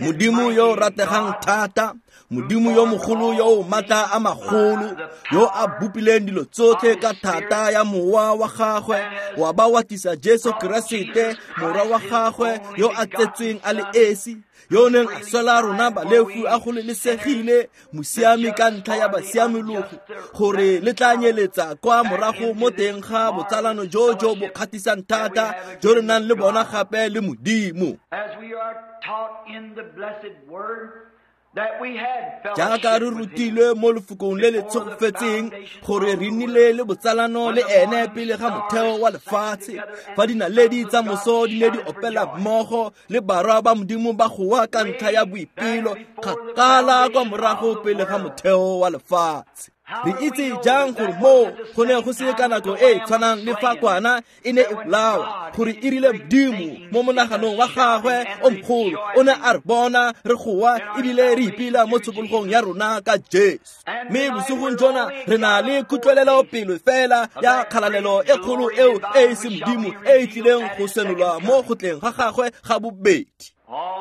Modimo yo rategang thata, Modimo yo mogolo yo o maatla a magolo, yo a bopileng dilo tsotlhe ka thata ya mowa wa gagwe, wa ba wa tlisa Jesu Keresete morwa wa gagwe yo a tsetsweng a le esi, yo o neng a swela rona balefu a gololesegile, mosiami ka ntlha ya basiamologo, gore le tla nyeletsa kwa morago mo teng ga botsalano jo jo bo kgatlhisang thata jo re nang le bona gape le Modimo. Jaaka re rutilwe mo lefokong le le tshegofetseng gore re nnile le botsalano le ene pele ga motheo wa lefatshe, fa dinaledi tsa moso di ne di opela mmogo le barwa ba Modimo ba goa ka ntlha ya boipelo kgakala kwa morago pele ga motheo wa lefatshe. Re itse jang gore moo go ne go se ka nako e e tshwanang le fa kwana e ne e bolawa, gore e rile Modimo mo monaganong wa gagwe o mogolo o ne a re bona re goa ebile re ipela mo tshokologong ya rona ka Jesu. Mme bosigong jona re na le kutlwelelo pelo fela ya kgalalelo e kgolo eo e e se Modimo e e tlileng go senolwa mo go tleng ga gagwe ga bobedi.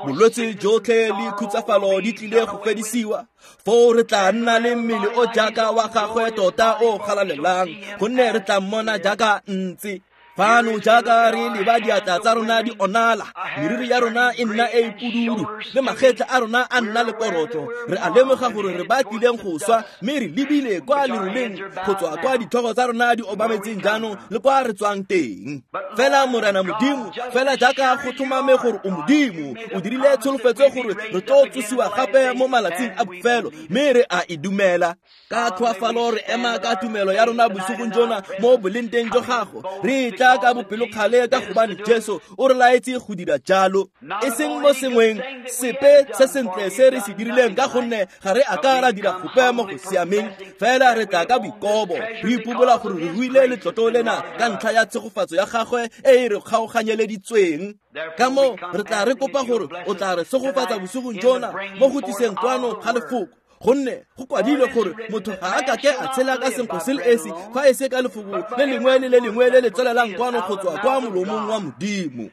Bolwetse jotlhe le khutsafalo di tlile go fedisiwa, foo re tla nna le mmele o jaaka wa gagwe tota o galalelang, gonne re tla mmona jaaka ntse. Fano jaaka re leba diatla tsa rona di onala, meriri ya rona e nna e e pududu, le magetla a rona a nna le korotlo, re a lemoga gore re ba tlileng go swa, mme re lebile kwa leroleng go tswa kwa ditlhogo tsa rona di obametseng jaanong le kwa re tswang teng. Fela Morena Modimo, fela jaaka go tlhomame gore o Modimo, o dirile tsholofetso gore re tlo tsosiwa gape mo malatsing a bofelo, mme re a e dumela. Ka tlhoafalo re ema ka tumelo ya rona bosigong jona mo boleng teng jwa gago, re tla ka bopelokgale ka gobane Jesu o re laetse go dira jalo, e seng mo sengweng sepe se sentle se re se dirileng, ka gonne ga re a ka ra dira gope mo go siameng, fela re tla ka boikobo re ipobola gore re ruile letlotlo lena ka ntlha ya tshegofatso ya gagwe e e re kgaoganyeleditsweng. Ka moo re tla re kopa gore o tla re segofatsa bosigong jona mo go tliseng kwano ga lefoko, gonne go kwadilwe gore motho ga a kake a tshela ka senkgwe se le esi fa e se ka lefoko le lengwe le le lengwe le le tswelelang kwano go tswa kwa molomong wa Modimo.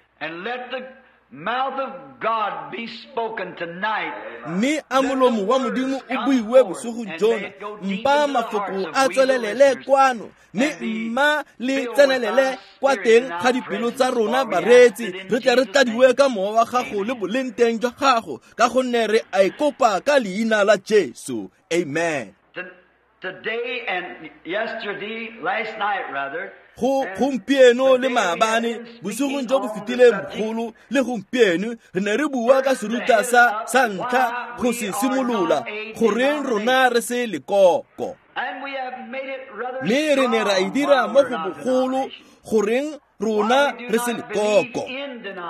Mme a molomo wa Modimo o buiwe bosigong jona, mpa mafoko a tswelelele kwano, mme mma le tsenelele kwa teng ga dipelo tsa rona bareetsi, re tle re tladiwe ka mowa wa gago le boleng teng jwa gago, ka gonne re a e kopa ka leina la Jesu. Amen. Today and yesterday, last night rather, go gompieno le maabane, bosigong jo bo fetileng bogolo le gompieno, re ne re bua ka seruta sa ntlha go se simolola, goreng rona re se lekoko. Mme re ne ra e dira mo go bogolo, goreng rona re se lekoko,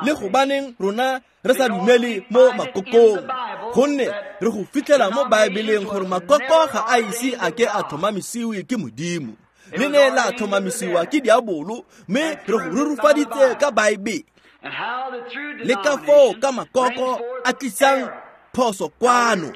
le gobaneng rona re sa dumele mo makokong, gonne re go fitlhela mo Baebeleng gore makoko ga a ise a ke a tlhomamisiwe ke Modimo, le ne la tlhomamisiwa ke diabolo, mme re go rurufaditse ka Baebele. Le ka foo ka makoko a tlisang phoso kwano.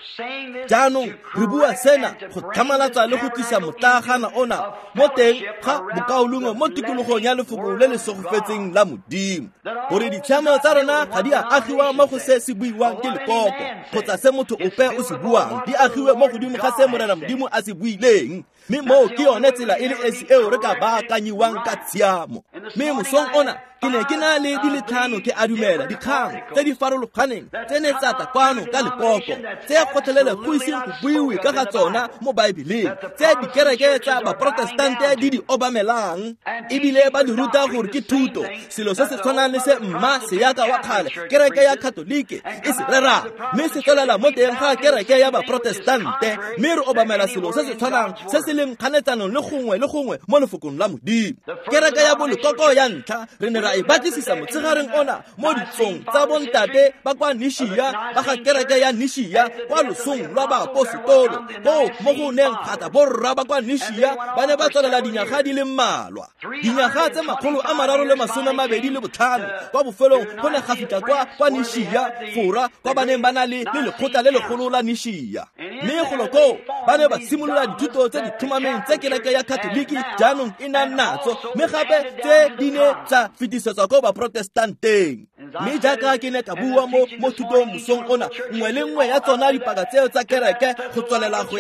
Jaanong re bua sena go tlhamalatsa le go tlisa motlagana ona mo teng ga bokaulengwe mo tikologong ya lefoko le le segofetseng la Modimo, gore ditshiamo tsa rona ga di a agiwa mo go se se buiwang ke lekoko kgotsa se motho ope o se buang, di agiwe mo godimo ga se Morena Modimo a se buileng. Mme moo ke yone tsela e le esi eo re ka baakanyiwang ka tshiamo. Mme mosong ona ke ne ke na le di le tlhano ke a dumela dikgang tse di farologaneng tse ne tsa tla kwano ka lekoko, tse gotlhelele go iseng go buiwe ka ga tsona mo Baebeleng, tse dikereke tsa baprotestante di di obamelang ebile ba di ruta gore ke thuto, selo se se tshwanang le se mma seyaka wa kgale kereke ya Katolike e se rerang, mme se tswelela mo teng ga kereke ya baprotestante, mme re obamela selo se se tshwanang se se leng kganetsanong le gongwe le gongwe mo lefokong la Modimo. Kereke ya bolekoko ya ntlha re ne ra e batlisisa motshegareng ona mo ditsong tsa bontate ba kwa Nishia, ba ga kereke ya Nishia kwa losong lwa baapostolo, koo mo go neng gata borra ba kwa Nishia ba ne ba tswelela dinyaga di le mmalwa, dinyaga tse 325. Kwa bofelong go ne ga fitlha kwa Nishia Fora, kwa ba neng ba na le lekgotla le legolo la Nishia, mme golo koo ba ne ba simolola dithuto tse di tlhomameng tse kereke ya Katoliki jaanong e nang natso, mme gape tse di ne tsa fetisetswa ko baprotestanteng. Mme jaaka ke ne ka bua mo thutong mosong ona, nngwe le nngwe ya tsona dipaka tseo tsa kereke go tswelela go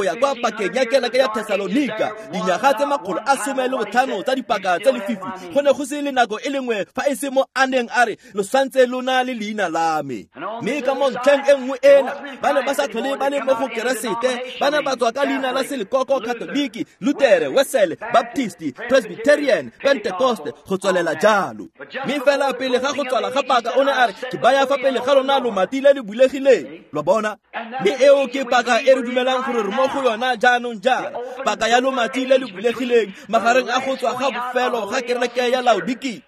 ya kwa pakeng ya kereke ya Thesalonika, dinyaga tse 115 tsa dipaka tse lefifi, go ne go se le nako e le nngwe fa e se mo a neng a re lo santse lona le leina la me. Mme ka mo ntlheng e nngwe ena ba ne ba sa tlhole ba le mo go Keresete, ba ne ba tswa ka leina la selekoko, Katoliki, Lutere, Wesele, Baptisti, Presbyterian, Pentecoste, go tswelela jalo. Mme fela pele ga go tswala ga paka o ne a re ke baya fa pele ga lona lomati le le bulegileng, lo bona. Mme eo ke paka e re dumelang gore re mo go yona jaanong jaana, paka ya lomati le le bulegileng magareng a go tswa ga bofelo ga kereke ya Laodikia.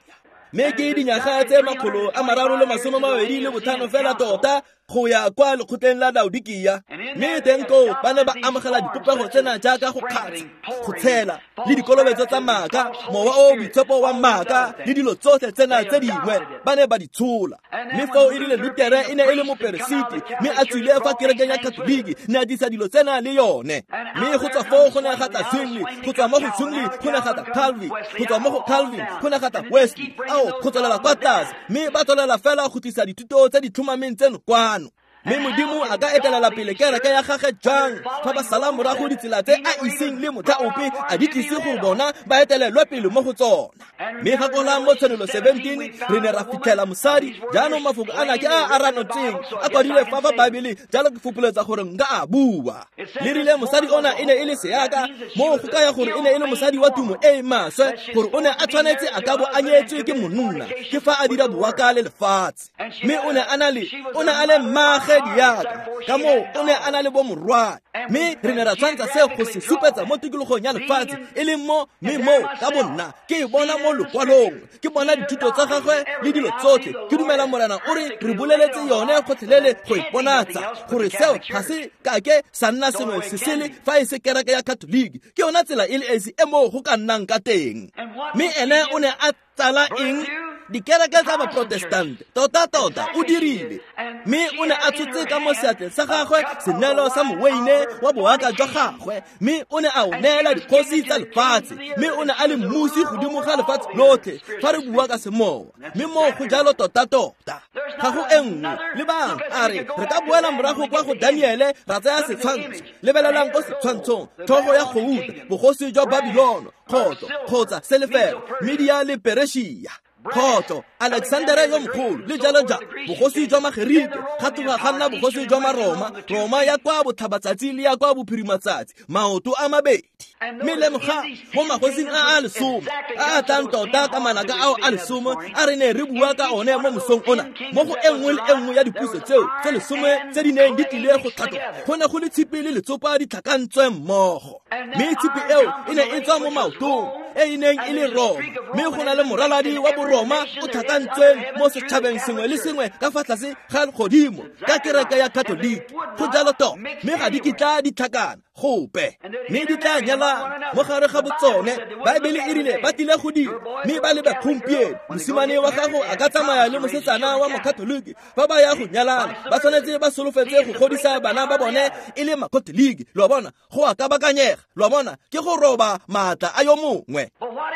Mme ke dinyaga tse 325 fela tota go ya kwa lekgotleng la Laodikia. Mme teng koo ba ne ba amogela dipopego tsena jaaka go kgatsha, go tshela, le dikolobetso tsa maaka, mowa o boitshepo wa maaka, le dilo tsotlhe tsena tse dingwe ba ne ba di tshola. Mme foo e rile Lutere e ne e le moperesiti, mme a tswile fa kerekeng ya Katoliki, ne a disa dilo tsena le yone. Mme go tswa foo go ne ga tla Zwingli, go tswa mo go Zwingli go ne ga tla Calvin, go tswa mo go Calvin go ne ga tla Wesley, ao go tswelela kwa tlase. Mme ba tswelela fela go tlisa dithuto tse di tlhomameng tseno kwano. Mme Modimo a ka etelela pele kereke ya gagwe jang fa ba sala morago ditsela tse a iseng le motlha ope a di tlise go bona ba etelelwe pele mo go tsona. Mme gakola mo Tshenolo 17 re ne ra fitlhela mosadi. Jaanong mafoko ana ke a a ranotseng a kwadilwe fa fa Baebele, jalo ke fopoletsa gore nka a bua. Le rile mosadi ona e ne e le seaka, mo go kaya gore e ne e le mosadi wa tumo e e maswe, gore o ne a tshwanetse a ka bo a nyetswe ke monna, ke fa a dira boaka le lefatshe. Mme o ne a na le mmagwe diaka, ka moo o ne a na le bomorwae. Mme re ne ra tshwantsha se go se supetsa mo tikologong ya lefatshe, e leng mo mme mo ka bonna ke e bona mo lokwalong, ke bona dithuto tsa gagwe le dilo tsotlhe. Ke dumela Morena o re re boleletse yone gotlhelele go iponatsa gore seo ga se kake sa nna sengwe se sele fa e se kereke ya Katoliki. Ke yona tsela e le esi e moo go ka nnang ka teng. Mme ene o ne a tsala eng? Dikereke tsa Baprotestante. Tota-tota o dirile. Mme o ne a tshotse ka mo seatleng sa gagwe senelo sa moweine wa boaka jwa gagwe, mme o ne a o neela dikgosi tsa lefatshe, mme o ne a le mmusi godimo ga lefatshe lotlhe fa re bua ka semowa. Mme moo go jalo tota-tota, ga go e nngwe. Lebang, a re re ka boela morago kwa go Daniele ra tsaya setshwantsho. Lebelelang ko setshwantshong, tlhogo ya gouta, bogosi jwa Babilono, kgotso kgotsa selefera, Media le Perešia, kgotso Alexandere yo mogolo le jalo jalo, bogosi jwa Magerike, ga tloga ga nna bogosi jwa Maroma, Roma ya kwa botlhabatsatsi le ya kwa bophirimatsatsi, maoto a mabedi. Mme lemoga mo magosing a a lesome a a tlang tota ka manaka ao a lesome a re ne re bua ka one mo mosong ona, mo go e nngwe le e nngwe ya dipuso tseo tse lesome tse di neng di tlile go tlhatloga, go ne go le tshipi le letsopa di tlhakantswe mmogo. Mme tshipi eo e ne e tswa mo maotong e e neng e le Roma, mme go na le moraladi wa Boroma o tlhakantsweng mo setšhabeng sengwe le sengwe ka fa tlase ga legodimo ka kereke ya Katoliki. Go jalo tota, mme ga di kitla di tlhakana gope, mme di tla nyalana mo gare ga botsone. Baebele e rile ba tlile go dira, mme ba lebe gompieno. Mosimane wa gago a ka tsamaya le mosetsana wa Mokatoliki fa ba ya go nyalana, ba tshwanetse ba solofetse go godisa bana ba bone e le Makatoliki. Lo bona, go a kabakanyega. Lo bona, ke go roba maatla a yo mongwe.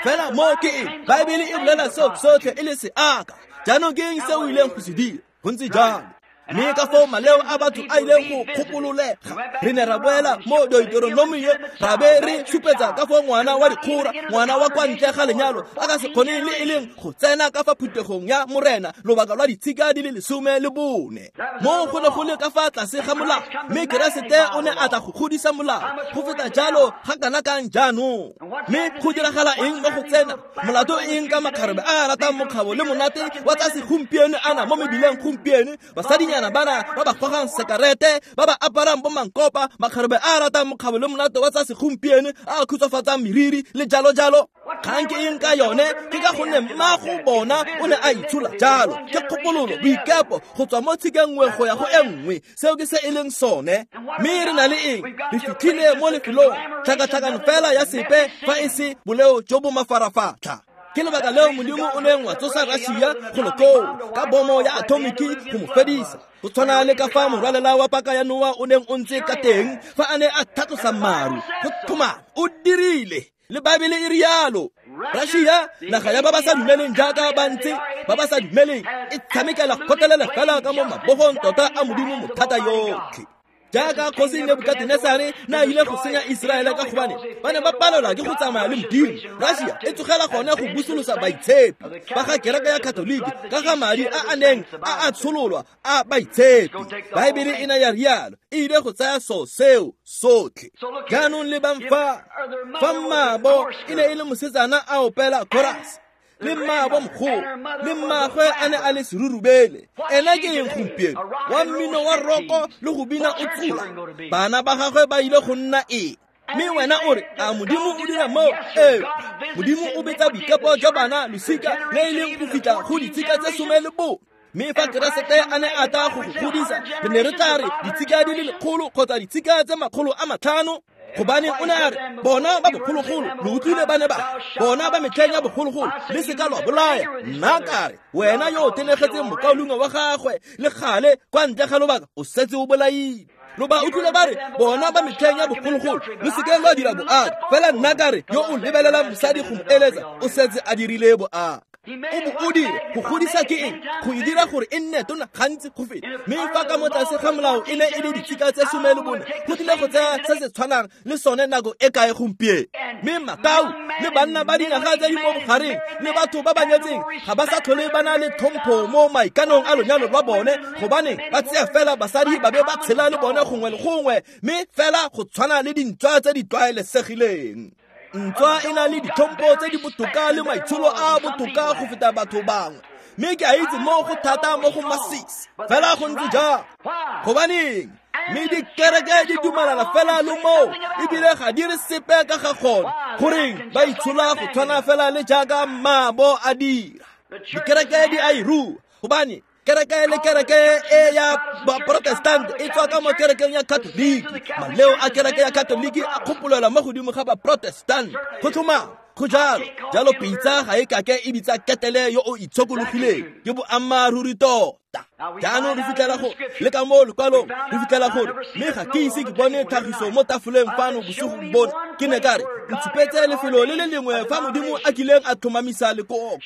Fela mo ke eng? Baebele e bolela seo sotlhe e le seaka. Jaanong ke eng se o ileng go se dira? Go ntse jalo. Mme ka foo maleo a batho a ileng go kgopololega, re ne ra boela mo Deuteronomio, ra be re supetsa ka foo ngwana wa dikgora, ngwana wa kwa ntle ga lenyalo, a ka se kgone le e leng go tsena ka fa phuthegong ya Morena lobaka lwa ditshika di le 14. Mo go ne go le ka fa tlase ga molao, mme Keresete o ne a tla go godisa molao go feta jalo ga kana kang jaanong. Mme go diragala eng mo go tsena? Molato eng ka makgarebe a a ratang mokgabo le monate wa tsa segompieno ana mo mebileng gompieno? Basadinyana bana ba ba gogang sekarete, ba ba aparang bo mankopa, makgarebe a ratang mokgabo le monate wa tsa segompieno a a khutshwafatsang meriri le jalo jalo. Kgang ke eng ka yone? Ke ka gonne mmago bona o ne a itshola jalo. Ke kgopololo, boikepo go tswa mo tshikeng nngwe go ya go e nngwe. Seo ke se e leng sone. Mme re na le eng? Re fitlhile mo lefelong tlhakatlhakano fela ya sepe fa e se boleo jo bo mafarafatlha. Ke lebaka leo Modimo o neng wa tsosa Russia go koo ka bomo ya atomiki go mo fedisa. Go tshwana le ka fa morwalela wa paka ya Noa o neng o ntse ka teng fa a ne a tlhatlosa maru. Go thoma o dirile. Le Baebele e rialo. Russia naga ya ba ba sa dumeleng jaaka ba ntse ba ba sa dumeleng e tshamekela kgotlelele fela ka mo mabogong tota a Modimo mothata yotlhe. Jaaka kgosi Nebukatenesare na ile go senya Iseraele ka gobane ba ne ba palelwa ke go tsamaya le Modimo. Russia e tsogela gone go busolosa baitshepi ba ga kereke ya Katoliki ka ga madi a a neng a a tshololwa a baitshepi. Baebele e ne ya rialo, e ile go tsaya so seo sotlhe. Jaanong lebang fa mmaabo e ne e le mosetsana a opela chorus, le mmaabo mogolo le mmaagwe a ne a le serurubele. Ena ke eng gompieno? Wa mmino wa roko le go bina o tsola. Bana ba gagwe ba ile go nna eng? Mme wena o re, a Modimo o dira moo? Ee, Modimo o betsa boikepo jwa bana losika le e leng go fitlha go ditshika tse 14. Mme fa Keresete a ne a tla go go godisa, re ne re tla re ditshika di le 100 kgotsa ditshika tse 500. Gobane o ne a re, bona ba bogologolo lo utlwile ba ne ba bona ba metlheng ya bogologolo le seka lwa bolaya. Nna ka re, wena yo o tenegetseng mokaulengwe wa gagwe le gale kwa ntle ga lobaka o setse o bolaile. Lo ba utlwile ba re, bona ba metlheng ya bogologolo lo seke lwa dira boaka. Fela nna ka re, yo o lebelelang mosadi go mo eletsa o setse a dirile boaka. O bo o dire go godisa ke eng? Go e dira gore e nne tona gantsi go feta. Mme fa ka mo tlase ga molao e ne e le ditshika tse 14, go tlile go tsaya se se tshwanang le sone nako e kae gompieno? Mme makau le banna ba dinaga tse di mo bogareng le batho ba ba nyetseng ga ba sa tlhole ba na le tlhompho mo maikanong a lonyalo lwa bone, gobane ba tseya fela basadi ba be ba tshela le bone gongwe le gongwe, mme fela go tshwana le dintswa tse di tlwaelesegileng. Ntswa e na le ditlhompho tse di botoka le maitsholo a botoka go feta batho bangwe, mme ke a itse mo go thata mo go masisi. Fela go ntse jang? Gobaneng? Mme dikereke di dumalana fela le moo, ebile ga di re sepe ka ga gone. Goreng ba itshola go tshwana fela le jaaka mmaabo a dira. Dikereke di a e rua, gobane kereke le kereke e ya Protestant e tswa ka mo kerekeng ya Katoliki. Maleo a kereke ya Katoliki a kgopolelwa mo godimo ga ba Protestant. Go tlhomama, go jalo. Jalo pitsa ga e kake e bitsa ketele yo o itshokologileng. Ke boammaaruri tota. Jaanong re fitlhela go le ka mo lekwalong re fitlhela gore, mme ga ke ise ke bone tlhagiso mo tafoleng fano bosigo bona. Ke ne ka re, ntshupetse lefelo le le lengwe fa Modimo a kileng a tlhomamisa lekoko.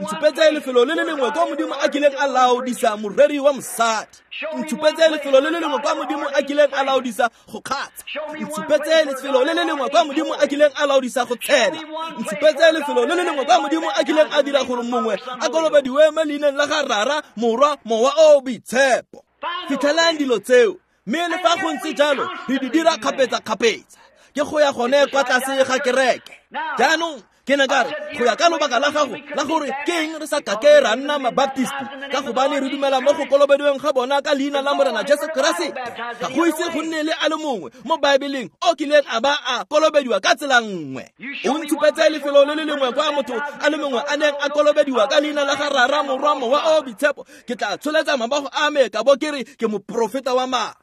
Ntshupetse lefelo le le lengwe kwa Modimo a kileng a laodisa moreri wa mosadi. Ntshupetse lefelo le le lengwe kwa Modimo a kileng a laodisa go kgatsha. Ntshupetse lefelo le le lengwe kwa Modimo a kileng a laodisa go tshela. Ntshupetse lefelo le le lengwe kwa Modimo a kileng a dira gore mongwe a kolobediwe mo leineng la ga Rara, Morwa, Mowa o Boitshepo. Fitlhelang dilo tseo, mme le fa go ntse jalo re di dira kgapetsa-kgapetsa. Ke go ya gone kwa tlase ga kereke. Jaanong ke ne ka re, go ya ka lobaka la gago la gore ke eng re sa kake ra nna mabaptisti, ka gobane re dumela mo go kolobediweng ga bona ka leina la Morena Jesu Keresete. Ga go ise go nne le a le mongwe mo Baebeleng o kileng a ba a kolobediwa ka tsela nngwe. O ntshupetse lefelo le le lengwe kwa motho a le mongwe a neng a kolobediwa ka leina la ga Rara, Morwa, Mowa o Boitshepo, ke tla tsholetsa mabogo a me ka bo ke re ke moprofeta wa maaka.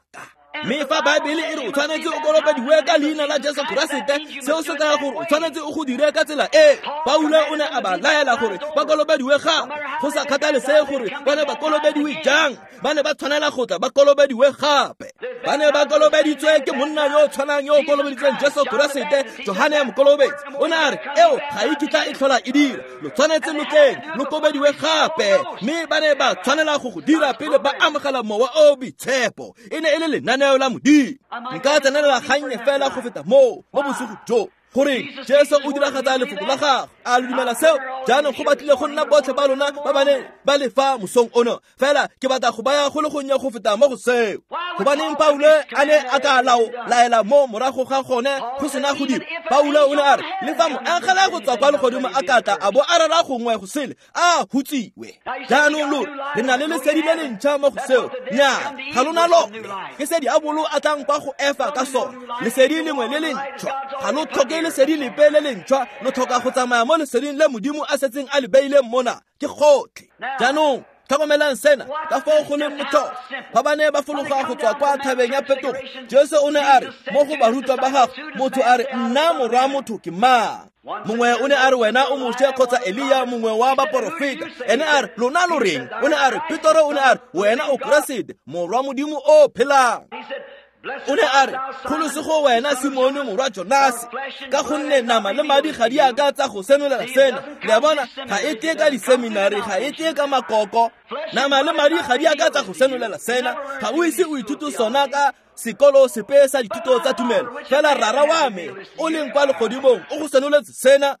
Mme fa Baebele e re o tshwanetse o kolobediwe ka leina la Jesu Keresete, seo se kaya gore o tshwanetse o go dire ka tsela e. Paulo o ne a ba laela gore ba kolobediwe gape, go sa kgathalesege gore ba ne ba kolobediwe jang, ba ne ba tshwanela go tla ba kolobediwe gape. Ba ne ba kolobeditswe ke monna yo o tshwanang yo o kolobeditsweng Jesu Keresete, Johane Mokolobetsi. O ne a re, eo ga e kitla e tlhola e dira, lo tshwanetse lo tleng lo kolobediwe gape. Mme ba ne ba tshwanela go go dira pele ba amogela Mowa o Boitshepo. E ne e le lenaneo la Modimo. Nka tsenelela gannye fela go feta moo mo bosigo jo, gore Jesu o diragatsa lefoko la gagwe. A lo dumela seo? Jaanong go batlile go nna botlhe ba lona ba ba neng ba le fa mosong ono, fela ke batla go baya go le gonnye go feta mo go seo. Gobaneng Paulo a ne a ka laela mo morago ga gone go sena go dira? Paulo o ne a re, le fa moangele go tswa kwa legodimo a ka tla a bo a rera gongwe go sele, a hutsiwe. Jaanong lo re na le lesedi le le ntšha mo go seo. Nnyaa, ga lona lone. Ke se diabolo a tlang kwa go Efa ka sone, lesedi lengwe le le ntšhwa. Ga lo tlhoke lesedi lepe le le ntšhwa, lo tlhoka go tsamaya mo leseding le Modimo a setseng a le beileng mona. Ke gotlhe. Jaanong tlhokomelang sena, ka foo go leng motlhofo. Fa ba ne ba fologa go tswa kwa thabeng ya Phetogo, Jesu o ne a re mo go barutwa ba gagwe, motho a re, nna morwa motho ke mang? Mongwe o ne a re, wena o Moshe kgotsa Elia, mongwe wa baporofeta. Ene a re, lona lo reng? O ne a re, Petoro o ne a re, wena o Keresete, morwa Modimo o phelang. O ne a re, kgolosego wena Simone morwa Jonase, ka gonne nama le madi ga di a ka tsa go senolela sena. Le a bona, ga e tle ka diseminari, ga e tle ka makoko. Nama le madi ga di a ka tsa go senolela sena. Ga o ise o ithute sona ka sekolo sepe sa dithuto tsa tumelo. Fela rara wa me o leng kwa legodimong o go senoletse sena.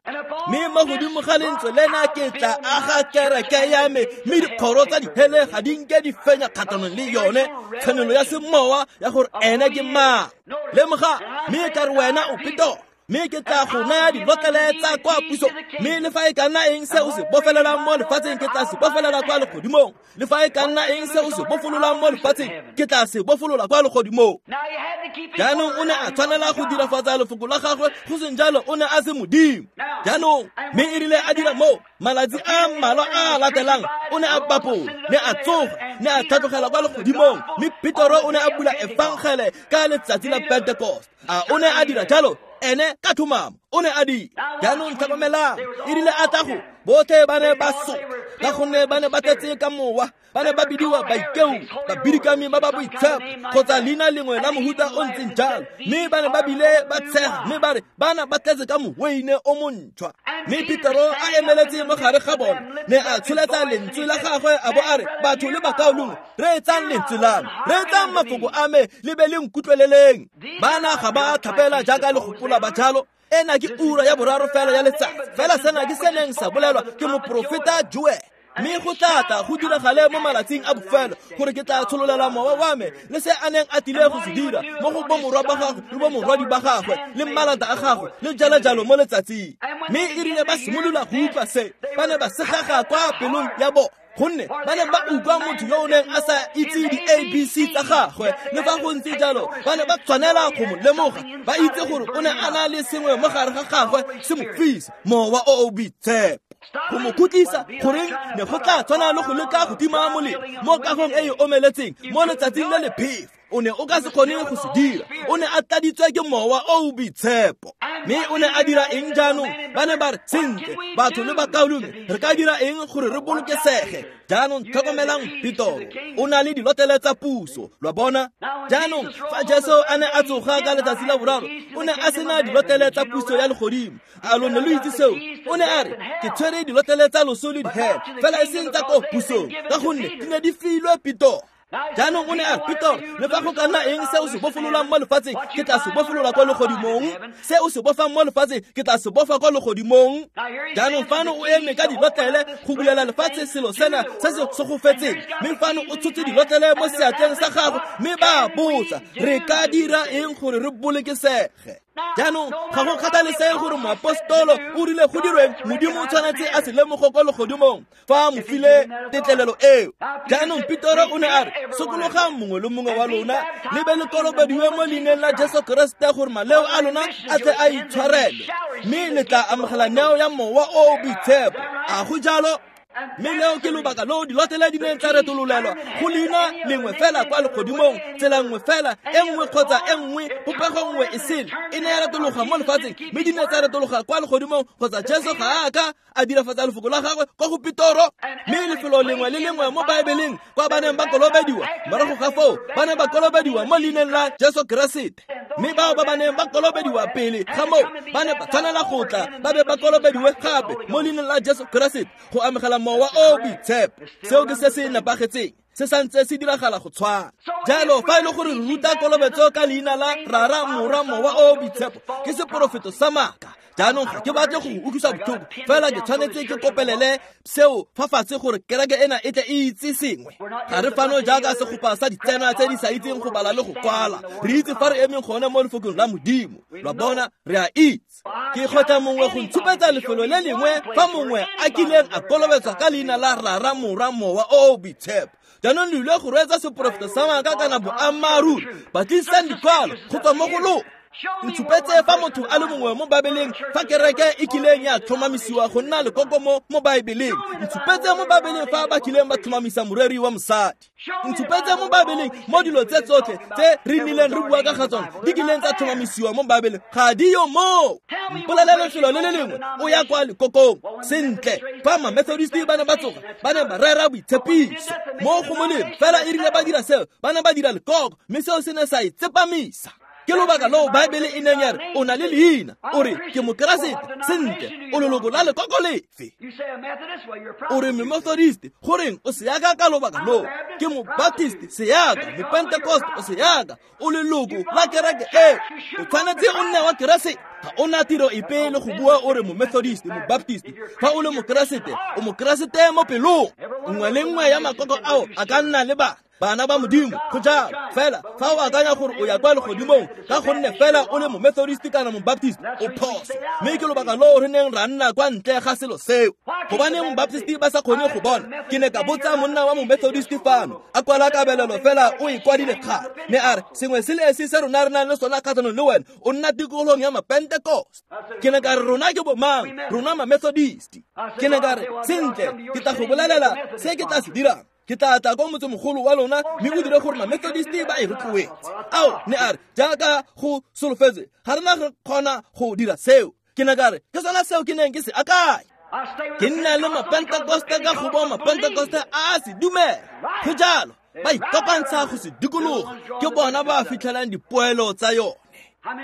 Mme mo godimo ga lentswe lena ke tla aga kereke ya me, mme dikgoro tsa dihele ga di nke di fenya kgatlhanong le yone. Tshenolo ya semowa ya gore ene ke mang. Lemoga, mme ka re wena o Petoro, mme ke tla go naya dilotlele tsa kwa puso. Mme le fa e ka nna eng se o se bofelelang mo lefatsheng, ke tla se bofelela kwa legodimong. Le fa e ka nna eng se o se bofololang mo lefatsheng, ke tla se bofolola kwa legodimong. Jaanong o ne a tshwanela go dirafatsa lefoko la gagwe, go seng jalo o ne a se Modimo. Jaanong mme e rile a dira moo, malatsi a mmalwa a latelang o ne a bapola, ne a tsoga, ne a tlhatlogela kwa legodimong. Mme Petoro o ne a bula efangele ka letsatsi la Pentecost. A o ne a dira jalo? Ene ka tlhomamo o ne a dira. Jaanong tlhokomelang, e rile a tla go, botlhe ba ne ba soka, ka gonne ba ne ba tletse ka mowa. Ba ne ba bidiwa baikeu, babidikami ba ba boitshepo, kgotsa leina lengwe la mohuta o ntseng jalo. Mme ba ne ba bile ba tshega, mme ba re bana ba tletse ka moweine o montšhwa. Mme Petero a emeletse mo gare ga bona, ne a tsholetsa lentswe la gagwe a bo a re, batho le bakaulengwe, reetsang lentswe la me, reetsang mafoko a me, le be le nkutlweleleng. Bana ga ba tlhapela jaaka le gopola ba jalo. Ena ke ura ya boraro fela ya letsatsi. Fela sena ke se neng sa bolelwa ke moprofeta Joel. Mme go tla tla go diragale mo malatsing a bofelo gore ke tla tshololela mowa wa me le se a neng a tlile go se dira mo go bomorwa ba gagwe le bomorwadi ba gagwe le malata a gagwe le jalo-jalo mo letsatsing. Mme e rile ba simolola go utlwa se, ba ne ba segaga kwa pelong ya bona, gonne ba ne ba utlwa motho yo o neng a sa itse di-ABC tsa gagwe. Le fa go ntse jalo, ba ne ba tshwanela go mo lemoga, ba itse gore o ne a na le sengwe mo gare ga gagwe se mo fisa, mowa o o boitshepo. Go mo khutlisa, goreng ne go tla tshwana le go leka go tima molelo mo kagong e e omeletseng mo letsatsing le le phefo. O ne o ka se kgone go se dira. O ne a tladitswe ke mowa o o boitshepo. Mme o ne a dira eng jaanong? Ba ne ba re, sentle, batho le bakaulengwe, re ka dira eng gore re bolokesege? Jaanong tlhokomelang Petoro, o na le dilotlele tsa puso, lwa bona. Jaanong fa Jesu a ne a tsoga ka letsatsi la boraro, o ne a sena dilotlele tsa puso ya legodimo. A lo ne lo itse seo? O ne a re, ke tshwere dilotlele tsa loso le dihele, fela e seng tsa ko pusong, ka gonne di ne di filwe Petoro. Jaanong o ne a re, Petoro, le fa go ka nna eng se o se bofololang mo lefatsheng, ke tla se bofolola kwa legodimong. Se o se bofang mo lefatsheng, ke tla se bofa kwa legodimong. Jaanong fano o eme ka dilotlele go bulela lefatshe selo sena se se segofetseng. Mme fano o tshotse dilotlele mo seatleng sa gagwe, mme ba botsa, re ka dira eng gore re bolokesege? Jaanong ga go kgathalesege gore moapostolo o rile go dirweng, Modimo o tshwanetse a se lemoge kwa legodimong fa a mo file tetlelelo eo. Jaanong Petoro o ne a re, sokologang mongwe le mongwe wa lona, le be le kolobediwe mo leineng la Jesu Keresete gore maleo a lona a tle a itshwarelwe, mme le tla amogela neo ya mowa o o boitshepo. A go jalo? Mme leo ke lobaka loo dilotlele di neng tsa retololelwa go leina lengwe fela kwa legodimong, tsela nngwe fela, e nngwe kgotsa e nngwe, popego nngwe e sele e ne ya retologa mo lefatsheng, mme di ne tsa retologa kwa legodimong, kgotsa Jesu ga a ka a dirafatsa lefoko la gagwe kwa go Petoro. Mme lefelo lengwe le lengwe mo Baebeleng kwa ba neng ba kolobediwa, morago ga foo ba ne ba kolobediwa mo leineng la Jesu Keresete. Mme bao ba ba neng ba kolobediwa pele ga moo ba ne ba tshwanela go tla ba be ba kolobediwe gape mo leineng la Jesu Keresete go amogela mowa o boitshepo. Seo ke se se nepagetseng, se santse se diragala go tshwana. Jalo fa e le gore re ruta kolobetso ka leina la Rara, Morwa, Mowa o boitshepo, ke seporofeto sa maaka. Jaanong ga ke batle go utlwisa botlhoko, fela ke tshwanetse ke kopelele seo fa fatshe gore kereke ena e tle e itse sengwe. Ga re fano jaaka segopa sa ditsena tse di sa itseng go bala le go kwala. Re itse fa re emeng gone mo lefokong la Modimo. Lwa bona, re a itse. Ke kgotla mongwe go ntshupetsa lefelo le lengwe fa mongwe a kileng a kolobetswa ka leina la Rara, Morwa, Mowa o o boitshepo. Jaanong le ile go reetsa seporofeto sa maaka kana boammaaruri. Batlisisang dikwalo go tswa mo go lona. Ntshupetse fa motho a le mongwe mo Baebeleng fa kereke e kileng ya tlhomamisiwa go nna lekoko mo Baebeleng. Ntshupetse mo Baebeleng fa ba kileng ba tlhomamisa moreri wa mosadi. Ntshupetse mo Baebeleng mo dilo tse tsotlhe tse re nnileng re bua ka ga tsone di kileng tsa tlhomamisiwa mo Baebeleng, ga di yo moo. Mpolelele lefelo le le lengwe o ya kwa lekokong. Sentle, fa ma-Methodist ba ne ba tsoga, ba ne ba rera boitshepiso mo go molemo, fela e rile ba dira seo, ba ne ba dira lekoko, mme seo se ne sa e tsepamisa. Ke lobaka loo Baebele e neng ya re o na le leina, o re ke Mokeresete. Sentle, o leloko la lekoko lefe? O re Momethodist, goreng o seaka ka lobaka loo? Ke Mobaptist, seaka. Mopentecost, o seaka. O leloko la kereke e, o tshwanetse o nne wa Keresete. Ga o na tiro epe le go bua o re Momethodist, Mobaptist. Fa o le Mokeresete, o Mokeresete mo pelong. Nngwe le nngwe ya makoko ao a ka nna le bana ba Modimo, go jalo. Fela fa o akanya gore o ya kwa legodimong ka gonne fela o le Momethodist kana Mobaptist, o phoso. Mme ke lobaka loo re neng ra nna kwa ntle ga selo seo. Gobaneng Mobaptist ba sa kgone go bona? Ke ne ka botsa monna wa Momethodist fano, a kwala kabelelo fela o e kwadile kgale, mme a re sengwe se le esi se rona re nang le sona kgatlhanong le wena, o nna tikologong ya Mapentecost. Ke ne ka re rona ke bomang? Rona Mamethodist. Ke ne ka re sentle, ke tla go bolelela se ke tla se dirang. Ke tla tla kwa motsemogolo wa lona mme o dire gore Mamethodist ba e rotloetse. Ao, ne a re jaaka go solofetswe, ga rena re kgona go dira seo. Ke ne ka re ke sona seo ke neng ke se akanya. Ke nna le Mapentecoste ka go bo Mapentecoste a se dumela. Go jalo, ba ikopantsha go se dikologa, ke bona ba fitlhelang dipoelo tsa yone.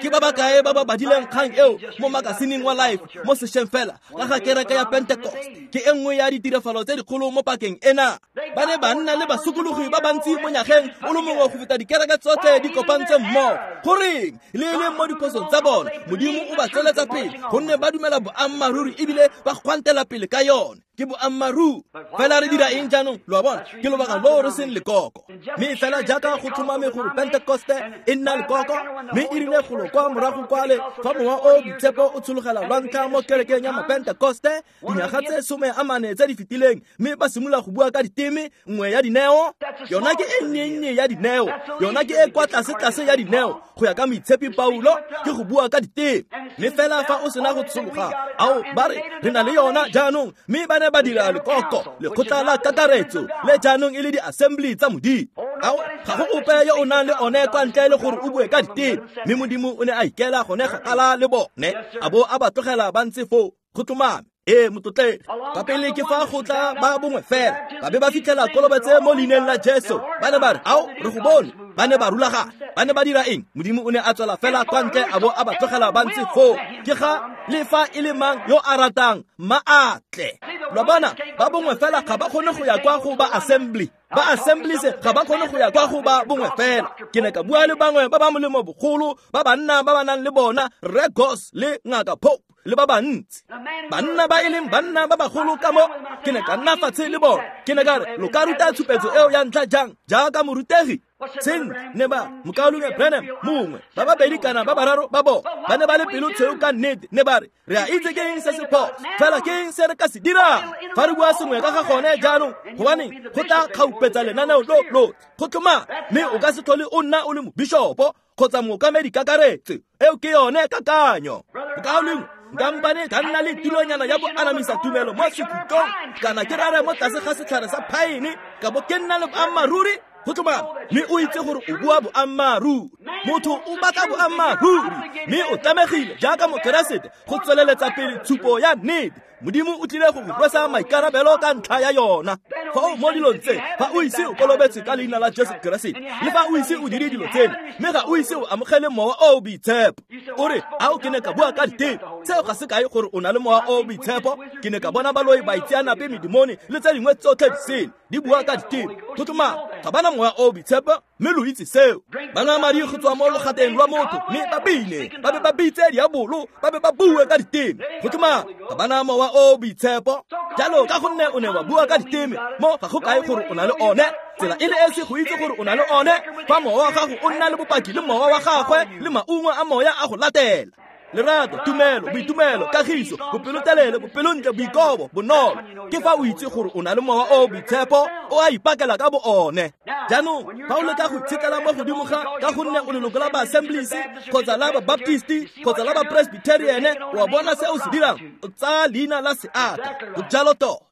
Ke ba bakae ba ba badileng kgang eo mo makasineng wa Life mo sešweng fela ka ga kereke ya Pentecost? Ke e nngwe ya ditirafalo tse dikgolo mo pakeng ena. Ba ne ba nna le basokologi ba bantsi mo nyageng o le mongwe go feta dikereke tsotlhe di kopantse mmogo. Goreng le e leng mo diphosong tsa bona, Modimo o ba tsweletsa pele gonne ba dumela boammaaruri ebile ba gwantela pele ka yone. Ke boammaaruri. Fela re dira eng jaanong? Lo a bona, ke lobaka loo re seng lekoko. Mme fela jaaka go tlhomame gore Pentecoste e nna lekoko, mme e rile golo kwa morago kwale fa mowa o boitshepo o tshologela lwa ntlha mo kerekeng ya Mapentecoste dinyaga tse 14 tse di fetileng, mme ba simolola go bua ka diteme, nngwe ya dineo, yona ke e nnye-nnye ya dineo, yona ke e kwa tlase-tlase ya dineo, go ya ka moitshepi Paulo, ke go bua ka diteme. Mme fela fa o sena go tshologa, ao, ba re re na le yona jaanong, mme ba ne ba dira lekoko, lekgotla la kakaretso, le jaanong e le di-assembly tsa Modimo. Ao, ga go ope yo o nang le one kwa ntle le gore o bue ka diteme. Mme Modimo o ne a ikela gone kgakala le bone, a bo a ba tlogela ba ntse foo. Go tlhomame. Ee, motlotlegi. Ka pele ke fa go tla ba bongwe fela, ba be ba fitlhela kolobetse mo leineng la Jesu. Ba ne ba re, ao, re go bone. Ba ne ba rulagana. Ba ne ba dira eng? Modimo o ne a tswela fela kwa ntle a bo a ba tlogela ba ntse foo. Ke ga le fa e le mang yo a ratang, mma a tle. Lo bona, ba bongwe fela ga ba kgone go ya kwa go ba assembly. Ba assemblies ga ba kgone go ya kwa go ba bongwe fela. Ke ne ka bua le bangwe ba ba molemo bogolo, ba banna ba ba nang le bona, Rre Goss le Ngaka Pope le ba bantsi, banna ba e leng banna ba bagolo ka mo. Ke ne ka nna fatshe le bona. Ke ne ka re, lo ka ruta tshupetso eo ya ntlha jang jaaka morutegi? Sentle, ne ba mokaulengwe Branham mongwe, ba babedi kana ba bararo ba bona ba ne ba le pelo tshweu ka nnete. Ne ba re, re a itse ke eng se se phoso, fela ke eng se re ka se dirang fa re bua sengwe ka ga gone jaanong? Gobaneng go tla kgaupetsa lenaneo lo lotlhe. Go tlhomame, mme o ka se tlhole o nna o le mobishopo kgotsa mookamedi kakaretso. Eo ke yone kakanyo. Mokaulengwe, nka mpane ka nna le tironyana ya boanamisa tumelo mo sekhutlong, kana ke rare mo tlase ga setlhare sa phaene, ka bo ke nna le boammaaruri. Go tlhomame, mme o itse gore o bua boammaaruri. Motho o batla boammaaruri, mme o tlamegile jaaka Mokeresete go tsweleletsa pele tshupo ya nnete. Modimo o tlile go go rwesa maikarabelo ka ntlha ya yona. Fa o mo dilong tse, fa o ise o kolobetse ka leina la Jesu Keresete, le fa o ise o dire dilo tseno, mme ga o ise o amogele mowa o o boitshepo, o re, ao, ke ne ka bua ka diteme. Seo ga se kae gore o na le mowa o o boitshepo. Ke ne ka bona baloi, baitseanape, medimone le tse dingwe tsotlhe disele di bua ka diteme. Go tlhomame, ga bana mowa o o boitshepo, mme lo itse seo. Ba nwa madi go tswa mo logateng lwa motho, mme ba bine, ba be ba bitse diabolo, ba be ba bue ka diteme. Go tlhomame, ga bana mowa o o boitshepo. Jalo ka gonne o ne wa bua ka diteme, mo ga go kae gore o na le one. Tsela e le esi go itse gore o na le one, fa mowa wa gago o nna le bopaki le mowa wa gagwe le maungo a moya a go latela. Lerato, tumelo, boitumelo, kagiso, bopelotelele, bopelontle, boikobo, bonolo. Ke fa o itse gore o na le mowa o boitshepo o a ipakela ka bo one. Jaanong fa o leka go itshetlela mo godimo ga ka gonne o leloko la ba-Assemblies kgotsa la ba-Baptist kgotsa la ba-Presbyterian, o a bona se o se dirang, o tsaya leina la seaka. Go jalo tota.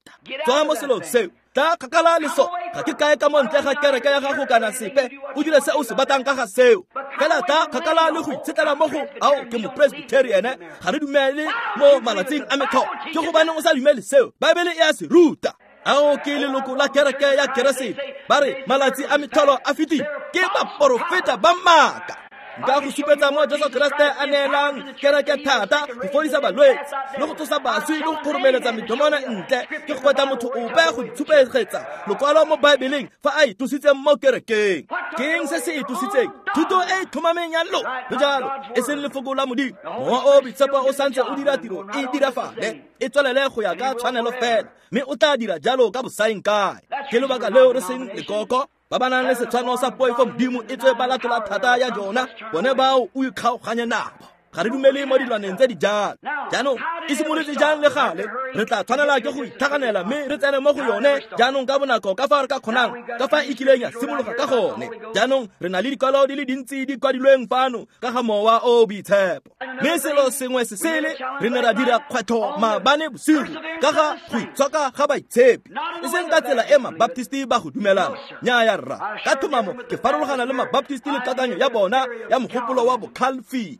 Tswa mo selong seo. Tla kgakala le so. Ga ke kae ka mo ntle ga kereke ya gago kana sepe, o dire se o se batlang ka ga seo. Fela tla kgakala le go itshetlela mo go ao ke mo-Presbyterian, ga re dumele mo malatsing a metlholo. Ke gobaneng o sa dumele seo? Baebele e a se ruta. Ao ke leloko la kereke ya Keresete. Ba re malatsi a metlholo a fetile. Ke baporofeta ba maaka. Nka go supetsa mo Jesu Kriste a neelang kereke thata go fodisa balwetse le go tsosa baswi le go kgoromeletsa medomona ntle. Ke go kweta motho ope go itshupegetsa lokwalo mo Baebeleng fa a itositseng mo kerekeng. Ke eng se se itositseng? Thuto e e tlhomameng ya lo le jalo, e seng lefoko la Modimo. Mowa o boitshepo o santse o dira tiro e dirafale, e tswelele go ya ka tshwanelo fela, mme o tla dira jalo ka bosaeng kae. Ke lobaka leo re seng lekoko ba ba nang le setshwano sa poifo Modimo e tswe ba latola thata ya jona, bone bao o ikgaoganye nabo. Ga re dumele mo dilwaneng tse di jalo. Jaanong e simolotse jang le gale? Re tla tshwanela ke go itlhaganela mme re tsene mo go yone jaanong ka bonako ka fa re ka kgonang, ka fa e kileng ya simologa ka gone. Jaanong re na le dikwalo di le dintsi di kwadilweng fano ka ga mowa o boitshepo. Mme selo sengwe se sele, re ne ra dira kgwetlho maabane bosigo ka ga go itshoka ga baitshepi, e seng ka tsela e mabaptisti ba go dumelang. Nnyaya rra, ka thomamo ke farologana le mabaptisti le kakanyo ya bona ya mogopolo wa boCalvin.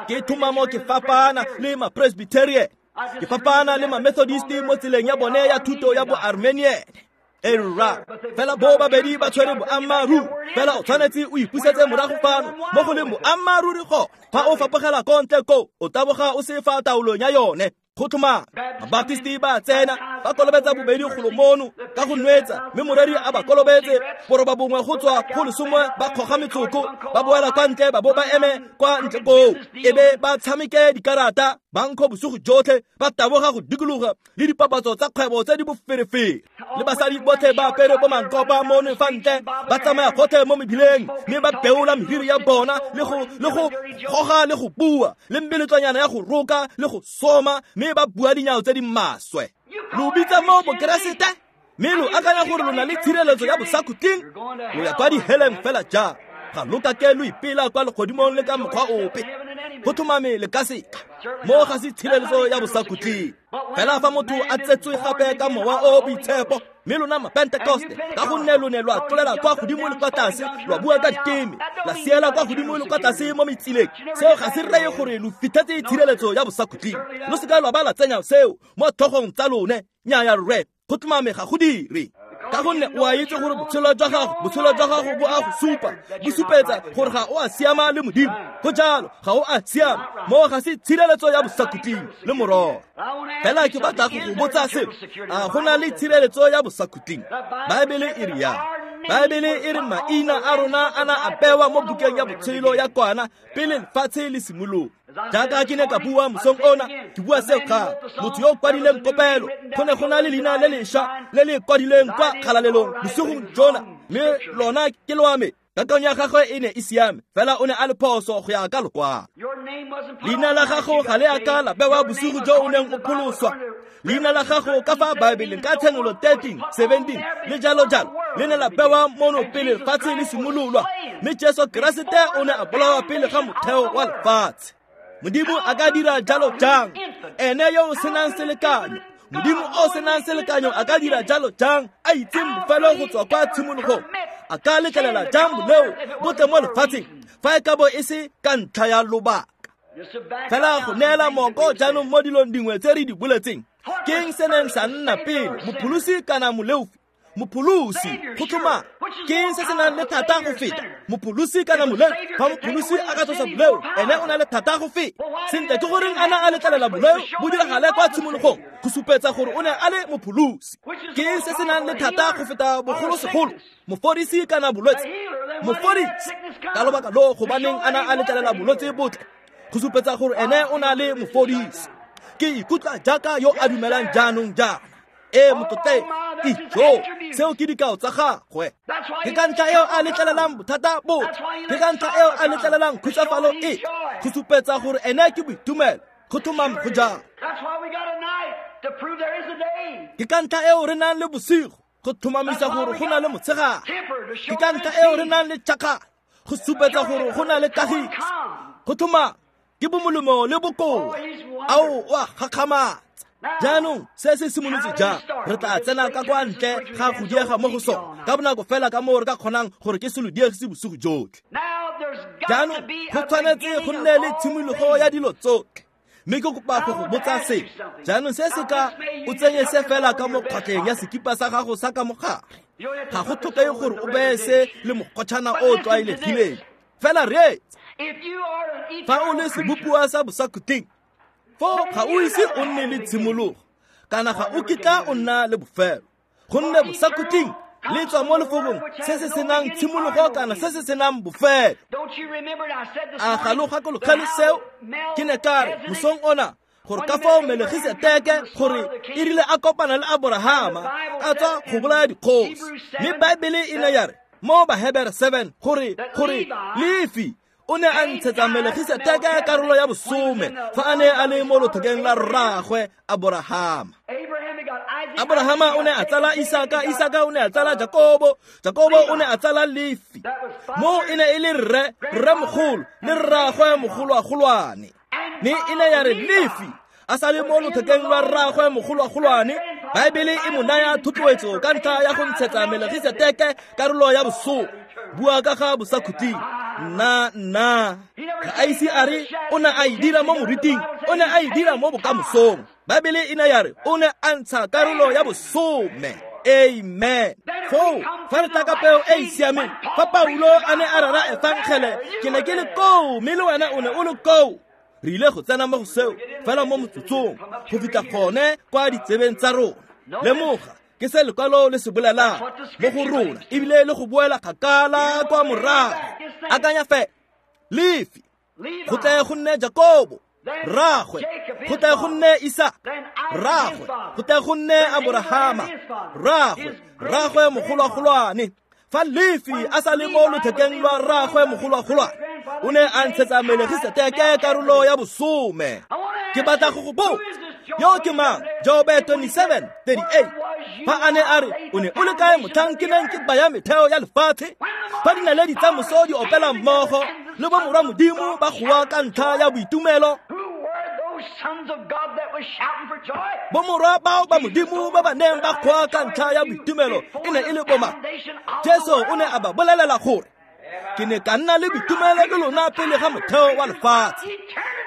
Ke thomamo ke fapana le ma-Presbyterian, ke fapana le ma-Methodist mo tseleng ya bone ya thuto ya bo-Armenian. E rra, fela bo babedi ba tshwere boammaaruri. Fela o tshwanetse o ipusetse morago fano mo go leng boammaaruri gone. Fa o fapogela ko ntle ko, o taboga o se fa taolong ya yone. Go tlhomama, Mabaptisti ba tsena, ba kolobetsa bobedi golo mono ka go nwetsa, mme moreri a ba kolobetse boroba bongwe go tswa go lesome, ba kgoga metsoko, ba boela kwa ntle, ba bo ba eme kwa ntle koo, e be ba tshameke dikarata, ba nkgo bosigo jotlhe, ba taboga go dikologa le dipapatso tsa kgwebo tse di boferefere. Le basadi botlhe ba apere bo mankopa mono fa ntle, ba tsamaya gotlhe mo mebileng, mme ba beola meriri ya bona le go goga le go bua, le mmeletlwanyana ya go roka le go soma, mme ba bua dinyao tse di maswe. Lo bitsa mo bokeresete, mme lo akanya gore lo na le tshireletso ya bosakhutleng? Lo ya kwa diheleng fela jang. Ga lo kake lo ipela kwa legodimong le ka mokgwa ope. Go tlhomame le ka seka. Mo ga se tshireletso ya bosakhutleng. Fela fa motho a tsetswe gape ka mowa o boitshepo, mme lona ma-Pentecoste, ka gonne lo ne lwa tlolela kwa godimo le kwa tlase, lwa bua ka diteme, la siela kwa godimo le kwa tlase mo metsileng, seo ga se reye gore lo fitlhetse tshireletso ya bosakhutleng. Lo seka lwa ba la tsenya seo mo tlhogong tsa lone. Nnyaya rre, go tlhomame ga go dire. Ka gonne o a itse gore botshelo jwa gago bo a go supa, bo supetsa gore ga o a siama le Modimo. Go jalo, ga o a siama. Mo ga se tshireletso ya bosakhutleng le mororo. Fela ke batla go go botsa seo, a go na le tshireletso ya bosakhutleng? Baebele e re yang? Baebele e re maina a rona a na a bewa mo bukeng ya botshelo ya kwana pele lefatshe le simologa. Jaaka ke ne ka bua mosong ona, ke bua seo gape. Motho yo o kwadileng kopelo, go ne go na le leina le lešwa le le kwadilweng kwa kgalalelong bosigong jona, mme lona ke lwa me. Kakanyo ya gagwe e ne e siame, fela o ne a le phoso go ya ka lokwalo. Leina la gago ga le a ka la bewa bosigo jo o neng o pholoswa. Leina la gago ka fa Baebeleng ka Tshenolo 13:17 le jalo jalo le ne la bewa mono pele lefatshe le simololwa, mme Jesu Keresete o ne a bolawa pele ga motheo wa lefatshe. Modimo a ka dira jalo jang? Ene yo o senang selekanyo, Modimo o senang selekanyo a ka dira jalo jang? A itseng bofelo go tswa kwa tshimologong, a ka letlelela jang boleo bo tle mo lefatsheng fa e ka bo e se ka ntlha ya lobaka? Fela go neela moko jaanong mo dilong dingwe tse re di boletseng, ke eng se neng sa nna pele, mopholosi kana moleofi? Mopholosi, go tlhomama. Ke eng se se nang le thata go feta, mopholosi kana moleo? Fa mopholosi a ka tlosa boleo, ene o na le thata go feta. Sentle, ke goreng a na a letlelela boleo bo diragale kwa tshimologong? Go supetsa gore o ne a le mopholosi. Ke eng se se nang le thata go feta bogolosegolo, mofodisi kana bolwetse? Mofodisi. Ka lobaka lo gobaneng a na a letlelela bolwetse botle? Go supetsa gore ene o na le mofodisi. Ke ikutlwa jaaka yo a dumelang jaanong jaana. E motlotle, ijo, seo ke dikao tsa gagwe. Ke ka ntlha eo a letlelelang bothata botlhe. Ke ka ntlha eo a letlelelang khutsafalo e. Go supetsa gore ene ke boitumelo. Go tlhomame go jalo. Ke ka ntlha eo re nang le bosigo go tlhomamisa gore go na le motshegare. Ke ka ntlha eo re nang le tšhakgalo go supetsa gore go na le kagiso. Go tlhomame ke bomolemo le bokoa. Ao o a gakgamatsa. Jaanong se se simolotse jang? Re tla tsena ka kwa ntle ga go diega mo go sone ka bonako fela ka moo re ka kgonang gore ke se lo diegise bosigo jotlhe. Jaanong go tshwanetse go nne le tshimologo ya dilo tsotlhe. Mme ke kopa go go botsa se. Jaanong se se ka o tsenye se fela ka mo kgwatlheng ya sekipa sa gago sa ka mogare. Ga go tlhokege gore o beye se le mokgotšhana o o tlwaelegileng. Fela reetsa. Fa o le sebopiwa sa bosakhutleng, foo ga o ise o nne le tshimologo, kana ga o kitla o nna le bofelo. Gonne bosakhutleng le tswa mo lefokong se se senang tshimologo kana se se senang bofelo. A ga lo gakologelwe seo? Ke ne ka re mosong ona gore ka fao Melkisedeke gore e rile a kopana le Aborahama a tswa go bolaya dikgosi. Mme Baebele e ne ya re mo Bahebere 7 gore Lefi o ne a ntshetsa Melkisedeke karolo ya bosome fa a ne a le mo lothekeng la rraagwe Aborahama. Aborahama o ne a tsala Isaka, Isaka o ne a tsala Jakobo, Jakobo o ne a tsala Lefi. Mo e ne e le rre, rremogolo le rraagwe mogolwagolwane. Mme e ne ya re Lefi a sa le mo lothekeng lwa rraagwe mogolwagolwane, Baebele e mo naya thotloetso ka ntlha ya go ntshetsa Melkisedeke karolo ya bosome. Bua ka ga bosakhutleng. Nna ga a ise a re o ne a e dira mo moriting, o ne a e dira mo bokamosong. Baebele e ne ya re o ne a ntsha karolo ya bosome. Amen. Foo fa re tla ka peo e e siameng, fa Paulo a ne a rera efangele, ke ne ke le koo mme le wena o ne o le koo. Re ile go tsena mo go seo fela mo motsotsong go fitlha gone kwa ditsebeng tsa rona. Lemoga ke se lekwalo le se bolelang mo go rona, ebile le go boela kgakala kwa morago. Akanya fela, Lefi go tle go nne Jakobo rraagwe, go tle go nne Isaka rraagwe, go tle go nne Aborahama rraagwe, rraagwe mogolwagolwane. Fa Lefi a sa le mo lothekeng lwa rraagwe mogolwagolwane, o ne a ntshetsa Melkisedeke karolo ya bosome. Ke batla go go botsa, yo ke mang? Jobe 27:38. Fa a ne a re o ne o le kae motlhang ke neng ke baya metheo ya lefatshe? Fa dinaledi tsa moso di opela mmogo le bomorwa Modimo ba goa ka ntlha ya boitumelo, bomorwa bao ba Modimo ba ba neng ba goa ka ntlha ya boitumelo e ne e le bomang? Jesu o ne a ba bolelela gore ke ne ka nna le boitumelo le lona pele ga motheo wa lefatshe.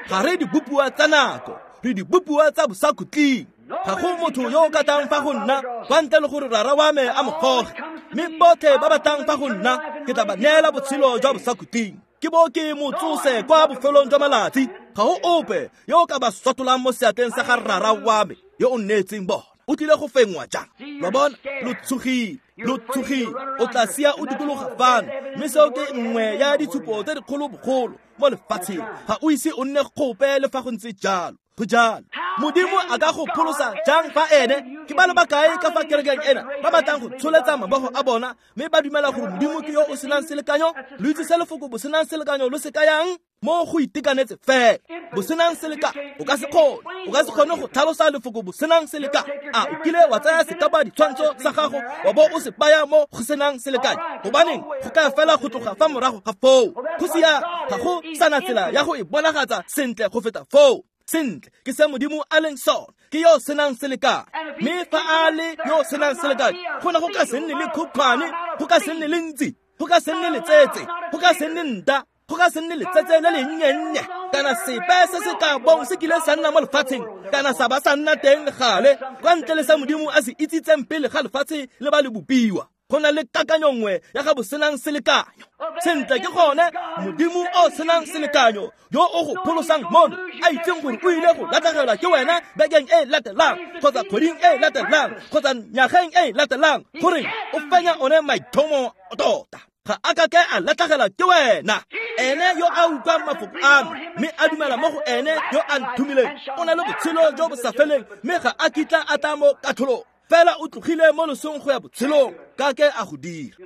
Ga re dibopiwa tsa nako, re dibopiwa tsa bosakhutleng. Ga go motho yo o ka tlang fa go nna kwa ntle le gore rara wa me a mo goge. Mme botlhe ba ba tlang fa go nna ke tla ba neela botshelo jwa bosakhutleng, ke bo ke mo tsose kwa bofelong jwa malatsi. Ga go ope yo o ka ba sotolang mo seatleng sa ga rara wa me yo o nneetseng bona. O tlile go fenngwa jang? Lo bona, lo tshogile, lo tshogile. O tla sia o dikologa fano, mme seo ke nngwe ya ditshupo tse dikgolo bogolo mo lefatsheng. Ga o ise o nne gope le fa go ntse jalo. Go jalo. Modimo a ka go pholosa jang fa ene? Ke ba le bakae ka fa kerekeng ena ba batlang go tsholetsa mabogo a bona mme ba dumela gore Modimo ke yo o senang selekanyo? Lo itse se lefoko bosenang selekanyo lo se kayang? Mo go itekanetse fela. Bosenang selekanyo o ka se kgone, o ka se kgone go tlhalosa lefoko bosenang selekanyo. A o kile wa tsaya sekapa ditshwantsho sa gago wa bo o se baya mo go senang selekanyo? Gobaneng go ka fela go tloga fa morago ga foo. Go sia ga go sana tsela ya go e bonagatsa sentle go feta foo. Sentle ke se Modimo a leng sone, ke yo senang selekanyo. Mme fa a le yo senang selekanyo, go ne go ka se nne le khukhwane, go ka se nne le ntsi, go ka se nne letsetse, go ka se nne nta, go ka se nne letsetse le lennye-nnye, kana sepe se se ka bong se kile sa nna mo lefatsheng, kana sa ba sa nna teng le gale, kwa ntle le sa Modimo a se itsitseng pele ga lefatshe le ba le bopiwa. Go na le kakanyo nngwe ya ga bosenang selekanyo. Sentle ke gone Modimo o senang selekanyo yo o go pholosang mono, a itseng gore o ile go latlhegelwa ke wena bekeng e latelang, kgotsa kgweding e latelang, kgotsa nyageng e latelang, gore o fenya one maitlhomo tota. Ga a ka ke a latlhegelwa ke wena. Ene yo a utlwang mafoko a me mme a dumela mo go ene yo a nthomileng, o na le botshelo jo bo sa feleng, mme ga a kitla a tla mo katlholong. Fela o tlogile mo losong go ya botshelong, ka ke a go dira.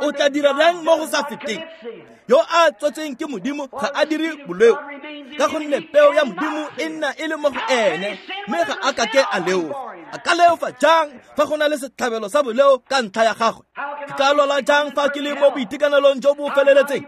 O tla dira bjang mo go sa feteng? Yo a tswetsweng ke Modimo ga a dire boleo, ka gonne peo ya Modimo e nna e le mo go ene, mme ga a kake a leofa. A ka leofa jang fa go na le setlhabelo sa boleo ka ntlha ya gagwe? Ke ka lwala jang fa ke le mo boitekanelong jo bo feleletseng?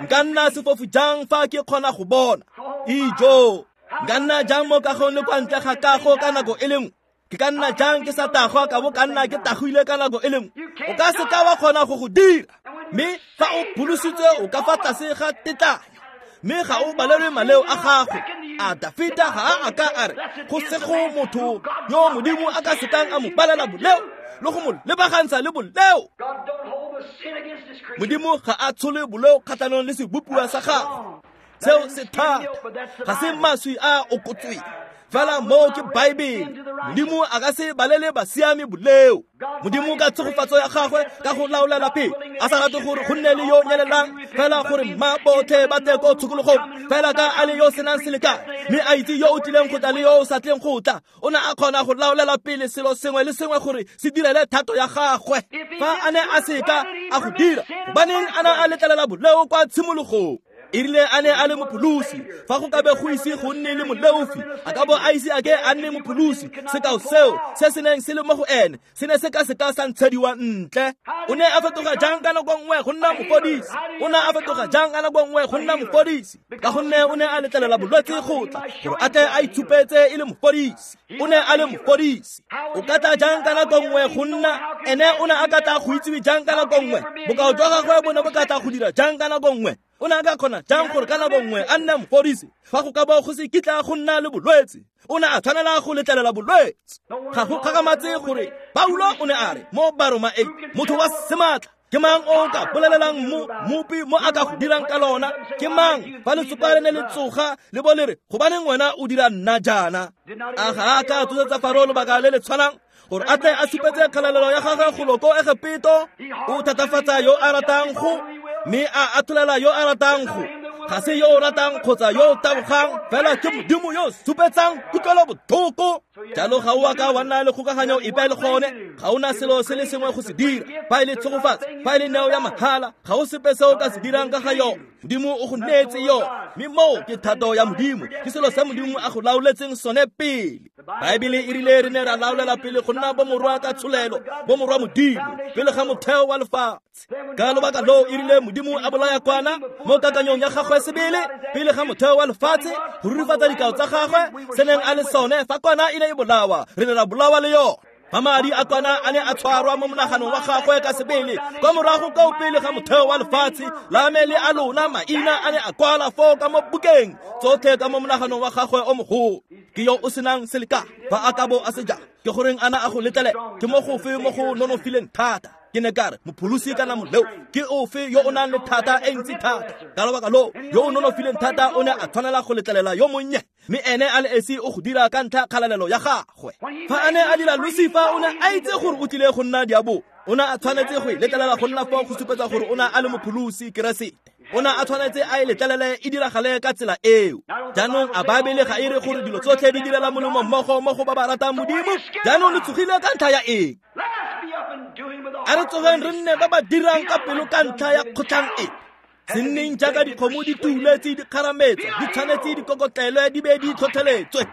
Nka nna sefofu jang fa ke kgona go bona? Ijo, nka nna jang mo kagong le kwa ntle ga kago ka nako e le nngwe? Ke ka nna jang ke sa tagwa ka bo ka nna ke tagwile ka nako e le nngwe? O ka se ka wa kgona go go dira. Mme fa o pholositswe o ka fa tlase ga tetlanyo, mme ga o balelwe maleo a gago. A Dafita ga a ka a re go sego motho yo Modimo a ka sekang a mo balela boleo le go mo lebagantsha le boleo? Modimo ga a tshole boleo kgatlhanong le sebopiwa sa gagwe. Seo se thata, ga se maswi a okotsweng fela, moo ke Baebele. Modimo a ka se balele basiami boleo. Modimo ka tshegofatso ya gagwe ka go laolela pele, a sa rate gore go nne le yo nyelelang, fela gore mma botlhe ba tle ko tshokologong, fela ka a le yo senang selekane, mme a itse yo o tlileng go tla le yo o sa tleng go tla, o ne a kgona go laolela pele selo sengwe le sengwe gore se direle thato ya gagwe. Fa a ne a seka a go dira, gobaneng a ne a letlelela boleo kwa tshimologong? E rile a ne a le mopholosi, fa go ka be go ise go nne le moleofi, a ka bo a ise a ke a nne mopholosi. Sekao seo se se neng se le mo go ene se ne se ka seka sa ntshediwa ntle. O ne a fetoga jang ka nako nngwe go nna mofodisi? O ne a fetoga jang ka nako nngwe go nna mofodisi? Ka gonne o ne a letlelela bolwetse go tla gore a tle a itshupetse e le mofodisi. O ne a le mofodisi. O ka tla jang ka nako nngwe go nna ene? O ne a ka tla go itsiwe jang ka nako nngwe? Bokao jwa gagwe bo ne bo ka tla go dira jang ka nako nngwe? O ne a ka kgona jang gore ka nako nngwe a nne mofodisi fa go ka bo go se kitla go nna le bolwetse? O ne a tshwanela go letlelela bolwetse. Ga go kgakamatse gore Paulo o ne a re mo Baroma 8, motho wa sematla ke mang o ka bolelelang mmopi mo a ka go dirang ka lona? Ke mang fa letsopa le ne le tsoga le bo le re, gobaneng wena o dira nna jaana? A ga a ka tsosetsa Faro lobaka le le tshwanang gore a tle a supetse kgalalelo ya gagwe golo ko Egepeto? O thatafatsa yo a ratang go, mme a atholela yo a ratang go. Ga se yo o ratang kgotsa yo o tabogang, fela ke Modimo yo o supetsang kutlwelo botlhoko. Jalo ga o a ka wa nna le kgokaganyo epe le gone. Ga o na selo se le sengwe go se dira. Fa e le tshegofatso, fa e le neo ya mahala, ga o sepe se o ka se dirang ka ga yone. Modimo o go neetse yone, mme moo ke thato ya Modimo, ke selo se Modimo a go laoletseng sone pele. Baebele e rile re ne ra laolela pele go nna bomorwa ka tsholelo, bomorwa Modimo, pele ga motheo wa lefatshe. Ka lobaka loo e rile Modimo a bolaya kwana mo kakanyong ya gagwe sebele pele ga motheo wa lefatshe go rurifatsa dikao tsa gagwe se neng a le sone. Fa kwana e ne e bolawa, re ne ra bolawa le yone. Fa madi a kwana a ne a tshwarwa mo monaganong wa gagwe ka sebele kwa morago kao pele ga motheo wa lefatshe, la me le a lona maina a ne a kwala foo ka mo bukeng tsotlhe ka mo monaganong wa gagwe o mogolo. Ke yo o senang seleka fa a ka bo a se jang? Ke goreng ana a go letlele? Ke mo gofe mo go nonofileng thata? Ke ne ka re, mopholosi kana moleo ke ofe yo o nang le thata e ntsi thata? Ka lobaka loo yo o nonofileng thata o ne a tshwanela go letlelela yo monnye, mme ene a le esi o go dira ka ntlha kgalalelo ya gagwe. Fa a ne a dira Lucifer, o ne a itse gore o tlile go nna diabolo. O ne a tshwanetse go e letlelela go nna foo go supetsa gore o ne a le mopholosi Keresete. O ne a tshwanetse a e letlelele e diragale ka tsela eo. Jaanong a Baebele ga e re gore dilo tsotlhe di direla molemo mmogo mo go ba ba ratang Modimo? Jaanong le tsogile ka ntlha ya eng? A re tsogeng re nne ba ba dirang ka pelo ka ntlha ya kgotlhang e. Se nneng jaaka dikgomo di tuletse di kgarametswa, di tshwanetse di kokotlelwe di be di tlhotlheletswe,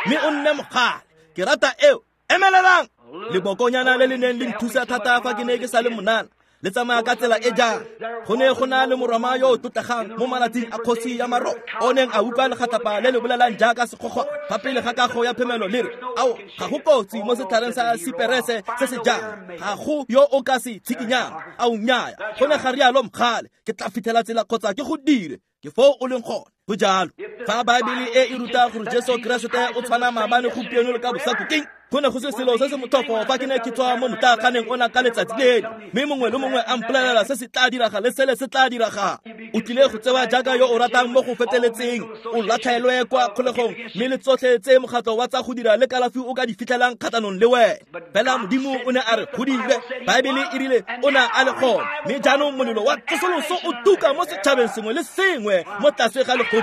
mme o nne mogale. Ke rata eo. Emelelang! Lebokonyana le le neng le nthusa thata fa ke ne ke sa le monana, le tsamaya ka tsela e jang. Go ne go na le moroma yo o tlotlegang mo malatsing a kgosi ya Maro, o neng a utlwa legatlapa le le bolelang jaaka sekgogwa fa pele ga kago ya phemelo le re, ao, ga go kotsi mo setlhareng sa siperese se se jang, ga go yo o ka se tshikinyang. Ao nnyaya, go ne ga rialo mogale, ke tla fitlhela tsela kgotsa ke go dire. Ke foo o leng gone. Go jalo. Fa Baebele e e ruta gore Jesu Keresete o tshwana maabane, gompieno le ka bosakhutleng, go ne go se selo se se motlhofo fa ke ne ke tswa mo motlaaganeng ona ka letsatsi lele, mme mongwe le mongwe a mpolelela se se tla diraga le sele se tla diraga. O tlile go tsewa jaaka yo o ratang mo go feteletseng, o latlhelwe kwa kgolegong, mme le tsotlhe tse mokgatlho wa tsa go dira le kalafi o ka di fitlhelang kgatlhanong le wena. Fela Modimo o ne a re go dire. Baebele e rile o ne a le gone, mme jaanong molelo wa tsosoloso o tuka mo setšhabeng sengwe le sengwe mo tlase ga legodimo.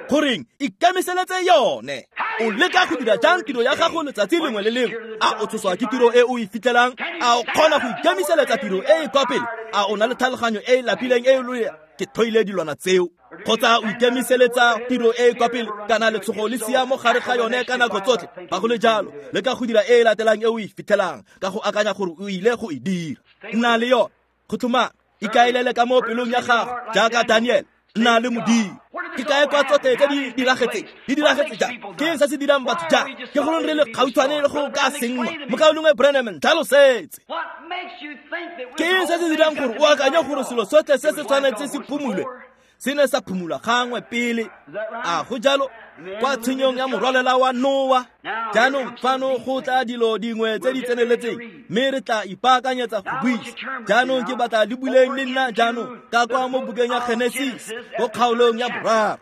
Goreng ikemiseletse yone? O leka go dira jang tiro ya gago letsatsi lengwe le lengwe? A o tshoswa ke tiro e o e fitlhelang? A o kgona go ikemiseletsa tiro e e kwa pele? A o na le tlhaloganyo e e lapileng e e loya? Ke thoile dilwana tseo. Kgotsa o ikemiseletsa tiro e e kwa pele kana letshogo le sia mo gare ga yone ka nako tsotlhe? Fa go le jalo, leka go dira e e latelang e o e fitlhelang ka go akanya gore o ile go e dira. Nna le yone, go tlhomame, ikaelele ka mo pelong ya gago jaaka Daniel. Nna le Modimo. Ke kae kwa tsotlhe tse di diragetseng? Di diragetse jang? Ke eng se se dirang batho jang? Ke goreng re le gautshwane le go ka senngwa? Mokaulengwe Branham, tlhalosetse. Ke eng se se dirang gore o akanye gore selo sotlhe se se tshwanetse se phumulwe se ne sa phumulwa gangwe pele? A go jalo? Kwa tshenyong ya morwalela wa Noa. Jaanong fano go tla dilo dingwe tse di tseneletseng, mme re tla ipaakanyetsa go buisa. Jaanong ke batla le buleng le nna jaanong ka kwa mo bukeng ya Genesis mo kgaolong ya 3.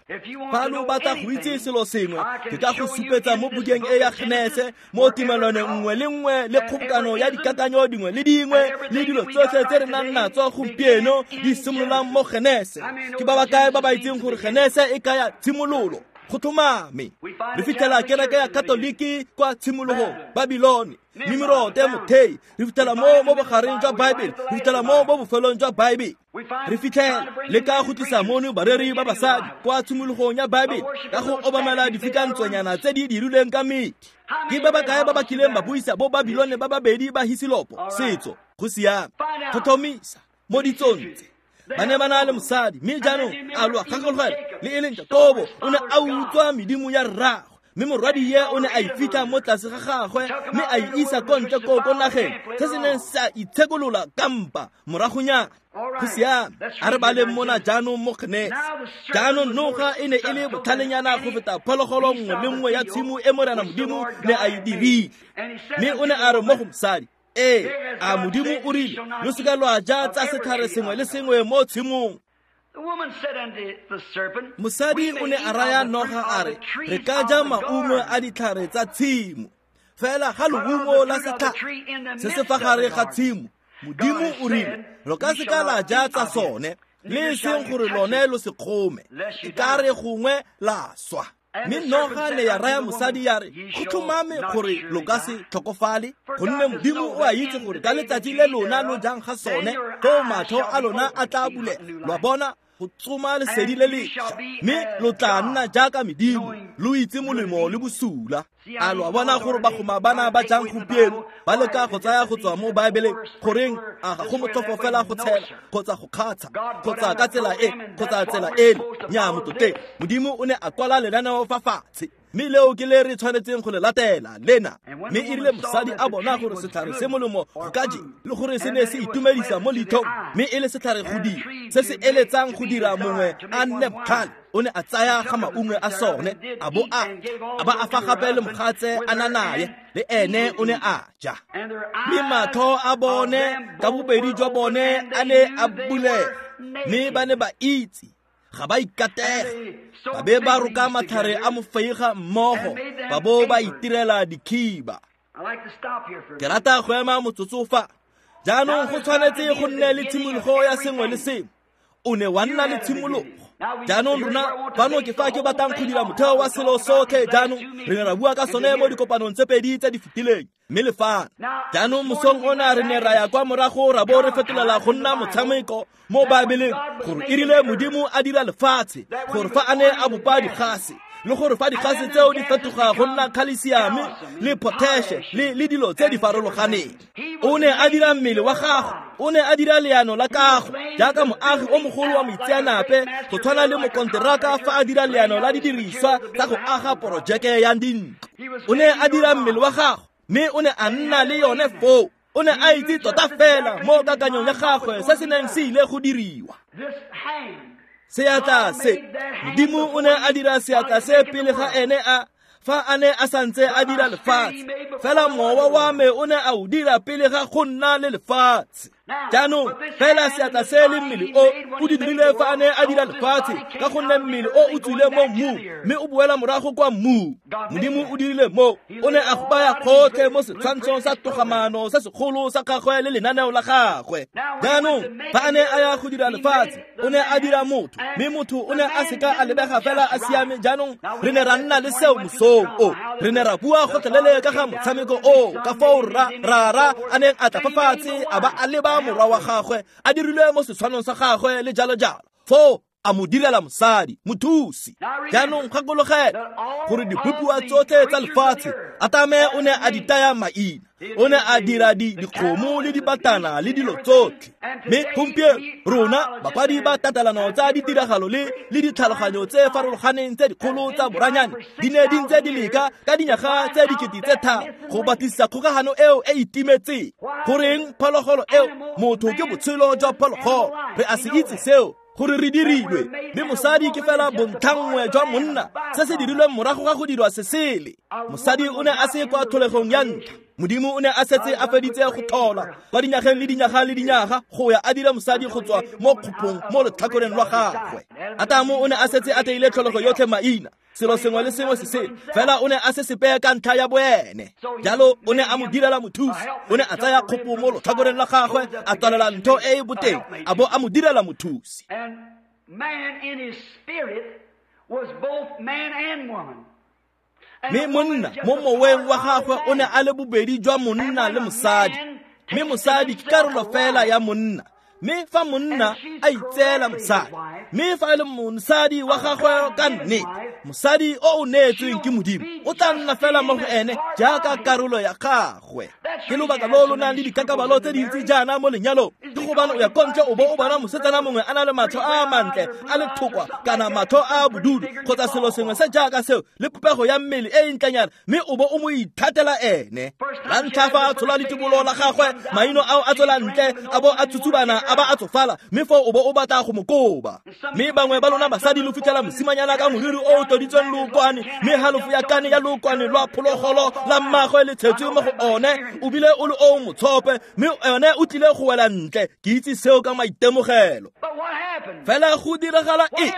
Fa lo batla go itse selo sengwe, ke ka go supetsa mo bukeng e ya Genese mo tumelwaneng nngwe le nngwe le kgobokano ya dikakanyo dingwe le dingwe le dilo tsotlhe tse re nang natso gompieno di simololang mo Genese. Ke ba ba kae ba ba itseng gore Genese e kaya tshimololo? Go tlhomame. Re fitlhela kereke ya Katoliki kwa tshimologong, Babilone, Nimirode mothei. Re fitlhela mo bogareng jwa Baebele, re fitlhela mo bofelong jwa Baebele. Re fitlhela le ka go tlisa mono bareri ba basadi kwa tshimologong ya Baebele ka go obamela difikantsonyana tse di dirilweng ka medi. Ke ba ba kae ba ba kileng ba buisa bo Babilone ba babedi ba Hisilopo setso? Go siame. Tlhotlhomisa mo ditsong tse. Ba ne ba na le mosadi, mme jaanong a lo gakologelwa le e leng Jakobo o ne a utswa medimo ya rraagwe, mme morwadie o ne a e fitlha mo tlase ga gagwe mme a e isa ko ntle ko ko nageng se se neng sa itshekolola kampa moragonyana. Go siame. A re baleng mona jaanong mo Genese. Jaanong noga e ne e le botlhalenyana go feta phologolo nngwe le nngwe ya tshimo e Morena Modimo ne a e dirile. Mme o ne a re mo go mosadi, ee, a Modimo o rile lo seka lwa ja tsa setlhare sengwe le sengwe mo tshimong? Mosadi o ne a raya noga a re, re ka ja maungo a ditlhare tsa tshimo, fela ga leungo la setlhare se se fa gare ga tshimo, Modimo o rile lo ka seka la ja tsa sone, le e seng gore lone lo se kgome, e ka re gongwe la swa. Mme noga ne ya raya mosadi ya re, go tlhomame gore lo ka se tlhokofale, gonne Modimo o a itse gore ka letsatsi le lona lo jang ga sone, foo matlho a lona a tla bulega, lwa bona go tsoma lesedi le lešwa, mme lo tla nna jaaka medimo, lo itse molemo le bosula. A lo a bona gore bagoma bana ba jang gompieno ba leka go tsaya go tswa mo Baebeleng? Goreng, a ga go motlhofo fela go tshela kgotsa go kgatsha kgotsa ka tsela e kgotsa tsela eno? Nnyaa, motlotlegi. Modimo o ne a kwala lenaneo fa fatshe, mme leo ke le re tshwanetseng go le latela lena. Mme e rile mosadi a bona gore setlhare se molemo go ka je, le gore se ne se itumedisa mo leitlhong, mme e le setlhare go dira se se eletsang go dira mongwe a nne botlhale, o ne a tsaya ga maungo a sone a bo a ba a fa gape le mogatse a na naye, le ene o ne a ja. Mme matlho a bone ka bobedi jwa bone a ne a bulega, mme ba ne ba itse ga ba ikatega, ba be ba roka matlhare a mofeiga mmogo, ba bo ba itirela dikhiba. Ke rata go ema motsotso fa. Jaanong go tshwanetse go nne le tshimologo ya sengwe le sengwe. O ne wa nna le tshimologo. Jaanong rona fano ke fa ke batlang go dira motheo wa selo sotlhe. Jaanong re ne ra bua ka sone mo dikopanong tse pedi tse di fetileng, mme le fano jaanong mosong ona re ne ra ya kwa morago ra bo re fetolela go nna motshameko mo Baebeleng, gore e rile Modimo a dira lefatshe, gore fa a ne a bopa digase, le gore fa digase tseo di fetoga go nna khalesiame le potashe le dilo tse di farologaneng, o ne a dira mmele wa gago, o ne a dira leano la kago jaaka moagi o mogolo wa moitseanape, go tshwana le mokonteraka fa a dira leano la didiriswa tsa go aga porojeke ya dintlo. O ne a dira mmele wa gago, mme o ne a nna le yone foo. O ne a itse tota fela mo kakanyong ya gagwe se se neng se ile go diriwa. Seatla se, Modimo o ne a dira seatla se pele ga ene a fa a ne a santse a dira lefatshe, fela mowa wa me o ne a o dira pele ga go nna le lefatshe. Jaanong fela seatla se le mmele o o di dirile fa a ne a dira lefatshe, ka gonne mmele o o tswile mo mmung mme o boela morago kwa mmung. Modimo o dirile mo, o ne a go baya gotlhe mo setshwantshong sa togamano sa segolo sa gagwe le lenaneo la gagwe. Jaanong fa a ne a ya go dira lefatshe, o ne a dira motho, mme motho o ne a seka a lebega fela a siame. Jaanong re ne ra nna le seo mosong o, re ne ra bua gotlhelele ka ga motshameko o, ka foo rara a neng a tla fa fatshe a ba a leba morwa wa gagwe a dirilwe mo setshwanong sa gagwe le jalo jalo, foo a mo direla mosadi mothusi. Jaanong gakologela gore dibopiwa tsotlhe tsa lefatshe Atame o ne a di taya maina, o ne a dira dikgomo le dibatana le dilo tsotlhe. Mme gompieno rona bakwadi ba tatelano tsa ditiragalo le ditlhaloganyo tse farologaneng tse dikgolo tsa boranyane di ne di ntse di leka ka dinyaga tse 3000 go batlisisa kgokagano eo e itimetseng. Goreng phologolo eo? Motho ke botshelo jwa phologolo, re a se itse seo gore re dirilwe, mme mosadi ke fela bontlhanngwe jwa monna, se se dirilweng morago ga go dirwa sesele. Mosadi o ne a se kwa tlholegong ya ntlha. Modimo o ne a setse a feditse go tlhola kwa dinyageng le dinyaga le dinyaga go ya a dira mosadi go tswa mo kgopong mo letlhakoreng lwa gagwe. Atamo o ne a setse a teile tlholego yotlhe maina, selo sengwe le sengwe se sele, fela o ne a se sepe ka ntlha ya boene. Jalo o ne a mo direla mothusi, o ne a tsaya kgopo mo letlhakoreng la gagwe, a tswalela ntho e e boteng, a bo a mo direla mothusi. Mme monna mo moweng wa gagwe o ne a le bobedi jwa monna le mosadi, mme mosadi ke karolo fela ya monna. Mme fa monna a itseela mosadi, mme fa e le mosadi wa gagwe ka nnete, mosadi o o neetsweng ke Modimo o tla nna fela mo go ene jaaka karolo ya gagwe. Ke lobaka lo lo nang le dikakabalo tse dintsi jaana mo lenyalong, ke gobane o ya ko ntle o bo o bona mosetsana mongwe a na le matlho a mantle a le thokwa kana matlho a bodudu kgotsa selo sengwe se jaaka seo le popego ya mmele e ntlenyana, mme o bo o mo ithatela ene. La ntlha fa a tshola letibolo la gagwe, maino ao a tswela ntle a bo a tsutsubana a ba a tsofala, mme foo o bo o batla go mo koba. Mme bangwe ba lona basadi lo fitlhela mosimanyana ka moriri o o toditsweng lookwane, mme halofo ya kane ya lookwane lwa phologolo la mmagwe le tshetswe mo go one, o bile o le o motshope, mme one o tlile go wela ntle. Ke itse seo ka maitemogelo. Fela go diragala eng?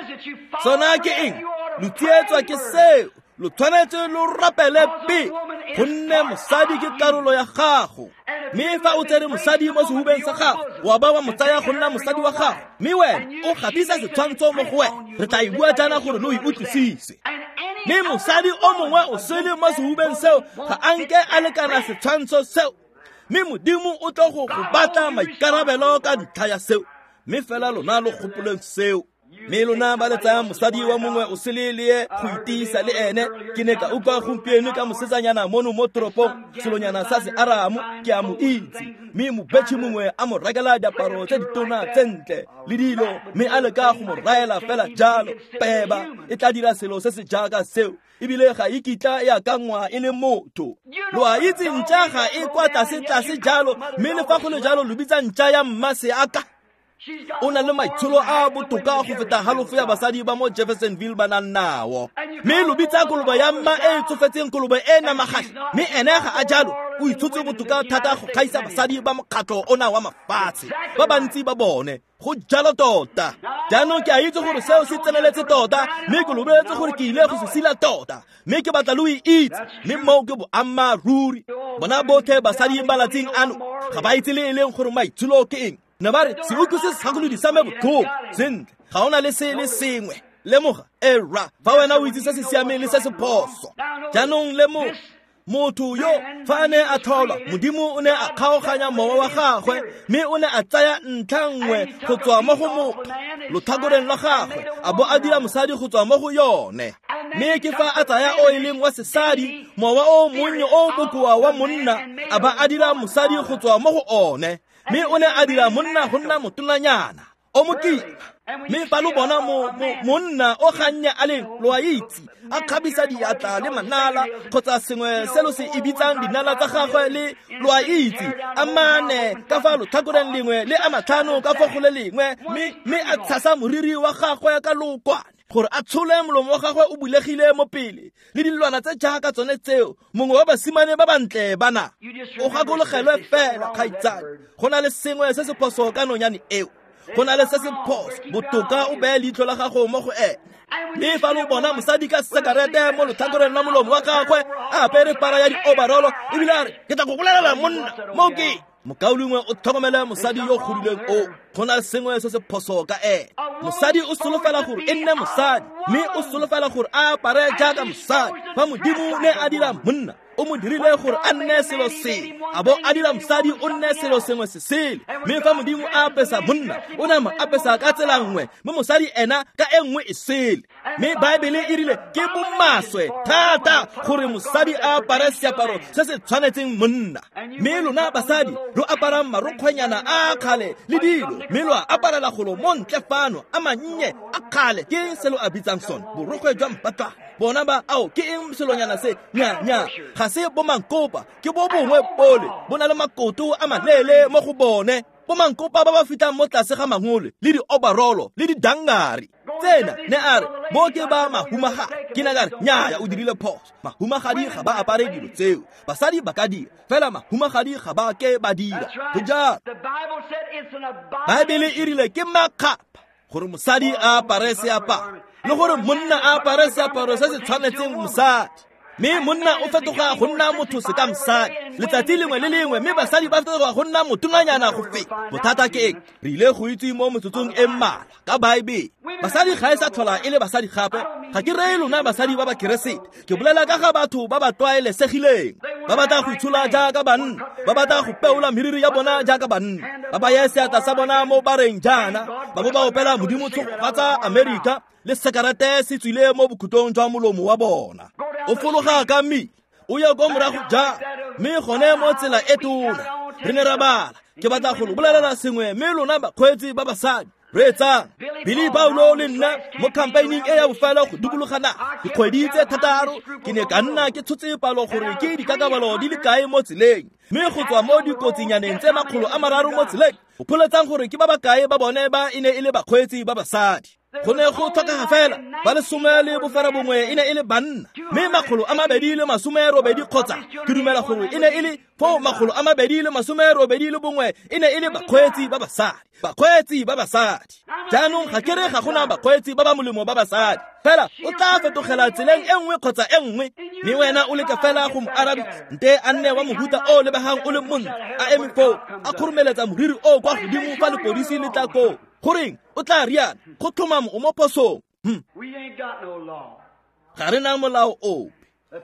Sona ke eng? Lo tsietswa ke seo. Lo tshwanetse lo rapele pele, gonne mosadi ke karolo ya gago. Mme fa o tsere mosadi mo sehubeng sa gago, wa ba wa mo tsaya go nna mosadi wa gago, mme wena o gatisa setshwantsho mo go wena. Re tla e bua jaana gore lo e utlwisise. Mme mosadi o mongwe o sele mo sehubeng seo ga a nke a lekana setshwantsho seo, mme Modimo o tlo go go batla maikarabelo ka ntlha ya seo. Mme fela lona lo gopoleng seo. Mme lona ba le tsayang mosadi wa mongwe o sele le ye go itiisa le ene. Ke ne ka utlwa gompieno ka mosetsanyana mono mo toropong, selonyana sa se Aramo, ke a mo itse. Mme mobetšhi mongwe a mo rekela diaparo tse ditona tse ntle le dilo, mme a leka go mo raela fela jalo. Peba e tla dira selo se se jaaka seo, ebile ga e kitla e akangwa e le motho. Lo a itse ntša ga e kwa tlase-tlase jalo, mme le fa go le jalo lo bitsa ntša ya mma seaka. O na le maitsholo a botoka go feta halofo ya basadi ba mo Jeffersonville ba nang nao. Mme lo bitsa kolobe ya mma e e tsofetseng kolobe e namagadi, mme ene ga a jalo, o itshotse botoka thata go gaisa basadi ba mokgatlho ona wa mafatshe ba bantsi ba bone. Go jalo tota. Jaanong ke a itse gore seo se tseneletse tota, mme ke lo boletse gore ke ile go se sila tota, mme ke batla lo e itse, mme moo ke boammaaruri. Bona botlhe basadi ba latsing ano ga ba itse le e leng gore maitsholo ke eng. Ne ba re se utlwise segakolodi sa me botlhoko. Sentle, ga o na le se le sengwe. Lemoga, era, fa wena o itse se se siameng le se se phoso. Jaanong lemoga, motho yo fa a ne a tlholwa, Modimo o ne a kgaoganya mowa wa gagwe, mme o ne a tsaya ntlha nngwe go tswa mo go motho lotlhakoreng lwa gagwe, a bo a dira mosadi go tswa mo go yone. Mme ke fa a tsaya o e leng wa sesadi, mowa o monnye o bokoa wa monna, a ba a dira mosadi go tswa mo go one. Mme o ne a dira monna go nna motonanyana o mokima. Mme fa lo bona monna o gannye a leng, lo a itse, a kgabisa diatla le manala kgotsa sengwe se lo se e bitsang dinala tsa gagwe, le lo a itse, a mane ka fa lotlhakoreng lengwe le a matlhano ka fa go le lengwe, mme a tshasa moriri wa gagwe ka lookwane. Gore a tshole molomo wa gagwe o bulegile mo pele le dilwana tse jaaka tsone tseo mongwe wa basimane ba bantle bana o gakologelwe fela kgaitsadi go na le sengwe se se phoso ka nonyane eo go na le se se phoso botoka o beye leitlho la gago mo go ene mme fa lo bona mosadi ka sekarete mo lotlhakoreng la molomo wa gagwe a apere para ya di-overall ebile a re ke tla go bolelela monna mo ke mokaulengwe o tlhokomele mosadi yo godileng o go na le sengwe se se phoso ka ene mosadi o solofela gore e nne mosadi mme o solofela gore a apare jaaka mosadi fa modimo ne a dira monna o mo dirile gore a nne selo sengwe a bo a dira mosadi o nne selo sengwe se sele mme fa modimo a apesa monna o ne a mo apesa ka tsela nngwe mme mosadi ena ka e nngwe e sele mme baebele e rile ke bomaswe thata gore mosadi a apare seaparo se se tshwanetseng monna mme lona basadi lo aparang marokgwenyana a kgale le dilo mme lo a aparela golo mo ntle fano a mannye a kgale ke se lo a bitsang sone borokgwe jwa mpatlwana bona ba ao ke eng selonyana se nya ga se bomankopa ke bo bongwe bole bo na le makoto a maleele mo go bone bomankopa ba ba fitang mo tlase ga mangole le di-overall le didangari tsena ne a re mo ke ba mahumagadi ke ne ka re nnyaya o dirile phoso mahumagadi ga ba apare dilo tseo basadi ba ka dira fela mahumagadi ga ba ke ba dira go jalo baebele e rile ke makgapha gore mosadi a apare seaparo le gore monna a apare seaparo se se tshwanetseng mosadi mme monna o fetoga go nna motho se ka mosadi letsatsi lengwe le lengwe mme basadi ba fetoga go nna motonganyana go feta bothata ke eng re ile go itse mo metsotsong e mmalwa ka baebele basadi ga e sa tlhola e le basadi gape ga ke reye lona basadi ba ba keresete ke bolela ka ga batho ba ba tlwaelesegileng ba batla go itshola jaaka banna ba batla go peola meriri ya bona jaaka banna ba baye seatla sa bona mo bareng jaana ba bo ba opela modimo tshogofatsa Amerika le sekarete se tswile mo bokhutong jwa molomo wa bona o fologa ka mmila o ya ko morago jang mme gone mo tsela e tona re ne ra bala ke batla go lo bolelela sengwe mme lona bakgweetsi ba basadi reetsang Billy Paulo le nna mo campaigning e ya bofelo go dikologana dikgwedi tse thataro ke ne ka nna ke tshotse palo gore ke dikakabalo di le kae mo tseleng mme go tswa mo dikotsinyaneng tse 300 mo tseleng o pholetsang gore ke ba bakae ba bone ba e ne e le bakgweetsi ba basadi go ne go tlhokega fela ba 19 e ne e le banna mme 280 kgotsa ke dumela gore e ne e le foo 281 e ne e le bakgweetsi ba basadi bakgweetsi ba basadi jaanong ga ke re ga gona bakgweetsi ba ba molemo ba basadi fela o tla fetogela tseleng e nngwe kgotsa e nngwe mme wena o leka fela go mo arabisa nte a nne wa mohuta o lebegang o le montle a eme foo a kgoromeletsa moriri o kwa godimo fa lepodisi le tla koo goreng o tla riana go tlhomamo o mo phosong ga re na molao ope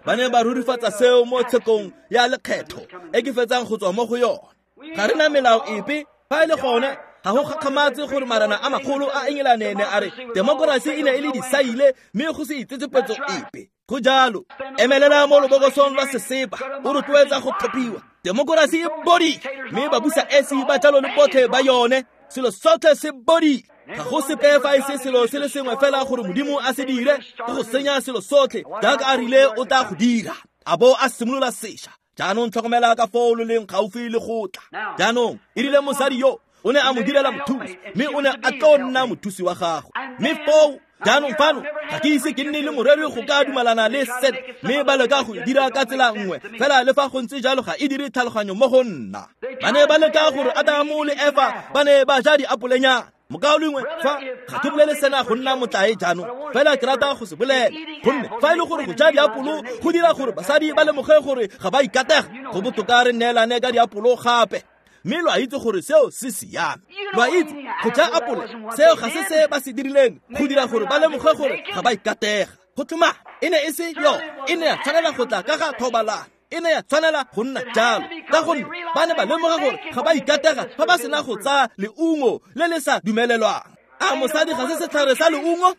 ba ne ba rurifatsa seo mo tshekong ya lekgetho e ke fetsang go tswa mo go yone ga re na melao epe fa e le gone ga go gakgamatse gore marana a magolo a Engelane ne a re temokerasi e ne e le disaile mme go se itsetsepetso epe go jalo emelela mo lobokosong lwa sesepa o rotloetsa go tlhophiwa temokerasi e bodile mme babusa esi ba jalo le botlhe ba yone selo sotlhe se bodile ga go sepe fa e se selo se le sengwe fela gore modimo a se dire ke go senya selo sotlhe jaaka a rile o tla go dira a bo a simolola sešwa jaanong tlhokomela ka foo lo leng gaufi le go tla jaanong e rile mosadi yo o ne a mo direla mothusi mme o ne a tlo nna mothusi wa gagwe mme foo jaanong fano ga ke ise ke nne le moreri go ka dumalana le sena mme ba leka go dira ka tsela nngwe fela le fa go ntse jalo ga e dire tlhaloganyo mo go nna ba ne ba leka gore Adamo le Efa ba ne ba ja diapolenyana mokaulengwe fa ga ke bolele sena go nna motlae jaanong fela ke rata go se bolela gonne fa e le gore go ja diapolo go dira gore basadi ba lemoge gore ga ba ikatega go botoka re neelane ka diapolo gape mme lo a itse gore seo se siame lo a itse go ja apole seo ga se se ba se dirileng go dira gore ba lemoge gore ga ba ikatega go tlhoma e ne e se yo e ne ya tshwanela go tla ka ga thobalano e ne ya tshwanela go nna jalo ka gonne ba ne ba lemoga gore ga ba ikatega fa ba sena go tsaya leungo le le sa dumelelwang a mosadi ga se setlhare sa leungo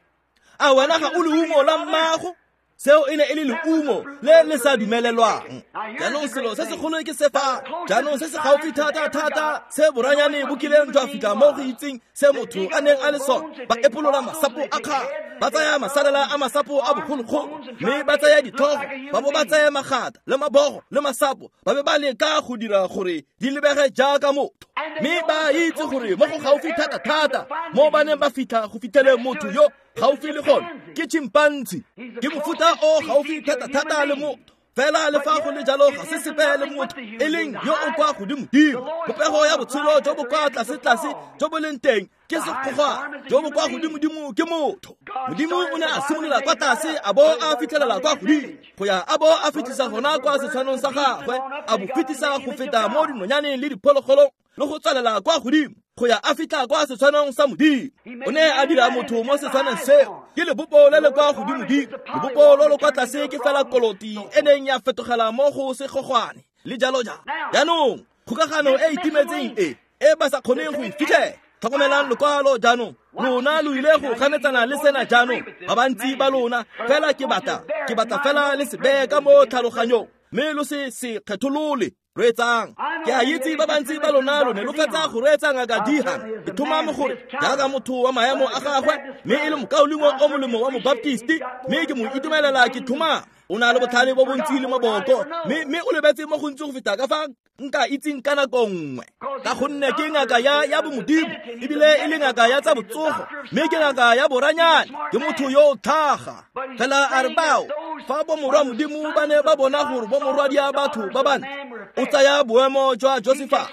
a wena ga o leungo la mmago seo e ne e le leungo le le sa dumelelwang jaanong selo se segolo ke se fa jaanong se se gaufi thata-thata se boranyane bo kileng jwa fitlha mo go itseng se motho a neng a le sone ba epolola masapo a kgale Ba tsaya masalela a masapo a bogologolo, mme ba tsaya ditlhogo, ba bo ba tsaya magata le mabogo le masapo, ba be ba leka go dira gore di lebege jaaka motho. Mme ba itse gore mo go gaufi thata-thata mo ba neng ba fitlha go fitlhele motho yo gaufi le gone ke chimpanzee, ke mofuta o gaufi thata-thata le motho. Fela le fa go le jalo ga se sepe le motho e leng yo o kwa godimo-dimo. Popego ya botshelo jo bo kwa tlase-tlase jo bo leng teng ke sekgogwana, jo bo kwa godimo-dimo ke motho. Modimo o ne a simolola kwa tlase a bo a fitlhelela kwa godimo, go ya a bo a fitlhisa gona kwa setshwanong sa gagwe, a bo fetisa go feta mo dinonyaneng le diphologolong le go tswelela kwa godimo go ya a fitlha kwa setshwanong sa Modimo. O ne a dira motho mo setshwanong seo, ke lebopo le le kwa godimo-dimo. Lebopo lo lo kwa tlase ke fela koloti e neng ya fetogela mo go segogwane le jalo jalo. Jaanong kgokagano e e timetseng e ba sa kgoneng go e fitlhela. Tlhokomelang lokwalo jaanong, lona lo ile go ganetsana le sena jaanong, ba bantsi ba lona, fela ke batla fela le se beye ka mo tlhaloganyong, mme lo se se kgetholole. Reetsang, ke a itse ba bantsi ba lona lo ne lo fetsa go reetsa ngaka Dihan. Ke thomame gore jaaka motho wa maemo a gagwe, mme e le mokaulengwe o molemo wa mobaptisti, mme ke mo itumelela ke thomame. O na le botlhale bo bontsi le maboko, mme o lebetse mo gontsi go feta ka fa nka itseng ka nako nngwe, ka gonne ke ngaka ya bomodimo, ebile e le ngaka ya tsa botsogo, mme ke ngaka ya boranyane, ke motho yo o tlhaga. Fela a re bao fa bomorwa Modimo ba ne ba bona gore bomorwadia batho ba bantle, o tsaya boemo jwa Josephus,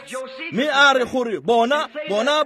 mme a re gore bona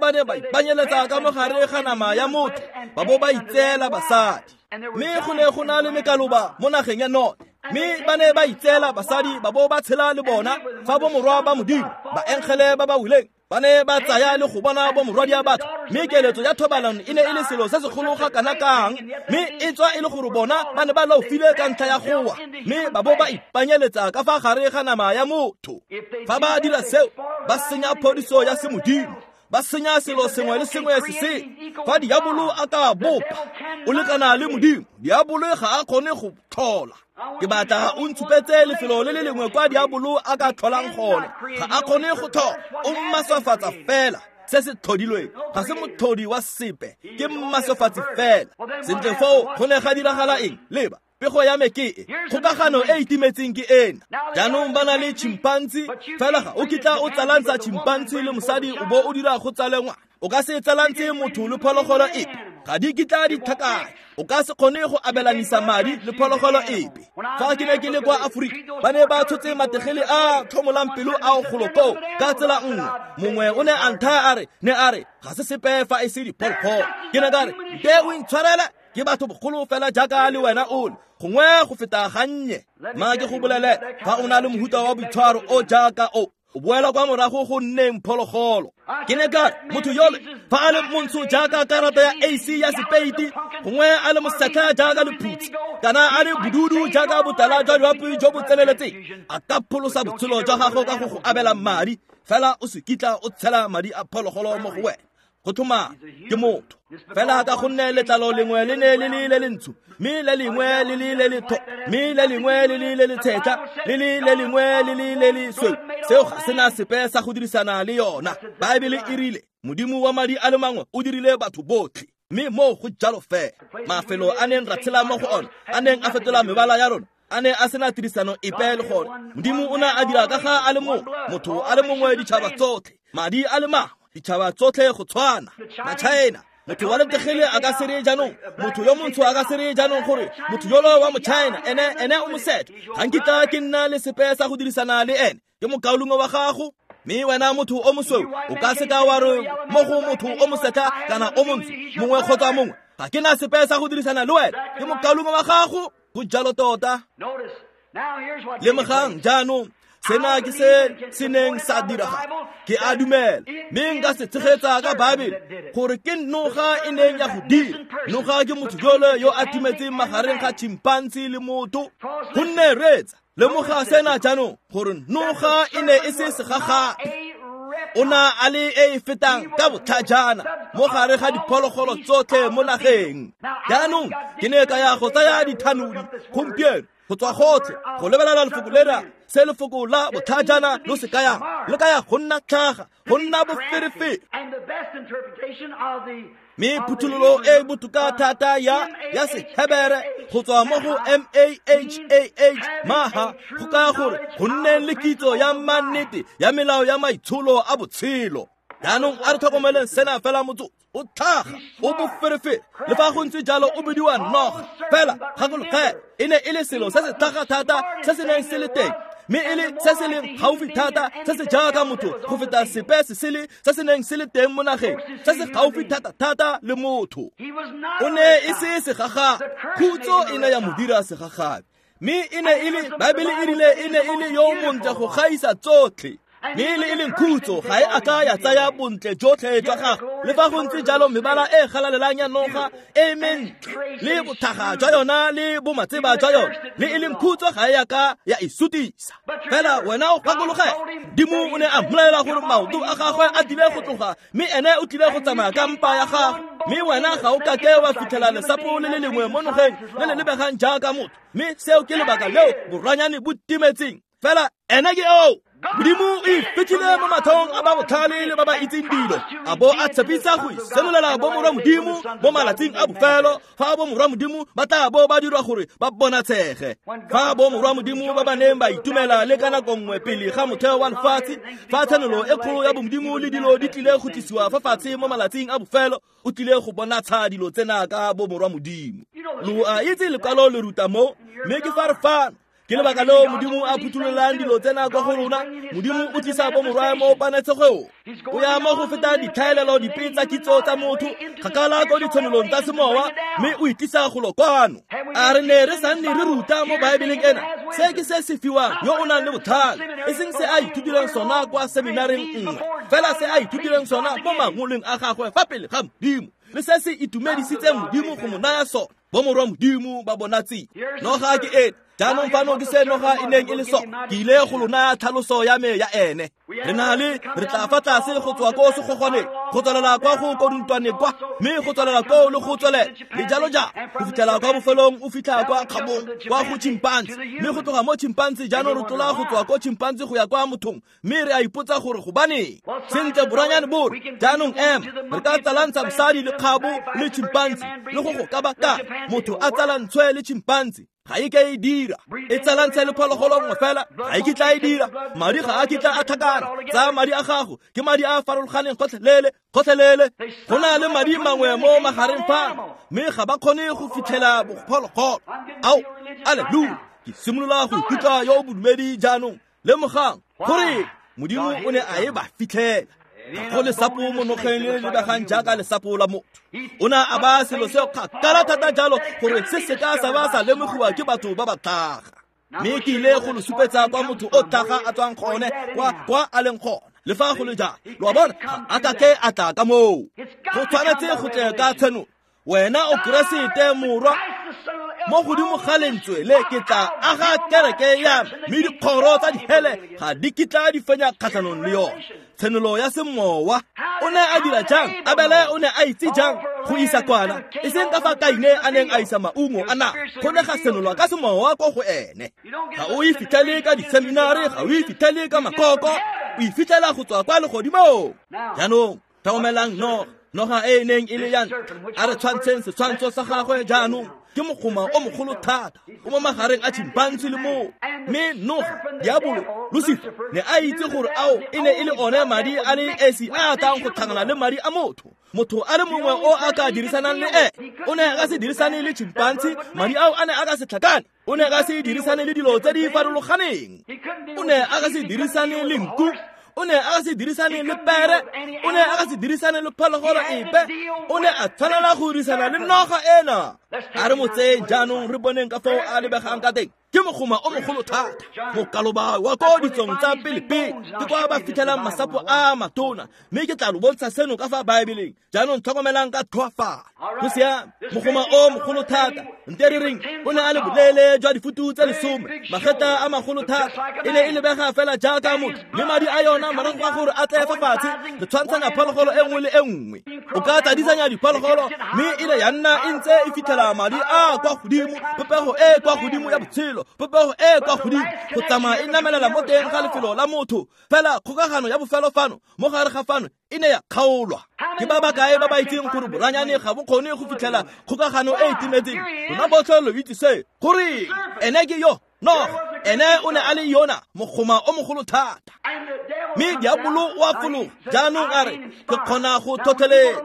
ba ne ba ipanyeletsa ka mogare ga nama ya motho, ba bo ba itseela basadi. Mme go ne go na le mekaloba mo nageng ya North, mme ba ne ba itseela basadi ba bo ba tshela le bona. Fa bomorwa ba Modimo ba engele ba ba wileng ba ne ba tsaya le go bona bomorwadia batho, mme keletso ya thobalano e ne e le selo se segolo ga kana kang, mme e tswa e le gore bona ba ne ba laofile ka ntlha ya gowa, mme ba bo ba ipanyeletsa ka fa gare ga nama ya motho. Fa ba dira seo, ba senya phodiso ya semodimo, ba senya selo sengwe le sengwe se se. Fa diabolo a ka bopa, o lekana le Modimo, diabolo ga a kgone go tlhola. Ke batla o ntshupetse lefelo le le lengwe kwa diabolo a ka tlholang gone, ga a kgone go tlhola, o mmaswafatsa fela se se tlhodilweng, ga se motlhodi wa sepe, ke mmaswafatsi fela. Sentle foo go ne ga diragala eng? Leba, pego ya me ke e, kgokagano e e timetseng ke ena. Jaanong ba na le chimpanzee, fela ga o kitla o tsalantsa chimpanzee le mosadi o bo o dira go tsale ngwana. O ka se tsalantse motho le phologolo epe, ga di kitla di tlhakanya. O ka se kgone go abelanisa madi le phologolo epe. Fa ke ne ke le kwa Aforika, ba ne ba tshotse mategele a tlhomolang pelo ao golo koo ka tsela nngwe. Mongwe o ne a nthaya a re, ne a re, ga se sepe fa e se diphologolo. Ke ne ka re, nte o intshwarele, ke batho bogolo fela jaaka le wena o le, gongwe go feta gannye. Ma ke go bolele, fa o na le mohuta wa boitshwaro o jaaka o, o boela kwa morago go nneng phologolo. Ke ne ka re, motho yole fa a le montsho jaaka karata ya AC ya sepeiti, gongwe a le mosetlha jaaka lephutsi, kana a le bodudu jaaka botala jwa jwapi jo bo tseneletseng, a ka pholosa botshelo jwa gago ka go go abela madi, fela o se kitla o tshela madi a phologolo mo go wena. Go thoma ke motho fela ka gonne letlalo lengwe le ne le le le lentsho, mme le lengwe le le le letho, mme le lengwe le le le letshetlha, le le le lengwe le le le lesweu. Seo ga sena sepe sa go dirisana le yona. Baebele e rile Modimo wa madi a le mangwe o dirile batho botlhe, mme moo go jalo fela. Mafelo a neng ra tshela mo go ona, a neng a fetola mebala ya rona, a ne a sena tirisano epe le gone. Modimo o ne a dira ka ga a le mongwe, motho a le mongwe, ditšhaba tsotlhe, madi a le mangwe, ditšhaba tsotlhe go tshwana. Ma-China, motho wa letegele a ka se re jaanong, motho yo montsho a ka se re jaanong gore motho yolo wa mo-China ene o mosetlha, ga nkitla ke nna le sepe sa go dirisana le ene, ke mokaulengwe wa gago. Mme wena motho o mosweu o ka se ka wa re mo go motho o mosetlha kana o montsho mongwe kgotsa mongwe, ga ke na sepe sa go dirisana le wena, ke mokaulengwe wa gago. Go jalo tota. Lemogang jaanong, sena ke se se neng sa diragala. Ke a dumela, mme nka se tshegetsa ka Baebele gore ke noga e neng ya go dira. Noga ke motho jole yo a timetseng magareng ga chimpanzee le motho. Gonne reetsa, lemoga sena jaanong, gore noga e ne e se segagabi. O na a le e e fetang ka botlhajana mo gare ga diphologolo tsotlhe mo nageng. Jaanong ke ne ka ya go tsaya dithanodi gompieno go tswa gotlhe go lebelela lefoko lena Se lefoko la botlhajana lo se kayang, le kaya go nna tlhaga, go nna boferefere. Mme phuthololo e botoka thata ya Sehebere go tswa mo go M-A-H-A-H, maha, go kaya gore go nne le kitso ya mannete ya melao ya maitsholo a botshelo. Jaanong a re tlhokomeleng sena fela motsotso. O tlhaga, o boferefere, le fa go ntse jalo o bidiwa noga. Fela gakologelwa, e ne e le selo se se tlhaga thata se se neng se le teng, mme e le se se leng gaufi thata se se jaaka motho go feta sepe se sele se se neng se le teng mo nageng, se se gaufi thata-thata le motho. O ne e se segagabi, khutso e ne ya mo dira segagabi, mme e ne e le, Baebele e rile e ne e le yo montle go gaisa tsotlhe. Mme le e leng khutso ga e a ka ya tsaya bontle jotlhe jwa gagwe. Le fa go ntse jalo mebala e galalelang ya noga e mentle le bothaga jwa yona le bomatseba jwa yona, le e leng khutso ga e a ka ya e sutisa. Fela wena o gakologelwa, Modimo o ne a mmolelela gore maoto a gagwe a tlile go tloga, mme ene o tlile go tsamaya ka mpa ya gagwe. Mme wena ga o kake wa fitlhela lesapo le le lengwe mo nogeng le le lebegang jaaka motho. Mme seo ke lebaka leo boranyane bo timetseng. Fela ene ke eo. Modimo o ifitlhile mo matlhong a ba botlhale le ba ba itseng dilo, a bo a tshepisa go isenolela bomorwa Modimo mo malatsing a bofelo, fa bomorwa Modimo ba tla bo ba dirwa gore ba bonatshege. Fa bomorwa Modimo ba ba neng ba itumela le ka nako nngwe pele ga motheo wa lefatshe, fa tshenolo e kgolo ya bomodimo le dilo di tlile go tlisiwa fa fatshe mo malatsing a bofelo, o tlile go bonatsha dilo tsena ka bomorwa Modimo. Lo a itse lekwalo le ruta mo, mme ke fa re fano. Ke lebaka leo Modimo a phuthololang dilo tsena kwa go rona. Modimo o tlisa bomorwa mo panetshegong. O ya mo go feta ditlhaelelo dipe tsa kitso tsa motho, kgakala ko ditshwanelong tsa semowa, mme o itlisa golo kwano. A re ne re sa nne re ruta mo Baebeleng ena, se ke se se fiwang yo o nang le botlhale, e seng se a ithutileng sona kwa seminareng nngwe, fela se a ithutileng sona mo mangolong a gagwe fa pele ga Modimo, le se se itumedisitseng Modimo go mo naya sona. Bomorwa Modimo ba bonatsi. Noga ke ena. Jaanong fano ke se noga e neng e le sona. Ke ile go lo naya tlhaloso ya me ya ene. Re na le, re tla fa tlase go tswa ko segogwaneng, go tswelela kwa go koduntwane kwa, mme go tswelela koo le go tswelela, le jalo jalo, go fitlhela kwa bofelong o fitlha kwa kgabong, kwa go chimpanzee. Mme go tloga mo chimpanzee jaanong re tlola go tswa ko chimpanzee go ya kwa mothong, mme re a ipotsa gore gobaneng. Sentle boranyane bo re, jaanong re ka tsalantsha mosadi le kgabo le chimpanzee, le go go kabaka motho a tsalantshwe le chimpanzee. Ga e ke e dira, e tsalantshe le phologolo nngwe fela, ga e kitla e dira. Madi ga a kitla a tlhakana. Tsaya madi a gago, ke madi a a farologaneng gotlhelele, gotlhelele. Go na le madi mangwe mo magareng fano, mme ga ba kgone go fitlhela bophologolo. Ao, alleluia, ke simolola go ikutlwa yo o bodumedi jaanong. Lemogang gore Modimo o ne a e ba fitlhela. Ga go lesapo mo nogeng le le lebegang jaaka lesapo la motho. O ne a ba selo seo kgakala thata jalo gore se se ka sa ba sa lemogiwa ke batho ba ba tlhaga. Mme ke ile go lo supetsa kwa motho o tlhaga a tswang gone, kwa a leng gone. Le fa go le jalo, lo a bona, ga a kake a tla ka moo. Go tshwanetse go tle ka tshenolo. Wena o Keresete morwa, mo godimo ga lentswe le ke tla aga kereke ya me, mme dikgoro tsa dihele ga di kitla di fenya kgatlhanong le yone. Tshenolo ya semowa. O ne a dira jang? Abele o ne a itse jang go isa kwana? E seng ka fa Kaine a neng a isa maungo a naga, go ne ga senolwa ka semowa ko go ene. Ga o e fitlhele ka diseminare, ga o e fitlhele ka makoko, o e fitlhela go tswa kwa legodimong. Jaanong tlhokomelang noga, noga e e neng e le ya ntlha. A re tshwantsheng setshwantsho sa gagwe jaanong. Ke mogoma o mogolo thata, o mo magareng a chimpanzee le moo. Mme noga, diabolo, Lucifer, ne a itse gore ao e ne e le one madi a le esi a a tlang go tlhangana le madi a motho. Motho a le mongwe o a ka dirisanang le ene. O ne a ka se dirisane le chimpanzee, madi ao a ne a ka se tlhakane. O ne a ka se dirisane le dilo tse di farologaneng. O ne a ka se dirisane le nku. O ne a ka se dirisane le pere. O ne a ka se dirisane le phologolo epe. O ne a tshwanela go dirisana le noga ena. A re mo tseyeng jaanong re boneng ka foo a lebegang ka teng. Ke mogoma o mogolo thata, mokaloba wa ko ditsong tsa pele-pele, ke kwa ba fitlhelang masapo a matona. Mme ke tla lo bontsha seno ka fa Baebeleng. Jaanong tlhokomelang ka tlhoafalo. Go siame, mogoma o mogolo thata, nte re reng o ne a le boleele jwa difutu tse 10, magetla a magolo thata, e ne e lebega fela jaaka motho, mme madi a yona morago ga gore a tle fa fatshe, re tshwantshanya phologolo e nngwe le e nngwe. O ka tsadisanya diphologolo, mme e ne ya nna e ntse e fitlhela madi a kwa godimo, popego e kwa godimo ya botshelo. botshelo, popego e kwa godimo go tsamaya e namelela mo teng ga lefelo la motho. Fela kgokagano ya bofelo fano mo gare ga fano e ne ya kgaolwa. Ke ba ba kae ba ba itseng gore boranyane ga bo kgone go fitlhela kgokagano e e timetseng? Lona botlhe lo itse se. Goreng? Ene ke yo noga, ene o ne a le yona mogoma o mogolo thata. Mme diabolo o a fologa jaanong a re, ke kgona go tlhotlheletsa.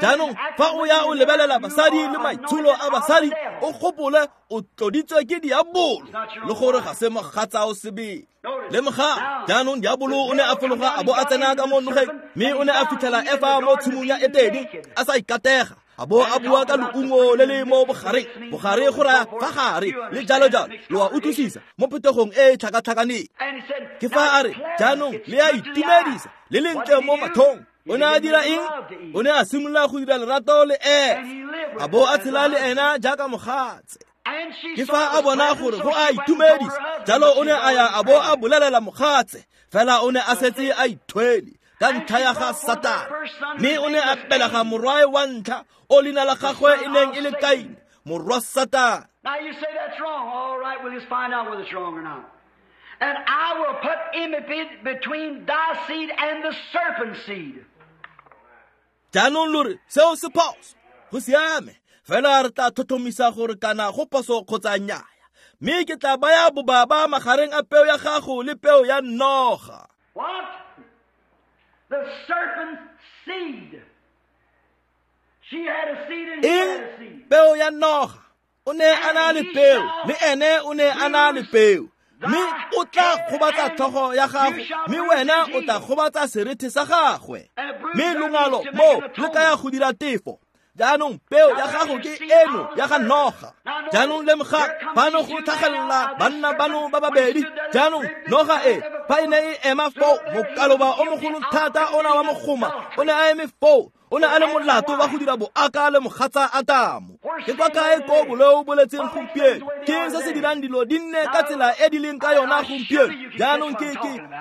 Jaanong fa o ya o lebelela basadi le maitsholo a basadi, o gopole o tloditswe ke diabolo le gore ga se mogatsa o sebele. Lemoga jaanong diabolo o ne a fologa a bo a tsena ka mo nogeng, mme o ne a fitlhela Efa mo tshimong ya Etene a sa ikatega, a bo a bua ka leungo le le mo bogareng, bogare go raya fa gare le jalo jalo. Lo a utlwisisa mo phuthegong e e tlhakatlhakaneng. Ke fa a re jaanong le a itumedisa le lentle mo mathong. O ne a dira eng? O ne a simolola go dira lerato le Efa, a bo a tshela le ena jaaka mogatse. Ke fa a bona gore go a itumedisa, jalo o ne a ya a bo a bolelela mogatse, fela o ne a setse a ithwele ka ntlha ya ga Satane. Mme o ne a belega morwae wa ntlha o leina la gagwe e neng e le Kaine, morwa Satane. Now you say that's wrong. All right, we'll just find out whether it's wrong or not. And I will put enmity between thy seed and the serpent's seed. Jaanong lo re seo se phoso. Go siame, fela re tla tlhotlhomisa gore kana go phoso kgotsa nnyaya. Mme ke tla baya bobaba magareng a peo ya gago le peo ya noga. What? The serpent's seed. She had a seed and he had a seed. Peo ya noga. O ne a na le peo, le ene o ne a na le peo. Mme o tla gobatsa tlhogo ya gago, mme wena o tla gobatsa serethe sa gagwe. Mme longalo mo lo kaya go dira tefo. Jaanong peo ya gago ke eno ya ga noga. Jaanong lemoga fano go tlhagelela banna bano ba babedi. Jaanong noga e fa e ne e ema foo, mokaloba o mogolo thata ona wa mogoma o ne a eme foo. O ne a le molato wa go dira boaka le mogatsa Atamo. Ke kwa kae ko boleo boletseng gompieno? Ke eng se se dirang dilo di nne ka tsela e di leng ka yona gompieno? Jaanong ke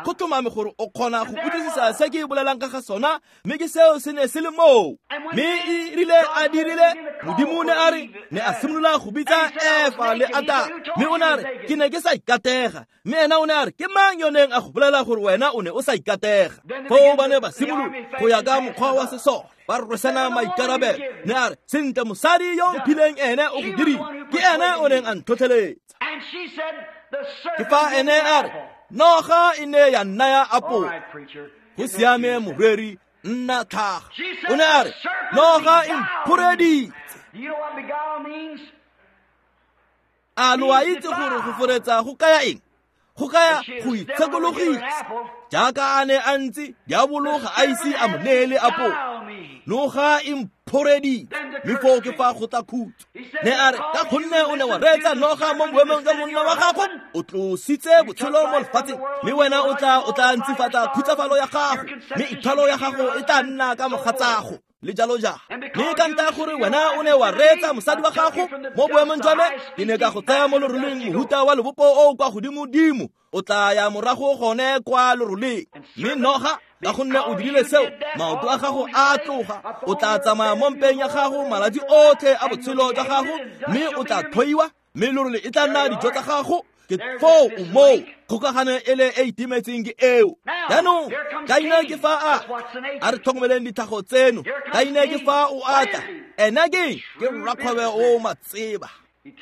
go tlhomame gore o kgona go utlwisisa se ke bolelang ka ga sona, mme ke seo se ne se le moo. Mme e rile a dirile, Modimo o ne a re, ne a simolola go bitsa Efa le Atamo. Mme o ne a re, ke ne ke sa ikatega. Mme ena o ne a re, ke mang yo neng a go bolela gore wena o ne o sa ikatega? Foo ba ne ba simolola go ya ka mokgwa wa sesole, ba rwesana maikarabelo. Ne a re, sentle mosadi yo mphileng ene o go dirile, ke ene o neng a ntlhotlheletsa. Ke fa ene a re, noga e ne ya nnaya apole. Go siame moreri, nna tlhaga. O ne a re, noga e mphoreditse. A lo a itse gore go foretsa go kaya eng? Go kaya go itshekologisa. Jaaka a ne a ntse, diabolo ga a ise a mo neele apole. Noga e mphoreditse, mme foo ke fa go tla khutso. Ne a re, ka gonne o ne wa reetsa noga mo boemong jwa monna wa gago, o tlositse botshelo mo lefatsheng, mme wena o tla ntsifatsa khutsafalo ya gago, mme ithwalo ya gago e tla nna ka mogatsago le jalo jalo. Mme ka ntlha gore wena o ne wa reetsa mosadi wa gago mo boemong jwa me, ke ne ka go tsaya mo loroleng mohuta wa lebopo o kwa godimodimo, o tla ya morago gone kwa loroleng. Mme noga, ka gonne o dirile seo, maoto a gago a tloga, o tla tsamaya mo mpeng ya gago malatsi otlhe a botshelo jwa gago, mme o tla tlhoiwa, mme lorole e tla nna dijo tsa gago. Ke foo o moo, kgokagano e le e itimetseng ke eo. Jaanong Kaine ke fa a re tlhokomeleng ditlhago tseno. Kaine ke fa o atla, ena ke rrakgwebo o matseba,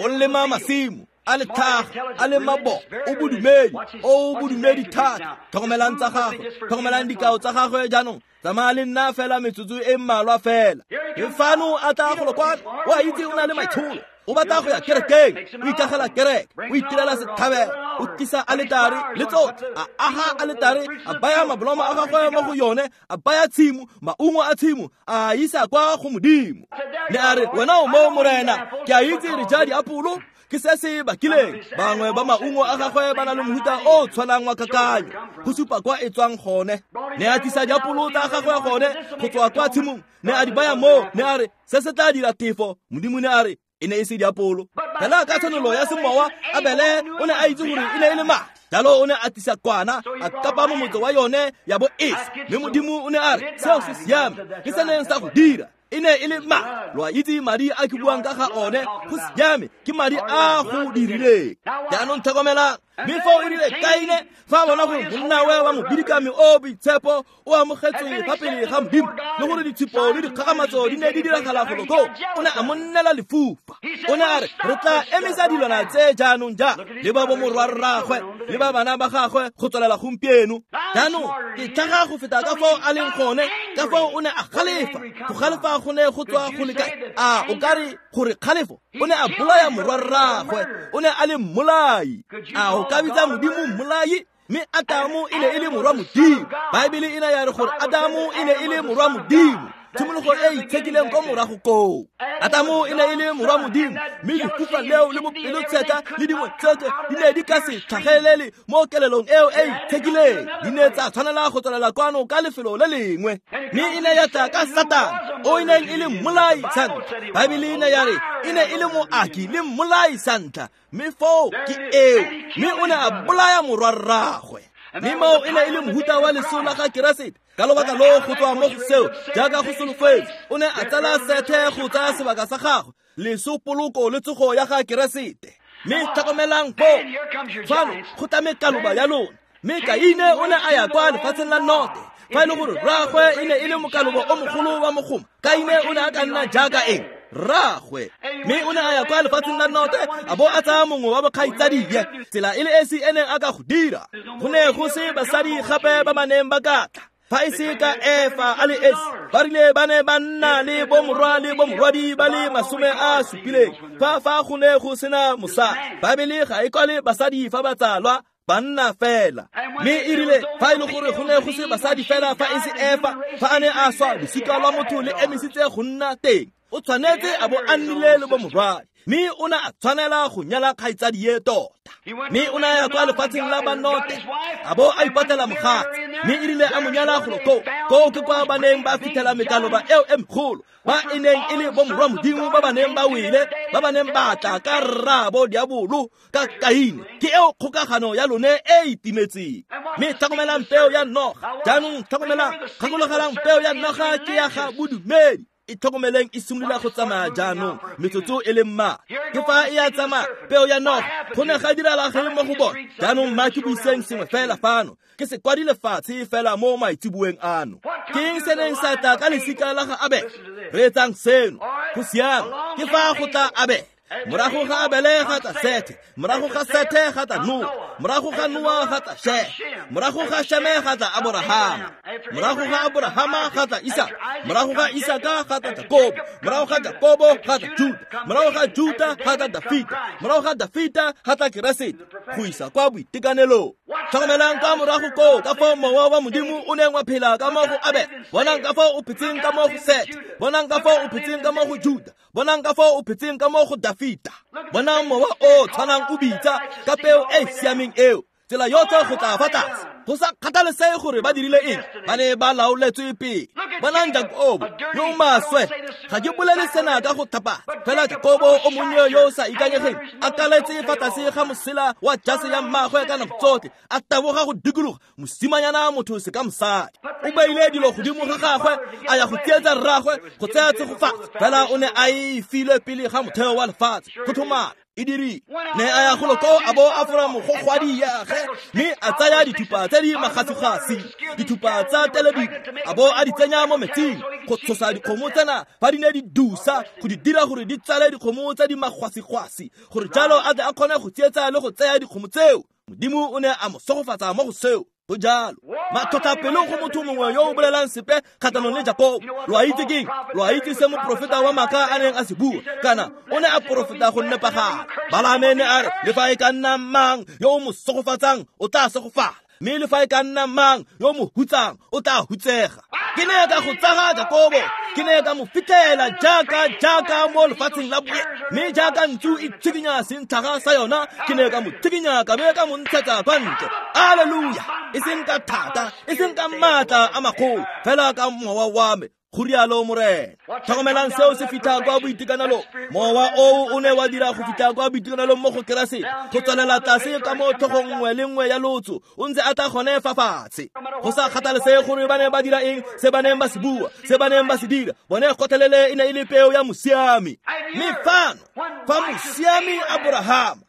o lema masimo a le tlhaga, a le mabo, o bodumedi, o bodumedi thata. Tlhokomelang tsa gagwe, tlhokomelang dikao tsa gagwe. Jaanong tsamaya le nna fela metsotso e mmalwa fela. Ke fano a tla golo kwano, o a itse o na le maitsholo, o batla go ya kerekeng, o ikagela kereke, o itirela setlhabelo, o tlisa aletare le tsotlhe, a aga aletare, a baya mabolomo a gagwe mo go yone, a baya tshimo, maungo a tshimo, a isa kwa go Modimo. Ne a re, wena o mo Morena, ke a itse re ja diapolo, ke se se bakileng. Bangwe ba maungo a gagwe ba na le mohuta o tshwanang wa kakanyo, go supa kwa e tswang gone. Ne a tlisa diapolo tsa gagwe gone go tswa kwa tshimong, ne a di baya mo, ne a re, se se tla dira tefo. Modimo ne a re, e ne e se diapolo. Fela ka tshwanelo ya semowa, Abele o ne a itse gore e ne e le madi. Jalo o ne a tlisa kwana, a kapa mo motse wa yone ya bo esa. Mme Modimo o ne a re, seo se siame, ke se neng sa go dira. E ne e le ma lo a itse madi a ke buang ka ga one go siame ke madi a go dirileng. Jaanong tlhokomelang mme foo e rile Kaine fa a bona gore monnawe wa mobidikami o boitshepo o amogetswe fa pele ga Modimo le gore ditshupo le dikgakgamatso di ne di diragala golo koo, o ne a mo nnela lefufa. O ne a re re tla emisa dilwana tse jaanong ja le ba bomorwarraagwe le ba bana ba gagwe go tswelela gompieno. Jaanong ke tlhaga go feta ka foo a leng gone, ka foo o ne a galefa. Go galefa go ne go tswa go le kae? A o ka re gore kgalefo o ne a bolaya morwarraagwe, o ne a le mmolai. A o ka bitsa Modimo mmolai? Mme Adamo e ne e le morwa Modimo. Baebele e ne ya re gore Adamo e ne e le morwa Modimo. Tshimologo e itshekileng ko morago koo. Adamo e ne e le morwa Modimo, mme lefufa leo le bopelotshetlha le dingwe tsotlhe di ne di ka se tlhagelele mo kelelong eo e itshekileng. Di ne tsa tshwanela go tswelela kwano ka lefelo le lengwe. Mme e ne ya tla ka Satane, o e neng e le mmolai sa ntlha. Baebele e ne ya re e ne e le moaki le mmolai sa ntlha, mme foo ke eo, mme o ne a bolaya morwarraagwe. Mme moo e ne e le mohuta wa leso la ga Keresete. Ka lobaka loo go tswa mo go seo, jaaka go solofetse, o ne a tsala Sethe go tsaya sebaka sa gagwe, leso, poloko le tsogo ya ga Keresete. Mme tlhokomelang foo, fano go tla mekaloba ya lona. Mme Kaine o ne a ya kwa lefatsheng la Note. Fa e le gore rraagwe e ne e le mokaloba o mogolo wa mogoma, Kaine o ne a ka nna jaaka eng? Rraagwe. Mme o ne a ya kwa lefatsheng la Note a bo a tsaya mongwe wa bokgaitsadie, tsela e le esi e neng a ka go dira. Go ne go se basadi gape ba ba neng ba ka tla fa e se ka Efa a le esi. Ba rile ba ne ba nna le bomorwa le bomorwadi ba le 70 fa go ne go sena mosadi. Baebele ga e kwale basadi fa ba tsalwa, banna fela. Mme e rile fa e le gore go ne go se basadi fela fa e se Efa, fa a ne a swa, losika lwa motho le emisitse go nna teng. O tshwanetse a bo a nnile le bomorwadi, mme o ne a tshwanela go nyala kgaitsadie tota. Mme o ne a ya kwa lefatsheng la Banote a bo a ipatlela mogatse, mme e rile a mo nyala golo koo. Koo ke kwa ba neng ba fitlhela mekaloba eo e megolo, ba e neng e le bomorwa Modimo ba ba neng ba wele, ba ba neng ba tla ka rraabo diabolo ka Kaine. Ke eo kgokagano ya lone e itimetseng. Mme tlhokomelang peo ya noga. Jaanong tlhokomelang, gakologelang peo ya noga ke ya ga bodumedi. E tlhokomeleng e simolola go tsamaya jaanong metsotso e le mmalwa. Ke fa e ya tsamaya peo ya noga, go ne ga dirala ge mo go bone. Jaanong mma ke buiseng sengwe fela fano, ke se kwadile fatshe fela mo maitseboeng ano. Ke eng se neng sa tla ka lesika la ga Abele? Reetsang seno, go siame. Ke fa go tla Abele. Morago ga Abele ga tla Sethe, morago ga Sethe ga tla Noa, morago ga Noa ga tla Sheme, morago ga Sheme ga tla Aborahama, morago ga Aborahama ga tla Isaka, morago ga Isaka ga tla Jakobo, morago ga Jakobo ga tla Juda, morago ga Juda ga tla Dafita, morago ga Dafita ga tla Keresete, go isa kwa boitekanelong. Tlhokomelang ka morago koo ka foo mowa wa Modimo o neng wa phela ka mo go Abele. Bonang ka foo o phetseng ka mo go Sethe, bonang ka foo o phetseng ka mo go Juda, bonang ka foo o phetseng ka mo go Dafita. Bonang mowa o tshwanang o bitsa ka peo e siameng eo, tsela yotlhe go tla fa tlase. Go sa kgathalesege gore ba dirile eng, ba ne ba laoletswe pele. Bonang Jakobo yo o maswe. Ga ke bolele sena ka go thapatsa, fela Jakobo o monnye yo o sa ikanyegeng a kaletse fa tlase ga mosela wa jase ya mmagwe ka nako tsotlhe, a taboga go dikologa mosimanyana motho se ka mosadi. O beile dilo godimo ga gagwe, a ya go tsietsa rraagwe go tsaya tshegofatso, fela o ne a e filwe pele ga motheo wa lefatshe. Go tlhomame e dirile. Ne a ya golo koo a bo a fora mogogwadi yage, mme a tsaya dithupa tse di magasigasi, dithupa tsa telebiko, a bo a di tsenya mo metsing go tshosa dikgomo tsena fa di ne di dusa, go di dira gore di tsale dikgomo tse di magwasigwasi, gore jalo a tle a kgone go tsietsa le go tsaya dikgomo tseo. Modimo o ne a mo segofatsa mo go seo. Go jalo. Matlhotlhapelo go motho mongwe yo o bolelang sepe kgatlhanong le Jakobo. Lo a itse keng? Lo a itse se moprofeta wa maaka a neng a se bua? Kana o ne a porofeta go nepagala. Balaame ne a re, le fa e ka nna mang yo o mo segofatsang o tla segofala, mme le fa e ka nna mang yo o mo hutsang o tla hutsega. Ke ne ka go tsaga Jakobo, ke ne ka mo fitlhela jaaka mo lefatsheng la boe, mme jaaka ntsu e tshikinya sentlhaga sa yona, ke ne ka mo tshikinya ka be ka mo ntshetsa kwa ntle. Alleluia! E seng ka thata, e seng ka maatla a magolo, fela ka mowa wa me. Go rialo Morena. Tlhokomelang seo se fitlha kwa boitekanelong. Mowa oo o ne wa dira go fitlha kwa boitekanelong mo go Keresete, go tswelela tlase ka mo tlhogong nngwe le nngwe ya lotso, o ntse a tla gone fa fatshe. Go sa kgathalesege gore ba ne ba dira eng, se ba neng ba se bua, se ba neng ba se dira, bone gotlhelele e ne e le peo ya mosiami. Mme fano, fa mosiami Aborahama,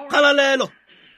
kgalalelo,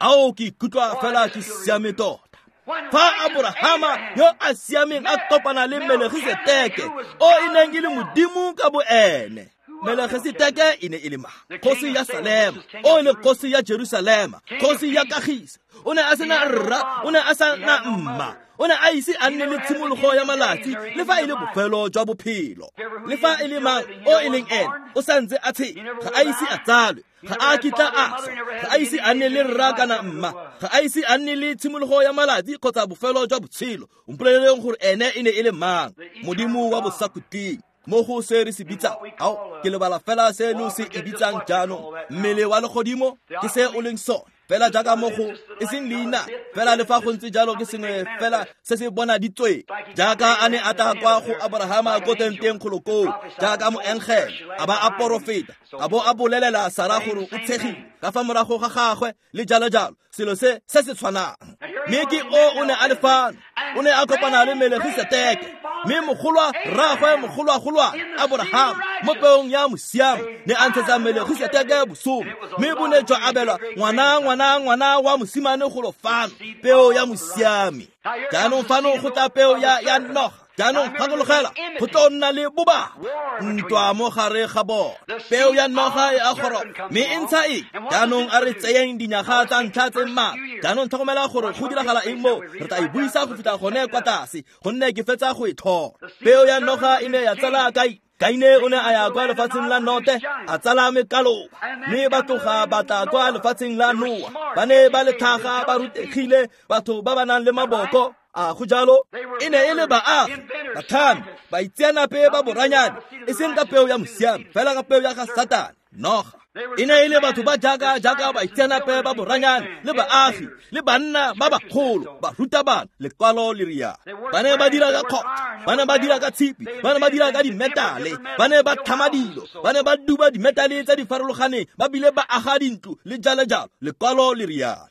ao ke ikutlwa fela ke siame tota. Fa Aborahama yo a siameng a kopana le Melegiseteke, o e neng e le Modimo ka boene. Melegiseteke e ne e le mang? Kgosi ya Salema, o e le kgosi ya Jerusalema, kgosi ya kagiso. O ne a sena rra, o ne a sa na mma. O ne a ise a nne le tshimologo ya malatsi, le fa e le bofelo jwa bophelo. Le fa e le mang o e leng ene, o sa ntse a tshela, ga a ise a tsalwe, ga a kitla a swa, ga a ise a nne le rra kana mma, ga a ise a nne le tshimologo ya malatsi kgotsa bofelo jwa botshelo. Mpoleleleng gore ene e ne e le mang? Modimo wa bosakhutleng. Mo go se re se bitsang, ao ke lebala fela se lo se e bitsang jaanong, mmele wa legodimo ke se o leng sone. Fela jaaka mo go e seng leina, fela le fa go ntse jalo ke sengwe fela se se bonaditsweng. Jaaka a ne a tla kwa go Aborahama ko tenteng kgolo koo, jaaka moengele, a ba a porofeta, a bo a bolelela Sara gore o tshegile ka fa morago ga gagwe le jalo jalo, selo se se se tshwanang. Mme ke o ne a le fano, o ne a kopana le Melegiseteke, mme mogolwa rraagwe mogolwagolwane Aborahama mo peong ya mosiami ne a ntshetsa Melegiseteke bosome, mme bo ne jwa abelwa ngwana ngwana ngwana wa mosimane golo fano, peo ya mosiami. Jaanong fano go tla peo ya noga. Jaanong gakologela, go tlo nna le bobaba, ntwa mo gare ga bona. Peo ya noga e a goroga, mme e ntsha eng? Jaanong a re tseyeng dinyaga tsa ntlha tse mmalwa. Jaanong tlhokomela gore go diragala eng mo, re tla e buisa go fitlha gone kwa tlase, gonne ke fetsa go e tlhola. Peo ya noga e ne ya tsala Kaine. Kaine o ne a ya kwa lefatsheng la Note, a tsala mekaloba, mme ba tloga ba tla kwa lefatsheng la Noa. Ba ne ba le tlhaga, ba rutegile, batho ba ba nang le maboko. A go jalo? E ne e le baagi, batlhami, baitseanape ba boranyane, e seng ka peo ya mosiami, fela ka peo ya ga Satane, noga. E ne e le batho ba jaaka jaaka baitseanape ba boranyane le baagi le banna ba bagolo, barutabana, lekwalo le rialo. Ba ne ba dira ka kgotsa, ba ne ba dira ka tshipi, ba ne ba dira ka dimetale, ba ne ba tlhama dilo, ba ne ba duba dimetale tse di farologaneng, ba bile ba aga dintlo le jalo jalo, lekwalo le rialo.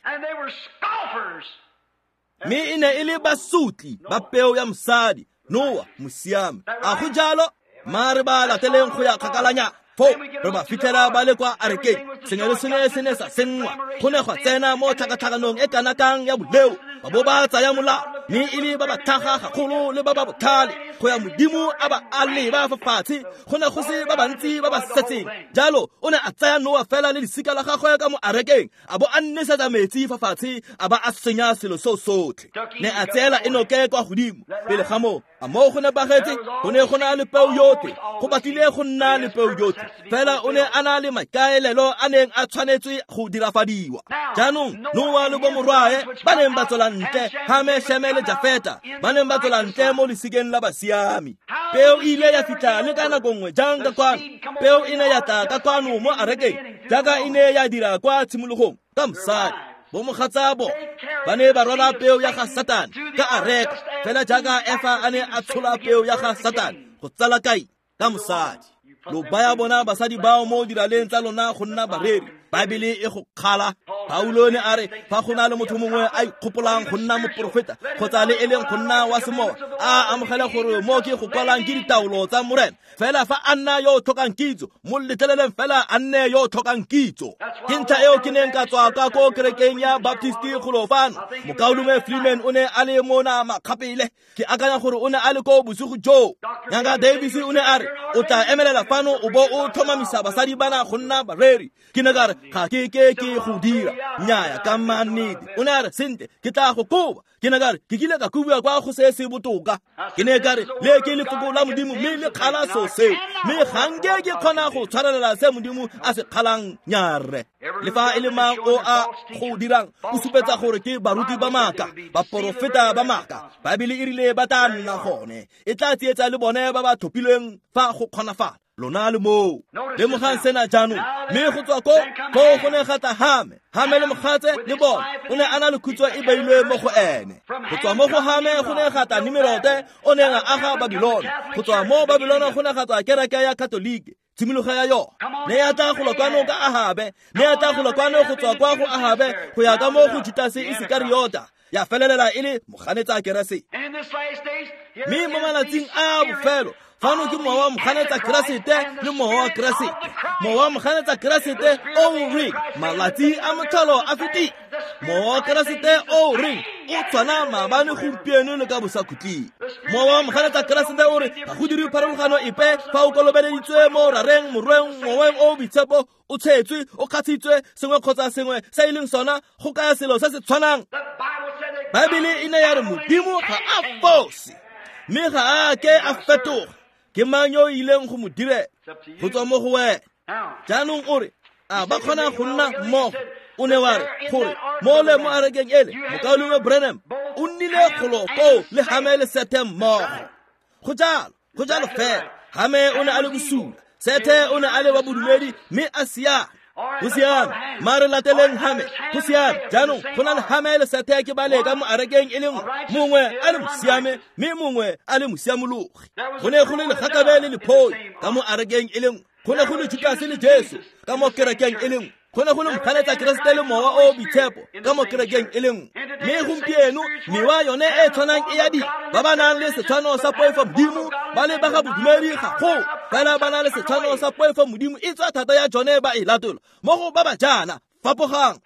Mme e ne e le basotli ba peo ya mosadi, Noa mosiami. A go jalo? Mare ba lateleng go ya kgakalanya. Foo re ba fitlhela ba le kwa arekeng, sengwe le sengwe se ne sa senngwa. Go ne gwa tsena mo tlhakatlhakanong e kana kang ya boleo, ba bo ba tsaya molao, mme e le ba ba tlhaga gagolo le ba ba botlhale, go ya Modimo a ba a leba fa fatshe, go ne go se ba bantsi ba ba setseng. Jalo o ne a tsaya Noa fela le lesika la gagwe ka mo arekeng, a bo a nnesetsa metsi fa fatshe, a ba a senya selo seo sotlhe. Ne a tseela Enoke kwa godimo. Pele ga moo, a moo go nepagetse, go ne go na le peo yotlhe, go batlile go nna le peo yotlhe, fela o ne a na le maikaelelo a neng a tshwanetswe go dirafadiwa. Jaanong Noa le bomorwae ba neng ba tswela ntle, Hame, Sheme le Jafeta ba neng ba tswela ntle mo lesikeng la basiami. Peo e ile ya fitlha le ka nako nngwe jang ka kwano? Peo e ne ya tla ka kwano mo arekeng, jaaka e ne ya dira kwa tshimologong ka mosadi. Bomogatsabo ba ne ba rwala peo ya ga Satane ka areka, fela jaaka Efa a ne a tshola peo ya ga Satane go tsala Kaine ka mosadi. Lo baya bona basadi bao mo diraleng tsa lona go nna bareri. Baebele e go kgala. Paulo ne a re fa go na le motho mongwe a ikgopolang go nna moporofeta kgotsa le e leng go nna wa semowa, a amogele gore mo ke go kwalang ke ditaolo tsa Morena. Fela fa a nna yo o tlhokang kitso, mo letleleleng fela a nne yo o tlhokang kitso. Ke ntlha eo ke neng ka tswa ka ko kerekeng ya Baptist golo fano. Mokaulengwe Freeman o ne a le mona makgapele. Ke akanya gore o ne a le ko bosigo joo. Ngaka Davis o ne a re, o tla emelela fano o bo o tlhomamisa basadi bana go nna bareri. Ke ne ka re, ga ke ke ke go dira. Nnyaya, ka mannete. O ne a re, sentle, ke tla go koba. Ke ne ka re, ke kile ka kobiwa kwa go se se botoka. Ke ne ka re, le ke lefoko la Modimo mme le kgala seo seo. Mme ga nke ke kgona go tshwarelela se Modimo a se kgalang, nyarre. Le fa e le mang o a go dirang, o supetsa gore ke baruti ba maaka, baporofeta ba maaka. Baebele e rile ba tla nna gone. E tla tsietsa le bone ba ba tlhophilweng fa go kgonafala. Lona le moo. Lemogang sena jaanong. Mme go tswa ko go ne ga tla Hame. Hame le mogatse le bone. O ne a na le khutso e beilwe mo go ene. Go tswa mo go Hame go ne ga tla Nimerote, o neng a aga Babilona. Go tswa mo Babilona go ne ga tswa kereke ya Katoliki. Tshimologo ya yona ne ya tla golo kwano ka Ahabe, ne ya tla golo kwano go tswa kwa go Ahabe go ya ka mo go Judase Isekariota, ya felelela e le moganetsa Keresete. Mme mo malatsing a bofelo fano ke mowa wa moganetsa Keresete le mowa wa Keresete. Mowa wa moganetsa Keresete o reng malatsi a motlholo a fetile. Mowa wa Keresete o reng o tshwana maabane gompieno le ka bosakhutleng. Mowa wa moganetsa Keresete o re ga go dire pharologano epe fa o kolobeleditswe mo rareng, morweng, moweng o boitshepo, o tshetswe, o kgatshitswe, sengwe kgotsa sengwe se e leng sona go kaya selo se se tshwanang. Baebele e ne ya re Modimo ga a fose, mme ga a ke a fetoga. Ke mang yo o ileng go mo direla go tswa mo go wena? Jaanong o re a ba kgona go nna mmogo? O ne wa re gore mo le mo arekeng ele mokaulengwe Branham o nnile golo koo le Hame le Sethe mmogo. Go jalo fela. Hame o ne a le bosula, Sethe o ne a le wa bodumedi mme a siame. Go siame, mare lateleng Hame. Go siame, jaanong go na le Hame le Sethe ke ba le ka mo arekeng e le nngwe, mongwe a le mosiame mme mongwe a le mosiamologi. Go ne go le legakabe le lephoi ka mo arekeng e le nngwe. Go ne go le Judase le Jesu ka mo kerekeng e le nngwe. Go ne go le moganetsa Keresete le mowa o boitshepo ka mo kerekeng e le nngwe. Mme gompieno mewa yone e tshwanang e ya di ba ba nang le setshwano sa poifo Modimo ba le ba ga bodumedi gagolo, fela ba na le setshwano sa poifo Modimo e tswa thata ya jone ba e latola. Mo go ba ba jaana fapogang.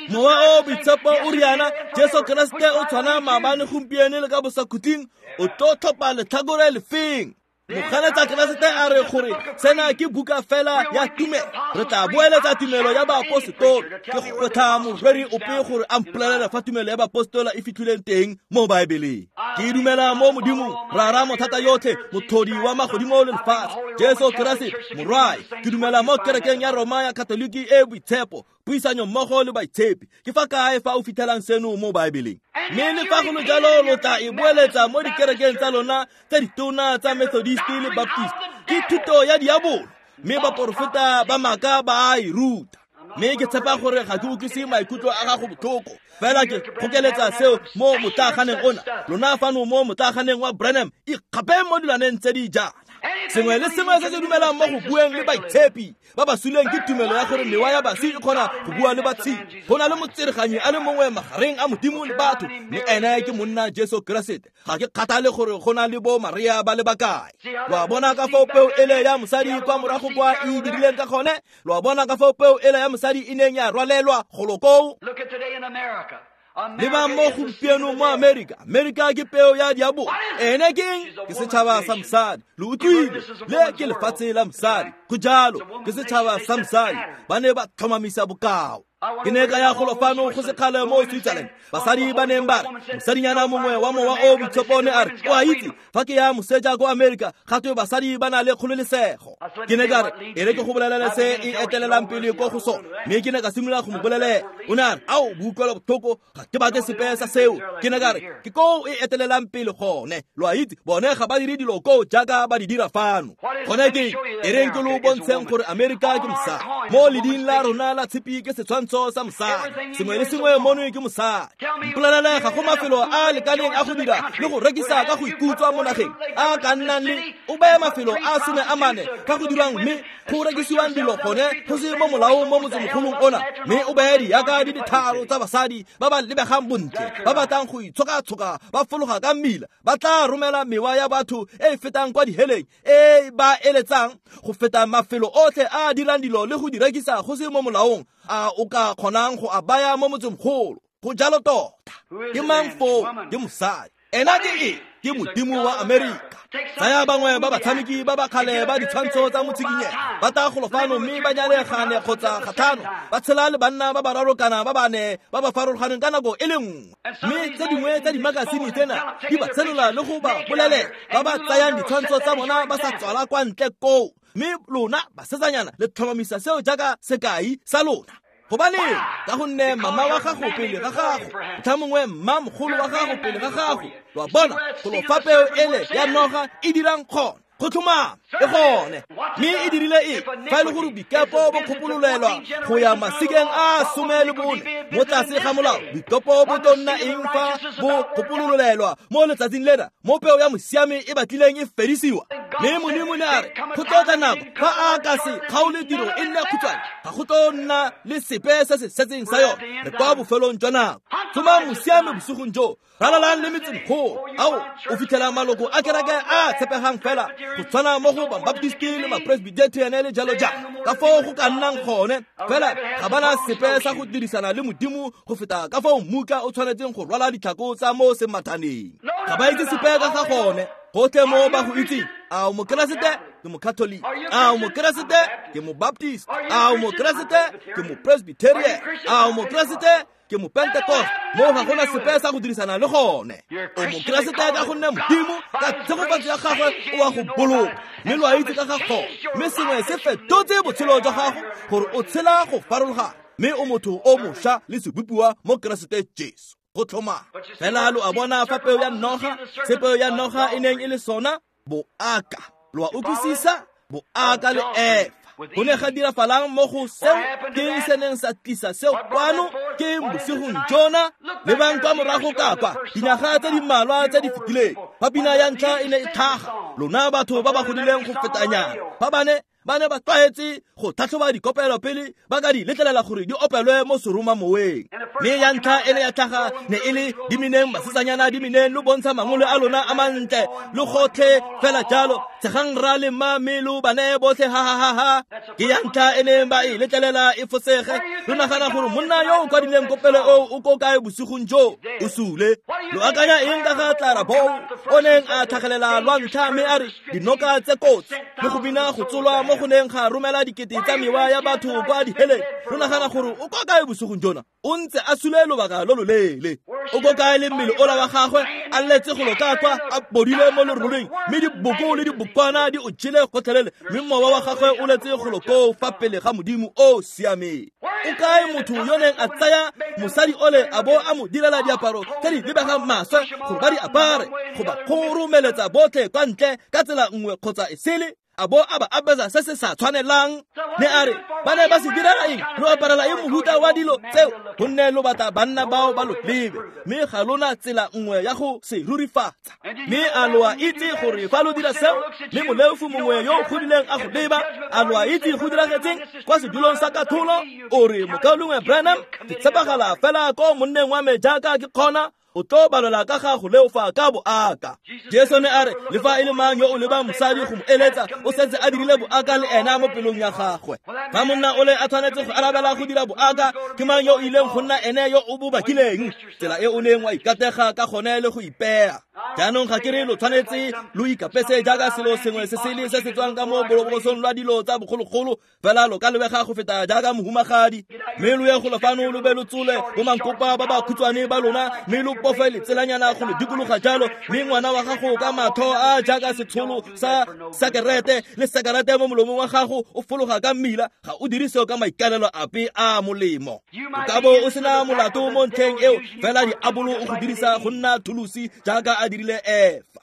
Mowa o boitshepo o riana Jesu Keresete o tshwana maabane gompieno le ka bosakhutleng, o tlo tlhopha letlhakore lefeng? Moganetsa Keresete a re gore sena ke buka fela ya tumelo. Re tla boeletsa tumelo ya baaposetolo. Ke gwetlha moreri ope gore a mpolelele fa tumelo ya baapostola e fitlhileng teng mo Baebeleng. Ke dumela mo Modimong, Rara mothata yotlhe, motlhodi wa magodimo le lefatshe, Jesu Keresete Morwae. Ke dumela mo kerekeng ya Roma ya Katoliki e boitshepo, puisanyo mmogo le baitshepi. Ke fa kae fa o fitlhelang seno mo Baebeleng? Mme le fa go le jalo lo tla e boeletsa mo dikerekeng tsa lona tse ditona tsa Methodist le Baptist. Ke thuto ya diabolo, mme baporofeta ba maaka ba a e ruta. Mme ke tshepa gore ga ke utlwise maikutlo a gago botlhoko, fela ke gokeletsa seo mo motlaganeng ona. Lona fano mo motlaganeng wa Branham, ikgape mo dilaneng tse di jaana. Sengwe le sengwe se se dumelang mo go bueng le baitshepi ba ba suleng ke tumelo ya gore mewa ya baswi e kgona go bua le batshedi. Go na le motsereganyi a le mongwe magareng a Modimo le batho, mme ene ke monna Jesu Keresete. Ga ke kgathale gore go na le bo Maria ba le bakae. Lo a bona ka fao peo ele ya mosadi kwa morago kwa e dirileng ka gone? Lo a bona ka fao peo ele ya mosadi e neng ya rwalelwa golo koo? Leba mo gompieno mo Amerika. Amerika ke peo ya diabolo. Ene ke eng? Ke setšhaba sa mosadi. Lo utlwile, le ke lefatshe la mosadi. Go jalo, ke setšhaba sa mosadi. Ba ne ba tlhomamisa bokao. Ke ne ka ya golo fano go sekgale mo Switzerland. Basadi ba neng ba re mosadinyana mongwe wa mowa o boitshepo ne a re, o a itse fa ke ya moseja ko Amerika gatwe basadi ba na le kgololesego. Ke ne ka re e re ke go bolelele se e etelelang pele ko go sone, mme ke ne ka simolola go mo bolelela. O ne a re ao boutlwelo botlhoko, ga ke batle sepe sa seo. Ke ne ka re ke koo e etelelang pele gone. Lo a itse bone ga ba dire dilo koo jaaka ba di dira fano. Gone ke e reng ke lo bontsheng gore Amerika ke mosadi. Mo leding la rona la tshipi ke setshwantsho sa mosadi. Sengwe le sengwe mono ke mosadi. Mpolelele ga go mafelo a lekaneng a go dira le go rekisa ka go ikutswa mo nageng a ka nnang le o beye mafelo a 14 ka go dirwang mme go rekisiwang dilo gone go se mo molaong mo motsemogolong ona, mme o beye diaka di le tharo tsa basadi ba ba lebegang bontle ba batlang go itshoka-tshoka ba fologa ka mmila, ba tla romela mewa ya batho e e fetang kwa diheleng e ba eletsang go feta mafelo otlhe a a dirang dilo le go di rekisa go se mo molaong a o ka kgonang go a baya mo motsemogolo. Go jalo tota. Ke mang foo? Ke mosadi. Ena ke eng? Ke modimo wa Amerika. Tsaya bangwe ba batshameki ba ba kgale ba ditshwantsho tsa motshikinyego ba tla golo fano mme ba nyale gane kgotsa gatlhano, ba tshela le banna ba bararo kana ba bane ba ba farologaneng ka nako e le nngwe. Mme tse dingwe tsa dimakasine tsena di ba tshenola le go ba bolelela ba ba tsayang ditshwantsho tsa bona ba sa tswala kwa ntle koo. Mme lona basetsanyana le tlhomamisa seo jaaka sekai sa lona. Gobaneng? Ka gonne mama wa gago pele ga gago, motlha mongwe mma mogolo wa gago pele ga gago. Lo a bona, golo fa peo ele ya noga e dirang kgona. Go tlhomama e gone mme e dirile eng fa e le gore boikepo bo kgopololelwa go ya masikeng a 14 mo tlase ga molao boikepo bo tlo nna eng fa bo kgopololelwa mo letsatsing lena mo peo ya mosiame e batlileng e fedisiwa mme Modimo ne a re go tlo tla nako fa a ka se kgaole tiro e nne khutshwane ga go tlo nna le sepe se se setseng sa yone re kwa bofelong jwa nako tsomang mosiame bosigong jo ralalang le metsemegolo ao o fitlhela maloko a kereke a tshepegang fela go tshwana mo go Baptisti le Mapresbyterian le jalo jalo ka foo go ka nnang gone fela ga bana sepe sa go dirisana le Modimo go feta ka foo mmuka o tshwanetseng go rwala ditlhako tsa mo semathaneng ga ba itse sepe ka ga gone gotlhe mo ba go itseng a o Mokeresete ke Mokatholike a o Mokeresete ke Mobaptist a o Mokeresete ke Mopresbyterian a o Mokeresete ke Mopentecost mo ga gona sepe sa go dirisana le gone o Mokeresete ka gonne Modimo ka tshegofatso ya gagwe o a go boloka mme lo a itse ka ga gone mme sengwe se fetotse botshelo jwa gago gore o tshela go farologana mme o motho o mošwa le sebopiwa mo Keresete Jesu go tlhomama fela lo a bona fa peo ya noga se peo ya noga e neng e le sona boaka lo a utlwisisa boaka le Efa go ne ga dirafalang mo go seo ke se neng sa tlisa seo kwano ke bosigong jona lebang kwa morago kapa dinyaga tse di mmalwa tse di fetileng fa pina ya ntlha e ne e tlhaga lona batho ba ba godileng go fetanyana fa ba ne ba tlwaetse go tlhatlhoba dikopelo pele ba ka di letlelela gore di opelwe mo seromamoweng mme ya ntlha e ne ya tlhaga ne e le dimineng basetsanyana dimineng lo bontsha mangolo a lona a mantle lo gotlhe fela jalo tshegang rra le mma mme lo bane botlhe ha ha ha ha ke ya ntlha e neng ba e letlelela e fosege lo nagana gore monna yo o kwadileng kopelo eo o ko kae bosigong jo o sule lo akanya eng ka ga Clara Bow o neng a tlhagelela lwa ntlha mme a re dinoka tse kotsi le go bina go tsolwa mo go neng ga romela dikete tsa mewa ya batho kwa diheleng lo nagana gore o kwa kae bosigong jona o ntse a sule lobaka lo loleele o ko kae le mmele ola wa gagwe a letse go loka kwa a bodile mo leroleng mme diboko le dibokwana di o jele gotlhelele mme mowa wa gagwe o letse go lokoo fa pele ga Modimo o siameng o kae motho yo neng a tsaya mosadi ole a bo a mo direla diaparo tse di lebegang maswe gore ba di apare go ba kgoromeletsa botlhe kwa ntle ka tsela nngwe kgotsa e sele a bo a ba apesa se se sa tshwanelang ne a re ba ne ba se direla eng lo aparela eng mohuta wa dilo tseo gonne lo batla banna bao ba lo lebe mme ga lona tsela nngwe ya go se rurifatsa mme a lo a itse gore fa lo dira seo mme moleofu mongwe yo o godileng a go leba a lo a itse go diragetseng kwa sedulong sa katlholo o re mokaulengwe Branham ke tshepagala fela ko monneng wa me jaaka ke kgona o tlo balelwa ka ga go leofa ka boaka Jesu ne a re le fa e le mang yo o lebang mosadi go mo eletsa o setse a dirile boaka le ena mo pelong ya gagwe fa monna o le a tshwanetse go arabela go dira boaka ke mang yo o ileng go nna ene yo o bo bakileng tsela e o neng wa ikatega ka gone le go ipeya jaanong ga ke re lo tshwanetse lo ikapese jaaka selo sengwe se sele se se tswang ka mo bolobosong lwa dilo tsa bogologolo fela lo ka lebega go feta jaaka mohumagadi mme lo ye go lofano lo be lo tsole bo mankopa ba ba khutshwane ba lona mme lo bofe letselanyana go le dikologa jalo mme ngwana wa gago ka matho a jaaka setsholo sa sakerete le sakerete mo molomong wa gago o fologa ka mmila ga o dire seo ka maikalelo ape a molemo o ka bo o sena molato mo ntlheng eo fela diabolo o go dirisa go nna thulusi jaaka a dirile Efa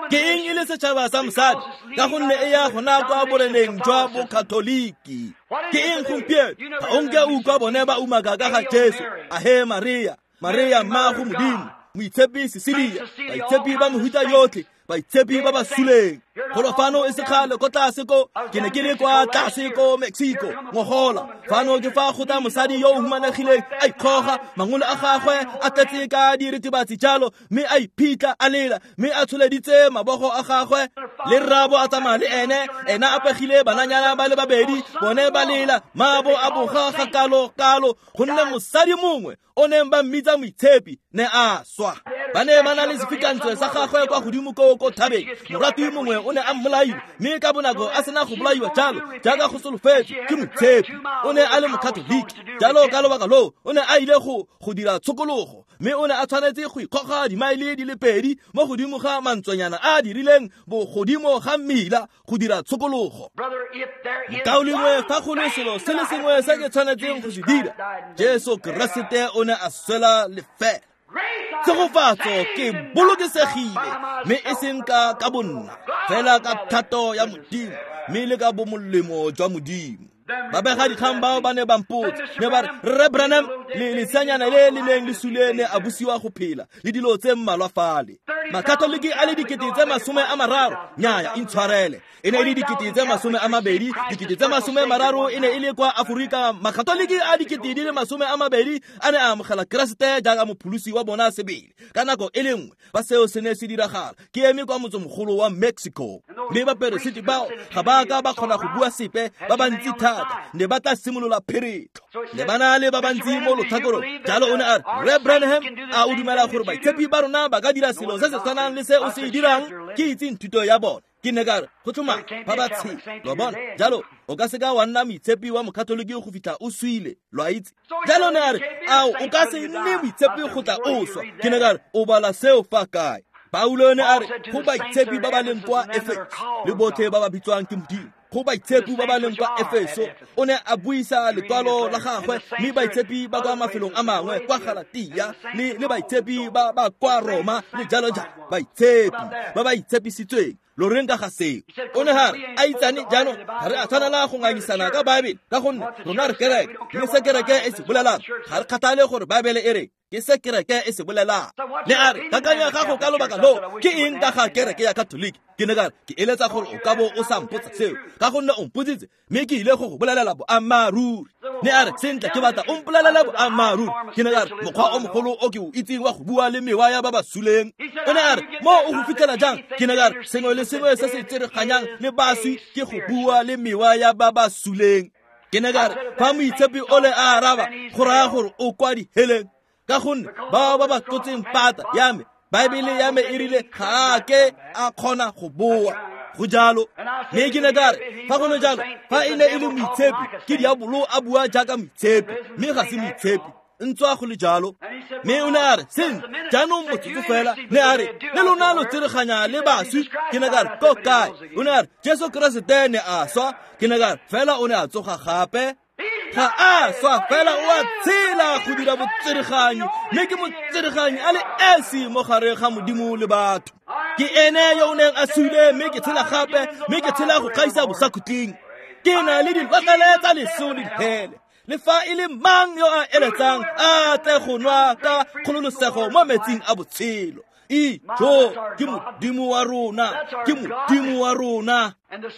ke eng e le setšhaba sa mosadi ka gonne e ya gona kwa boreneng jwa bokatholiki ke eng gompieno ga o nke utlwa bone ba umaka ka ga Jesu ahe Maria Maria mmago Modimo moitshepi Cecilia baitshepi ba mehuta yotlhe baitshepi ba ba suleng golo fano e sekgale ko tlase ko ke ne ke le kwa tlase ko Mexico ngogola fano ke fa go tla mosadi yo o humanegileng a ikgoga mangolo a gagwe a tletse ka diritibatsi jalo mme a iphitlha a lela mme a tsholeditse mabogo a gagwe le rrabo a tsamaya le ene ena a pegile bananyana ba le babedi bone ba lela mabo a boga ga kalo-kalo gonne mosadi mongwe o neng ba mmitsa moitshepi ne a swa ba ne ba na le sefikantswe sa gagwe kwa godimo ko ko thabeng morati mongwe o ne a mmolaile mme ka bonako a sena go bolaiwa jalo jaaka go solofetswe ke moitshepi o ne a le mokatholiki jalo ka lobaka loo o ne a ile go dira tshokologo mme o ne a tshwanetse go ikgoga dimaele di le 2 mo godimo ga mantswanyana a dirileng bogodimo ga mmila go dira tshokologo mokaulengwe fa go le selo se le sengwe se ke tshwanetseng go se dira Jesu Keresete o ne a swela lefela Tshegofatso ke bolokesegile mme e seng ka bonna, fela ka thato ya Modimo mme le ka bomolemo jwa Modimo. Babegadikgang bao ba ne ba mpotsa, ne ba re, Rre Branham, le leseanyana le le neng le sule ne a busiwa go phela le dilo tse mmalwa fale. Makatoliki a le 30,000, nnyaya, intshwarele, e ne e le 20,000, 30,000 e ne e le kwa Aforika. Makatoliki a 20,000 a ne a amogela Keresete jaaka mopholosi wa bona sebele ka nako e le nngwe. Fa seo se ne se diragala, ke eme kwa motsemogolo wa Mexico, mme baperesiti bao ga ba ka ba kgona go bua sepe, ba bantsi thata ne ba tla simolola pheretlho, ne ba na le ba bantsi mo lotlhakorong. Jalo o ne a re, Rre Branham, a o dumela gore baitshepi ba rona ba ka dira selo se se tshwanang le se o se dirang? Ke itse thuto ya bone. Ke ne ka re, go tlhoma ba ba tshela, lo bona. Jalo o ka seka wa nna moitshepi wa mokatoliki go fitlha o swile, lo a itse. Jalo ne a re, ao o ka se nne moitshepi go tla o swa. Ke ne ka re, o bala seo fa kae? Paulo ne a re, go baitshepi ba ba leng kwa Efeso le botlhe ba ba bitswang ke Modimo, go baitshepi ba ba leng kwa Efeso. O ne a buisa lekwalo la gagwe, mme baitshepi ba kwa mafelong a mangwe, kwa Galatia, le baitshepi ba ba kwa Roma le jalo jalo, baitshepi ba ba itshepisitsweng. Lo reng ka ga seo? O ne ga re, a itsane jaanong ga re a tshwanela go ngangisana ka Baebele, ka gonne rona re kereke, mme se kereke e se bolelang ga re kgathale gore Baebele e reng, ke se kereke e se bolelang. Ne a re, kakanyo ya gago ka lobaka loo ke eng ka ga kereke ya Katoliki? Ke ne ka re, ke eletsa gore o ka bo o sa mpotsa seo, ka gonne o mpotsitse, mme ke ile go go bolelela boammaaruri. Ne a re, sentle, ke batla o mpolelela boammaaruri. Ke ne ka re, mokgwa o mogolo o ke o itseng wa go bua le mewa ya ba ba suleng. O ne a re, mo o go fitlhela jang? Ke ne ka re, sengwe le sengwe se se tsereganyang le baswi ke go bua le mewa ya ba ba suleng. Ke ne ka re, fa moitshepi o le a araba, go raya gore o kwa diheleng, ka gonne bao ba ba tlotseng pata ya me, Baebele ya me e rile ga a ke a kgona go boa. Go jalo. Mme ke ne ka re, fa go le jalo, fa e ne e le moitshepi, ke diabolo a bua jaaka moitshepi, mme ga se moitshepi, ntswa go le jalo. Mme o ne a re, sentle, jaanong motsotso fela. Ne a re, le lona lo tsereganya le baswi. Ke ne ka re, ko kae? O ne a re, Jesu Keresete ne a swa. Ke ne ka re, fela o ne a tsoga gape. Ga a swa, fela o a tshela go dira botsereganyi, mme ke motsereganyi a le esi mo gare ga Modimo le batho. Ke ene yo o neng a sule, mme ke tshela gape, mme ke tshela go gaisa bosakhutleng. Ke na le dilotlele tsa leso le dihele. Le fa e le mang yo a eletsang a tle go nwa ka kgololosego mo metsing a botshelo. Ijo, ke Modimo wa rona, ke Modimo wa rona.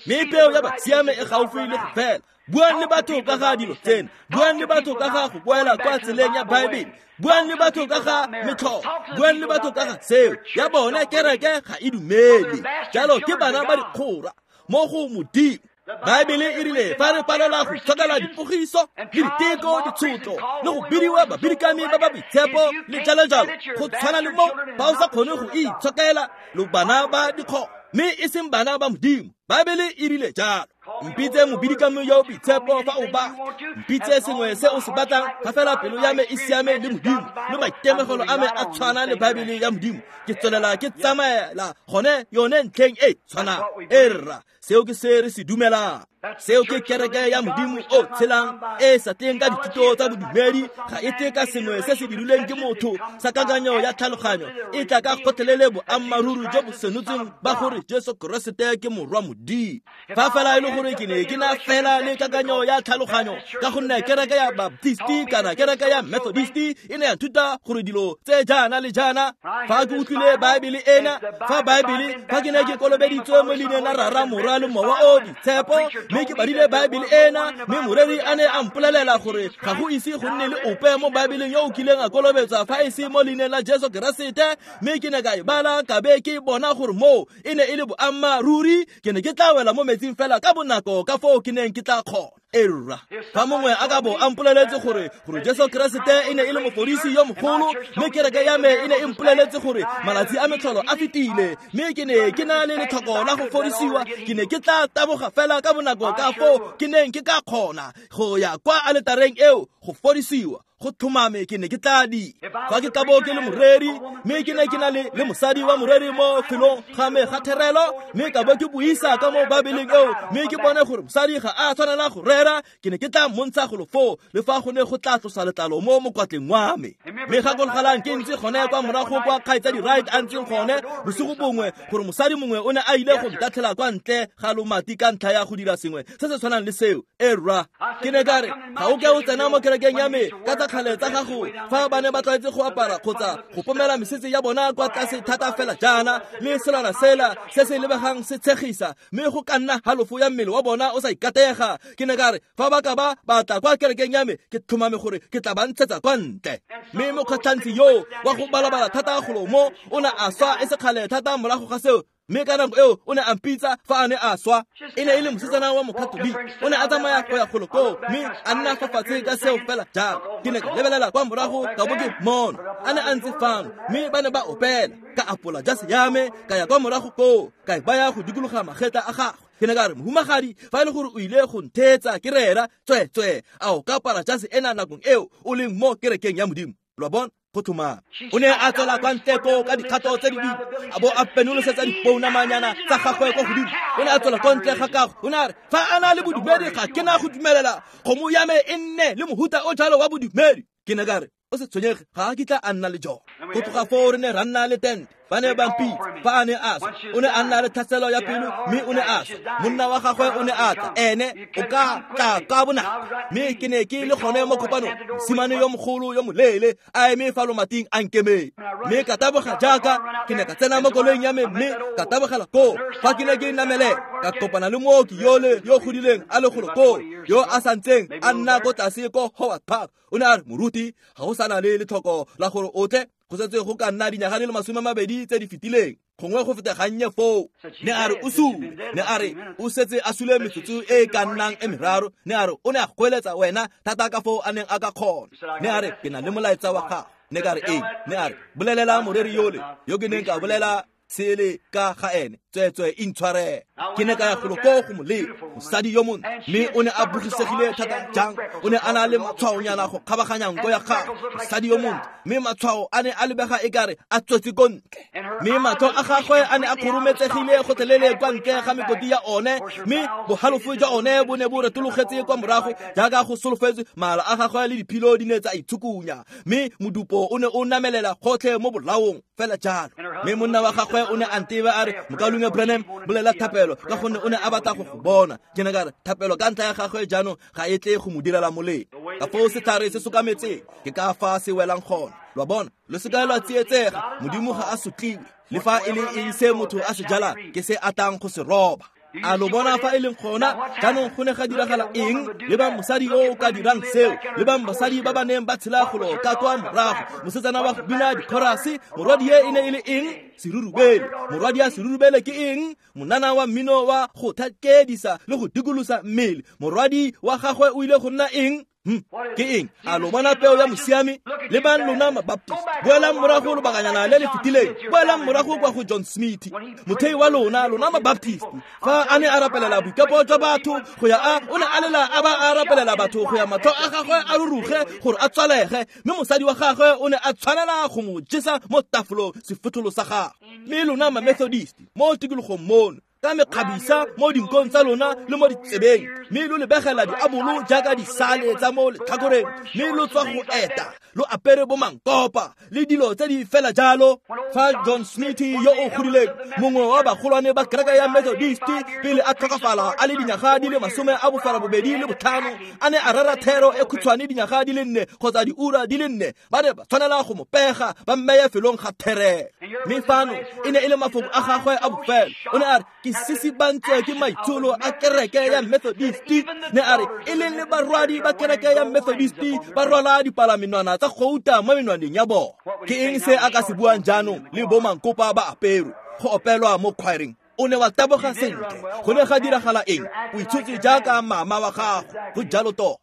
Mme peo ya basiame e gaufi le go fela. Buang le batho ka ga dilo tsena, buang le batho ka ga go boela kwa tseleng ya Baebele, buang le batho ka ga metlholo, buang le batho ka ga seo ya bone kereke ga e dumele. Jalo ke bana ba dikgora mo go Modimo. Baebele e rile fa re palelwa go itshokela dipogiso le diteko, ditshotlo le go bidiwa babidikami ba ba boitshepo le jalo jalo, go tshwana le mo fa o sa kgone go itshokela, lo bana ba dikgora, mme e seng bana ba Modimo. Baebele e rile jalo. Mpitse mobidikami yo boitshepo fa o batla, mpitse sengwe se o se batlang, fa fela pelo ya me e siame le Modimo, le maitemogelo a me a tshwana le Baebele ya Modimo, ke tswelela ke tsamaela gone yone ntlheng e tshwanang. E rra, seo ke se re se dumelang. Seo ke kereke ya Modimo o tshelang, e sa tleng ka dithuto tsa bodumedi, ga e tle ka sengwe se se dirilweng ke motho sa kakanyo ya tlhaloganyo, e tla ka kgotlhelele boammaaruri jo bo senotsweng ba gore Jesu Keresete ke morwa Modimo. Fa fela e le gore ke ne ke na fela le kakanyo ya tlhaloganyo, ka gonne kereke ya Baptisti kana kereke ya Methodisti e ne ya nthuta gore dilo tse jaana le jaana, fa ke utlwile Baebele ena, fa Baebele, fa ke ne ke kolobeditswe mo leineng la Rara, Morwa le Mowa o Boitshepo, mme ke badile Baebele ena, mme moreri a ne a mpolelela gore ga go ise go nne le ope mo Baebeleng yo o kileng a kolobetswa fa e se mo leineng la Jesu Keresete, mme ke ne ka e bala ka be ke bona gore moo e ne e le boammaaruri, ke ne ke tla wela mo metsing fela ka bonako ka foo ke neng ke tla kgona. Erra, fa mongwe a ka bo a mpoleletse gore Jesu Keresete e ne e le mofodisi yo mogolo, mme kereke ya me e ne e mpoleletse gore malatsi a metlholo a fetile, mme ke ne ke na le letlhoko la go fodisiwa, ke ne ke tla taboga fela ka bonako ka foo ke neng ke ka kgona go ya kwa aletareng eo go fodisiwa. Go tlhomame ke ne ke tla di. Fa ke tla bo ke le moreri, mme ke ne ke na le mosadi wa moreri mo felong ga me ga therelo, mme ka bo ke buisa ka mo Baebeleng eo, mme ke bone gore mosadi ga a tshwanela go rera, ke ne ke tla mmontsha golo foo, le fa go ne go tla tlosa letlalo mo mokwatleng wa me. Mme gakologelang ke ntse gone kwa morago kwa kgaitsadi Wright a ntseng gone bosigo bongwe, gore mosadi mongwe o ne a ile go ntatlhela kwa ntle ga lomati ka ntlha ya go dira sengwe se se tshwanang le seo. E rra, ke ne ka re, ga o ke o tsena mo kerekeng ya me ka tsa kgale tsa gago, fa ba ne ba tlwaetse go apara kgotsa go pomela mesetse ya bona kwa tlase thata fela jaana, le selwana sela se se lebegang se tshegisa, mme go ka nna halofo ya mmele wa bona o sa ikatega. Ke ne ka re, fa ba ka ba batla kwa kerekeng ya me, ke tlhomame gore ke tla ba ntshetsa kwa ntle. Mme mokgatlhantsi yo wa go balabala thata golo mo o ne a swa e se kgale thata morago ga seo, mme ka nako eo o ne a mpitsa fa a ne a swa. E ne e le mosetsana wa Mokatoliki, o ne a tsamaya go ya golo koo, mme a nna fa fatshe ka seo fela jalo. Ke ne ka lebelela kwa morago ka bo ke mmona a ne a ntse fano, mme ba ne ba opela. Ka apola jase ya me, ka ya kwa morago koo, ka e baya go dikologa magetla a gagwe. Ke ne ka re, mohumagadi, fa e le gore o ile go ntheetsa ke rera, tsweetswee, a o ka apara jase ena nakong eo o leng mo kerekeng ya Modimo? Lo a bona? Go tlhomame. O ne a tswela kwa ntle koo ka dikgato tse di boima, a bo a penolosetsa dipounamanyana tsa gagwe kwa godimo. O ne a tswela kwa ntle ga kago, o ne a re, fa a na le bodumedi, ga ke na go dumelela kgomo ya me e nne le mohuta o jalo wa bodumedi. Ke ne ka re, o se tshwenyege, ga a kitla a nna le jone. Go tloga foo re ne ra nna le tente. Ba ne ba mpitsa fa a ne a swa. O ne a nna le tlhaselo ya pelo, mme o ne a swa. Monna wa gagwe o ne a tla, ene o ka tla ka bonako. Mme ke ne ke le gone mo kopanong, mosimane yo mogolo yo moleele a eme fa lomating a nkemeng. Mme ka taboga jaaka ke ne ka tsena mo koloing ya me, mme ka tabogela koo. Fa ke ne ke namele, ka kopana le mooki yole yo godileng a le golo koo, yo a santseng a nna ko tlase ko Howard Park. O ne a re, moruti, ga go sana le letlhoko la gore o tle, go setse go ka nna dinyaga di le 20 tse di fetileng, gongwe go feta gannye foo. Ne a re o sule, ne a re o setse a sule metsotso e e ka nnang e meraro. Ne a re o ne a goeletsa wena thata ka foo a neng a ka kgona. Ne a re, ke na le molaetsa wa gago. Ne ka re, eng? Ne a re, bolelela moreri yole yo ke neng ka bolela sele ka ga ene, tsweetswee intshwarele. Ke ne ka ya golo koo go molemo, mosadi yo montle, mme o ne a bogisegile thata jang. O ne a na le matshwaonyana go kgabaganya nko ya gagwe, mosadi yo montle, mme matshwao a ne a lebega e kare a tswetse ko ntle, mme matlho a gagwe a ne a kgorometsegile gotlhelele kwa ntle ga mekoti ya one, mme bohalofo jwa one bo ne bo retologetse kwa morago jaaka go solofetswe. Mala a gagwe le diphilo di ne tsa itshukunya, mme modupo o ne o namelela gotlhe mo bolaong fela jalo. Mme monna wa gagwe o ne a nteba a re, mokaulengwe Branham, bolela thapelo, ka gonne o ne a batla go go bona. Ke ne ka re, thapelo ka ntlha ya gagwe jaanong ga e tle go mo direla molemo. Ka foo setlhare se sokametseng, ke ka fa se welang gone. Lo a bona? Lo se ka lwa tsietsega, Modimo ga a sotliwe. Le fa e le eng se motho a se jalang, ke se a tlang go se roba. A lo bona fa e leng gona? Jaanong go ne ga diragala eng? Lebang mosadi yo o ka dirang seo, lebang basadi ba ba neng ba tshela golo ka kwa morago. Mosetsana wa go bina dikhorase, morwadie e ne e le eng? Serurubele. Morwadi ya serurubele ke eng? Monana wa mmino wa go thakedisa le go dikolosa mmele. Morwadi wa gagwe o ile go nna eng? Ke eng? A lo bona peo ya mosiami? Lebang lona Mabaptist, boelang morago lobakanyana le le fetileng, boelang morago kwa go John Smith, mothei wa lona, lona Mabaptist. Fa a ne a rapelela boikepo jwa batho go ya a, o ne a lela a ba a rapelela batho go ya matlho a gagwe a ruruge gore a tswalege, mme mosadi wa gagwe o ne a tshwanela go mo jesa mo tafolong sefotholo sa gagwe. Mme lona Mamethodist mo tikologong mono, ka mekgabisa mo dinkong tsa lona le mo ditsebeng, mme lo lebegela diabolo jaaka disale tsa mo letlhakoreng, mme lo tswa go eta lo apere bo mankopa le dilo tse di fela jalo. Fa John Smith yo o godileng, mongwe wa bagolwane ba kereke ya Methodist, pele a tlhokafala a le dinyaga di le 85, a ne a rera thero e khutshwane dinyaga di le 4 kgotsa diura di le 4, ba ne ba tshwanela go mo pega ba mmeye felong ga therelo. Mme fano e ne e le mafoko a gagwe a bofelo. O ne a re, ke sisibantswe ke maitsholo a kereke ya Methodist. Ne a re, e leng le barwadi ba kereke ya Methodist ba rwala dipalamenwana tsa gouta mo menwaneng ya bona. Ke eng se a ka se buang jaanong le bo mankopa ba aperwe go opelwa mo choiring? O ne wa taboga sentle. Go ne ga diragala eng? O itshotse jaaka mama wa gago. Go jalo tota.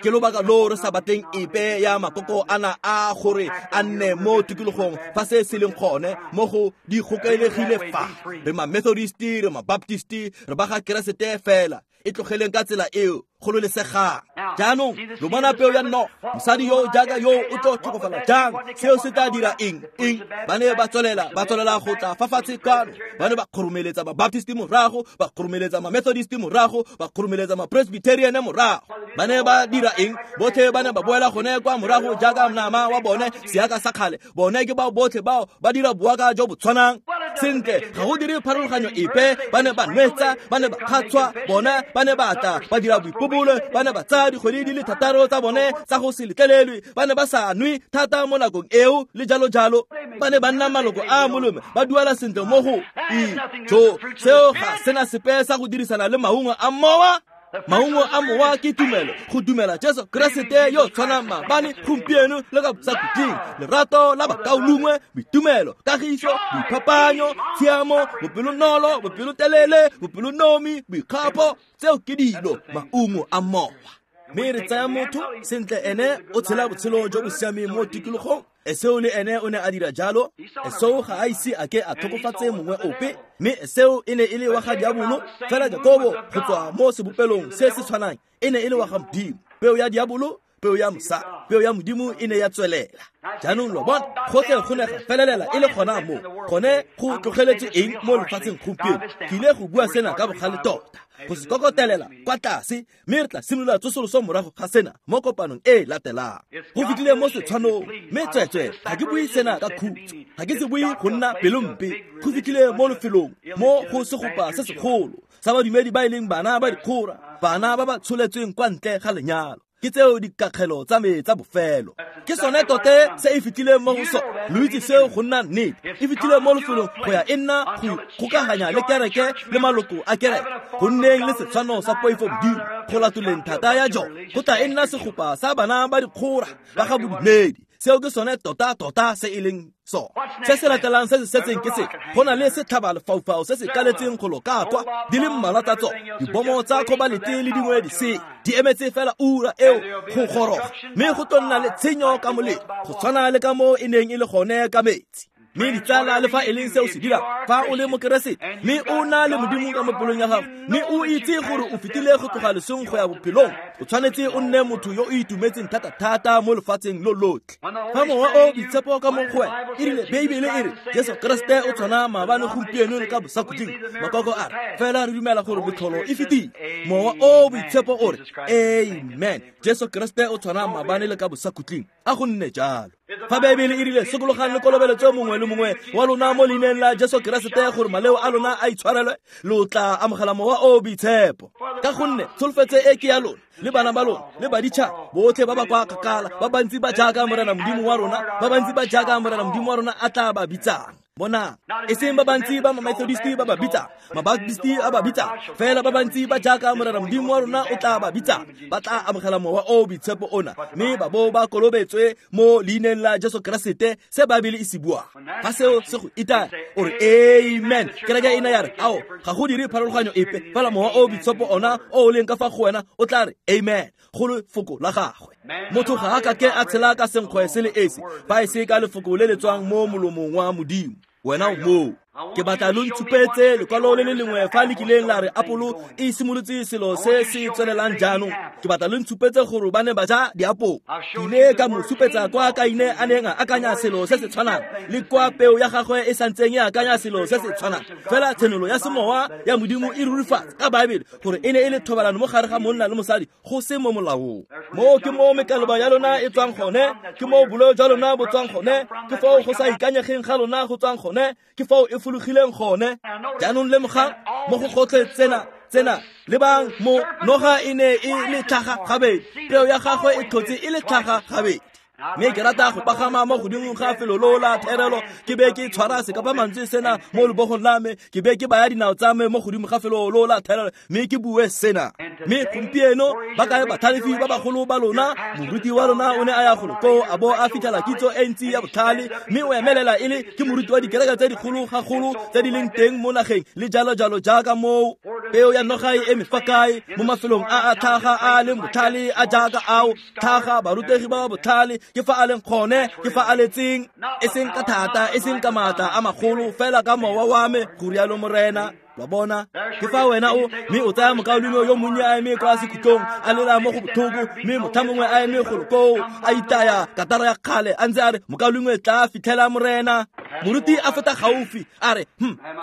Ke lobaka lo re sa batleng epe ya makoko ana a gore a nne mo tikologong fa se se leng gone mo go di gokelegile fa. Re ma Methodist, re ma Baptist, re ba ga Keresete fela. E tlogeleng ka tsela eo, kgololesegang. Jaanong lo bona peo ya noga, mosadi yo jaaka yo o tlo tlhokofala jang? Seo se tla dira eng? Eng? Ba ne ba tswelela go tla fa fatshe kwano. Ba ne ba kgoromeletsa ba-Baptist morago, ba kgoromeletsa ma-Methodist morago, ba kgoromeletsa ma-Presbyterian morago. Ba ne ba dira eng? Botlhe ba ne ba boela gone kwa morago jaaka nama wa bone, seaka sa kgale. Bone ke bao botlhe bao ba dira boaka jo bo tshwanang. Sentle, ga go dire pharologanyo epe. Ba ne ba nwetsa, ba ne ba kgatshwa, bona ba ne ba tla ba dira boipobolo, ba ne ba tsaya dikgwedi di le thataro tsa bone tsa go se letlelelwe, ba ne ba sa nwe thata mo nakong eo le jalo jalo. Ba ne ba nna maloko a molome, ba duela sentle mo go jo. Seo ga sena sepe sa go dirisana le maungo a mowa. Maungo a mowa ke tumelo, go dumela Jesu Keresete yo tshwanang maabane, gompieno le ka bosakhutleng. Lerato la bakaulengwe, boitumelo, kagiso, boiphapanyo, tshiamo, bopelonolo, bopelotelele, bopelonomi, boikgapo. Tseo ke dilo maungo a mowa. Mme re tsaya motho sentle, ene o tshela botshelo jo bo siameng mo tikologong. Esau le ene o ne a dira jalo. Esau ga a ise a ke a tlhokofatse mongwe ope, mme Esau e ne e le wa ga diabolo. Fela Jakobo go tswa mo sebopelong se se tshwanang e ne e le wa ga Modimo. Peo ya diabolo, peo ya mosadi, peo ya Modimo e ne ya tswelela. Jaanong lo bona, gotlhe go ne ga felelela e le gona mo. Gone go tlogeletswe eng mo lefatsheng gompieno? Ke ile go bua sena ka bogale tota, go se kokotelela kwa tlase, mme re tla simolola tsosoloso morago ga sena mo kopanong e latelang. Go fitlhile mo setshwanong, mme tsweetswe ga ke bue sena ka khutso, ga ke se bue go nna pelompe. Go fitlhile mo lefelong mo go segopa se segolo sa badumedi ba e leng bana ba dikgora, bana ba ba tsholetsweng kwa ntle ga lenyalo. Ke tseo dikakgelo tsa me tsa bofelo. Ke sone tote se e fitlhileng mo go sone. Lo itse seo go nna nnete. E fitlhile mo lefelong go ya e nna go ikgokaganya le kereke le maloko a kereke, go nneng le setshwano sa poifo Modimo, go latoleng thata ya jone. Go tla e nna segopa sa bana ba dikgora ba ga bodumedi. Seo ke sone tota-tota se e leng sone. Se se latelang se se setseng ke se, go na le setlhaba lefaufau se se kaletseng go loka kwa, di le mmalwa tsa tsone, dibomo tsa kobalete le dingwe di se di emetse fela ura eo go goroga, mme go tlo nna le tshenyo ka molelo, go tshwana le ka mo e neng e le gone ka metsi. Mme ditsala, le fa e leng seo se dirang, fa o le mokeresete mme o na le Modimo ka mo pelong ya gago, mme o itse gore o fetile go tloga lesong go ya bophelong, o tshwanetse o nne motho yo o itumetseng thata-thata mo lefatsheng lo lotlhe. Fa mowa o boitshepo ka mo go wena, e rile Beibele e re Jesu Keresete o tshwana maabane, gompieno le ka bosakhutleng. Makoko a re fela re dumela gore metlholo e fetile. Mowa o boitshepo o re amen, Jesu Keresete o tshwana maabane le ka bosakhutleng. A go nne jalo. Fa Beibele e rile sokologang le kolobeletso mongwe le mongwe wa lona mo leineng la Jesu Keresete gore maleo a lona a itshwarelwe, lo tla amogela mowa o boitshepo. Ka gonne tsholofetso e ke ya lona le bana ba lona le baditšhaba botlhe ba ba kwa kgakala, ba bantsi ba jaaka Morena Modimo wa rona, ba bantsi ba jaaka Morena Modimo wa rona a tla ba bitsang. Bonang, e seng ba bantsi ba ma-Methodist ba ba bitsang, ma-Baptist a ba bitsang, fela ba bantsi ba jaaka Morena Modimo wa rona o tla ba bitsang, ba tla amogela mowa o boitshepo ona, mme ba bo ba kolobetswe mo leineng la Jesu Keresete, se Baebele e se buang. Fa seo se go itaya, o re amen. Kereke ena ya re ao, ga go dire pharologanyo epe, fela mowa o boitshepo ona o o leng ka fa go wena o tla re amen go lefoko la gagwe. Motho ga a ka ke a tshela ka senkgwe se le esi, fa e se ka lefoko le le tswang mo molomong wa Modimo. Wena o moo. Ke batla lo ntshupetse lekwalo le le lengwe fa le kileng la re apolo e simolotse selo se se tswelelang jaanong. Ke batla lo ntshupetse gore ba ne ba ja diapolo. Ke ile ka mo supetsa kwa Kaine a neng a akanya selo se se tshwanang, le kwa peo ya gagwe e santseng e akanya selo se se tshwanang. Fela tshenolo ya semowa ya Modimo e rurifatsa ka Baebele gore e ne e le thobalano mo gare ga monna le mosadi, go se mo molaong. Moo ke mo mekaloba ya lona e tswang gone, ke mo boleo jwa lona bo tswang gone, ke foo go sa ikanyegeng ga lona go tswang gone, ke foo e fologileng gone. Jaanong lemogang mo go gotlhe tsena lebang mo noga e ne e le tlhaga gabedi, peo ya gagwe e tlhotse e le tlhaga gabedi. Mme ke rata go pagama mo godimo ga felo lo la therelo, ke be ke tshwara sekapa mantswe sena mo lebogong la me, ke be ke baya dinao tsa me mo godimo ga felo lo la therelo, mme ke bue sena. Mme gompieno ba kae batlhalefi ba bagolo ba lona? Moruti wa lona o ne a ya golo koo a bo a fitlhela kitso e ntsi ya botlhale, mme o emelela e le ke moruti wa dikereke tse dikgolo gagolo tse di leng teng mo nageng le jalo jalo jaaka moo. Peo ya noga e eme fa kae? Mo mafelong a a tlhaga a leng botlhale a jaaka ao, tlhaga barutegi ba botlhale, ke fa a leng gone, ke fa a letseng, e seng ka thata, e seng ka maatla a magolo, fela ka mowa wa me, go rialo Morena. Lo a bona? Ke fa wena o mme o tsaya mokaulengwe yo monnye a eme kwa sekhutlong a lela mo go botlhoko, mme motho mongwe a eme golo koo a itaya katara ya kgale a ntse a re, mokaulengwe tla fitlhela morena. Moruti a feta gaufi a re,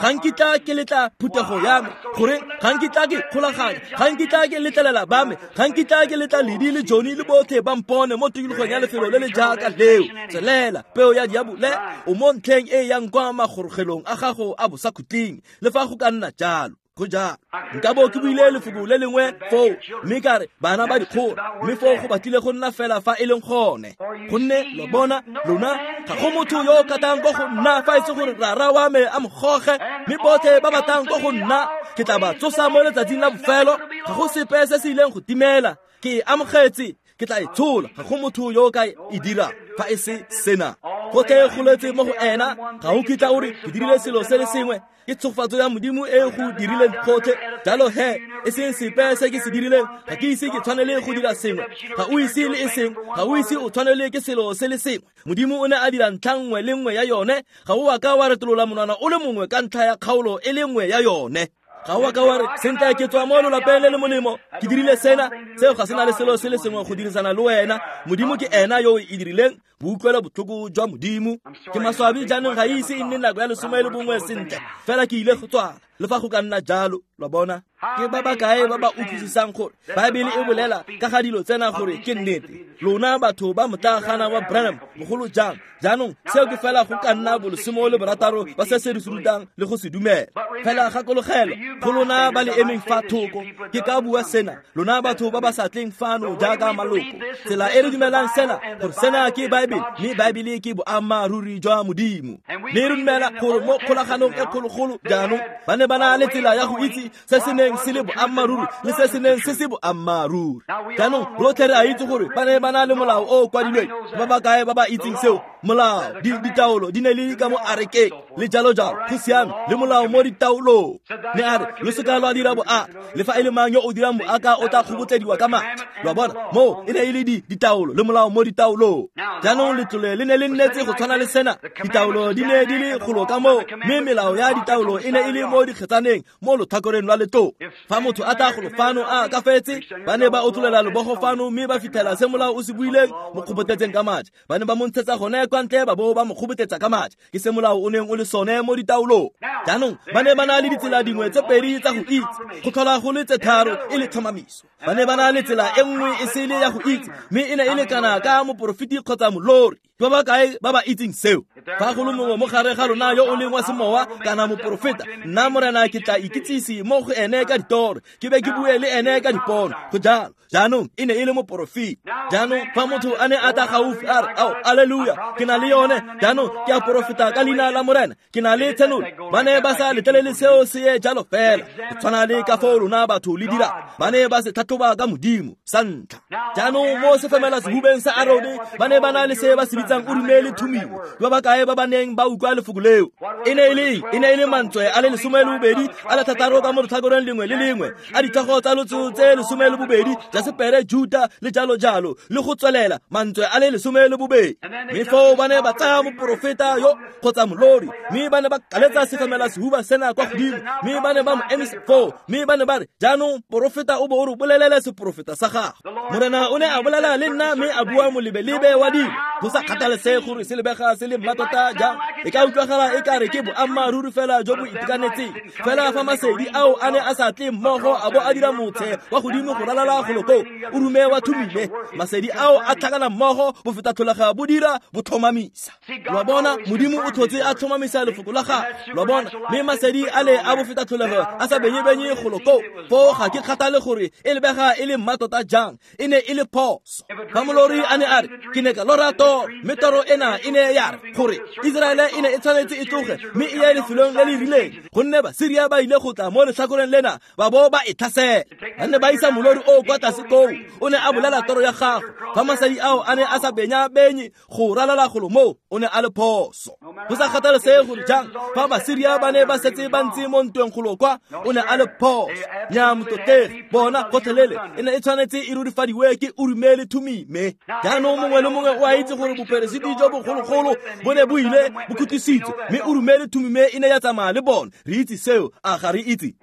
ga nkitla ke letla phuthego ya me, gore ga nkitla ke kgolaganya, ga nkitla ke letlelela ba me, ga nkitla ke letla Ledi le Johnny le botlhe ba mpone mo tikologong ya lefelo le le jaaka leo. Tswelela, peo ya diabole, o mo ntlheng e yang kwa magorogelong a gago a bosakhutleng, le fa go ka nna jalo. Go jalo. Nka bo ke buile lefoko le lengwe foo, mme ka re bana ba dikgolo, mme foo go batlile go nna fela fa e leng gone. Gonne lo bona, lona ga go motho yo o katang ko go nna fa e se gore rara wa me a mo goge, mme botlhe ba batlang ko go nna ke tla ba tsosa mo letsatsing la bofelo. Ga go sepe se se ileng go timela. Ke e amogetse, ke tla e tshola. Ga go motho yo o ka e dira fa e se sena. Gotlhe go letse mo go ena. Ga o kitla o re ke dirile selo se le sengwe, ke tshogofatso ya Modimo e go dirileng gotlhe. Jalo he, e seng sepe se ke se dirileng, ga ke ise ke tshwanele go dira sengwe. Ga o ise le e seng, ga o ise o tshwanele ke selo se le sengwe. Modimo o ne a dira ntlha nngwe le nngwe ya yone. Ga o a ka wa retolola monwana o le mongwe ka ntlha ya kgaolo e le nngwe ya yone. Ga o a ka wa re, sentle ke tswa mo lelapeng le le molemo, ke dirile sena. Seo ga se na le selo se le sengwe go dirisana le wena. Modimo ke ena yo o e dirileng. Boutlwela botlhoko jwa Modimo. Ke maswabi jaanong ga ise e nne nako ya 11 sentle, fela ke ile go tswala le fa go ka nna jalo. Lo bona? Ke ba ba kae ba ba utlwisisang gore Baebele e bolela ka ga dilo tsena gore ke nnete? Lona batho ba motlagana wa Branham bogolo jang. Jaanong seo ke fela go ka nna bo 16 ba se se re se rutang le go se dumela. Fela gakologelwa, go lona ba le emeng fa thoko, ke ka bua sena, lona batho ba ba sa tleng fano jaaka maloko, tsela e re dumelang sena, gore sena ke Baebele, mme Baebele ke boammaaruri jwa Modimo. Mme re dumela gore mo kgolaganong e kgologolo jaanong ba ne ba na le tsela ya go itse se se neng se le boammaaruri le se se neng se se boammaaruri. Jaanong rotlhe re a itse gore ba ne ba na le molao o o kwadilweng. Ba ba kae ba ba itseng seo? Molao, ditaolo di ne le ka mo arekeng le jalo jalo. Go siame, le molao mo ditaolong. Ne a re, lo seka lwa dira boaka, le fa e le mang yo o dirang boaka o tla kgobotlediwa ka matla. Lo a bona, moo e ne e le ditaolo le molao mo ditaolong. Jaanong letlole le ne le nnetse go tshwana le sena. Ditaolo di ne di le golo ka moo, mme melao ya ditaolo e ne e le mo dikgetsaneng mo lotlhakoreng lwa letlole. Fa motho a tla golo fano a ka fetse, ba ne ba otlolela lebogo fano mme ba fitlhela se molao o se buileng mo kgobotletseng ka matla. Ba ne ba mo ntshetsa gone kwa ntle ba bo ba mo kgobotletsa ka matla. Ke se molao o neng o le sone mo ditaolong. Jaanong ba ne ba na le ditsela dingwe tse pedi tsa go itse, go tlhola go le tse tharo e le tlhomamiso. Ba ne ba na le tsela e nngwe e sele ya go itse, mme e ne e le kana ka moporofeti kgotsa molori. Ke ba ba kae ba ba itseng seo? Fa go le mongwe mo gare ga lona yo o leng wa semowa kana moporofeta, nna morena ke tla ikitsise mo go ene ka ditoro, ke be ke bue le ene ka dipono. Go jalo. Jaanong e ne e le moporofeta. Jaanong fa motho a ne a tla gaufi a re, ao, alleluia, ke na le yone, jaanong ke a porofeta ka leina la morena, ke na le tshenolo. Ba ne ba sa letlelele seo se ye jalo fela, go tshwana le ka foo lona batho le dira. Ba ne ba se tlhatlhoba ka Modimo sa ntlha. Jaanong mo sefemela sehubeng sa Arone ba ne ba na le se ba se bitsang Urime le Thumime. Ba ba kae ba ba neng ba utlwa lefoko leo? E ne e le eng? E ne e le mantswe a le 12 a le 6 ka mo letlhakoreng lengwe le lengwe a ditlhogo tsa lotso tse 12, Jasepere, Juta le jalo jalo, le go tswelela, mantswe a le 12. Mme foo ba ne ba tsaya moporofeta yo kgotsa molori, mme ba ne ba kaletsa sefemela sehuba sena kwa godimo, mme ba ne ba mo emisa foo, mme ba ne ba re, jaanong porofeta o bo o re bolelele seporofeta sa gago. Morena o ne a bolela le nna mme a bua molebelebe wa dilo, go sa kgathalesege gore se lebega se le mmatota jang, e ka utlwagala e ka re ke boammaaruri fela jo bo itekanetseng. Fela fa masedi ao a ne a sa tle mmogo a bo a dira motshe wa godimo go ralala golo koo, o rume wa Thumime, masedi ao a tlhakana mmogo bo feta tlholega bo dira bo tlhomamisa. Lo bona, Modimo o tlhotse a tlhomamisa lefoko la gagwe. Lo bona, mme masedi a le a bo feta tlholego a sa benye-benye golo koo, foo ga ke kgathale gore e lebega e le mmatota jang, e ne e le phoso. Fa molori a ne a re, ke ne ka lora toro, mme toro ena e ne ya re gore Iseraele e ne e tshwanetse e tloge mme e ye lefelong le le rileng, gonne Basiria ba ile go tla mo letlhakoreng lena ba bo ba e tlhasela. Ba ne ba isa molori o kwa tlase koo, o ne a bolela toro ya gagwe. Fa masadi ao a ne a sa benya-benye go ralala golo moo, o ne a le phoso. Go sa kgathalesege gore jang, fa Basiria ba ne ba setse ba ntse mo ntweng golo kwa, o ne a le phoso. Nya motlotlegi, bona gotlhelele e ne e tshwanetse e rurifadiwe ke Urime le Thumime. Jaanong mongwe le mongwe o a itse itse gore boperesiti jo bogologolo bo ne bo ile bo khutlisitswe, mme Urime le Thumime e ne ya tsamaya le bone. Re itse seo, a ga re itse?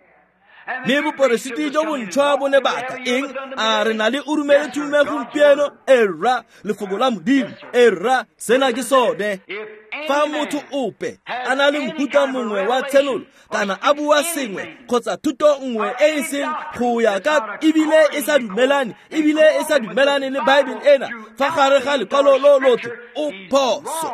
Mme boperesiti jo bontšhwa bo ne batla eng? A re na le Urime le Thumime gompieno? Erra, lefoko la Modimo. Erra, sena ke sone. Fa motho ope a na le mohuta mongwe wa tshenolo kana a bua sengwe kgotsa thuto nngwe e e seng go ya ka ebile e sa dumelane le Bible ena fa gare ga lekwalo lo lotlhe, o phoso.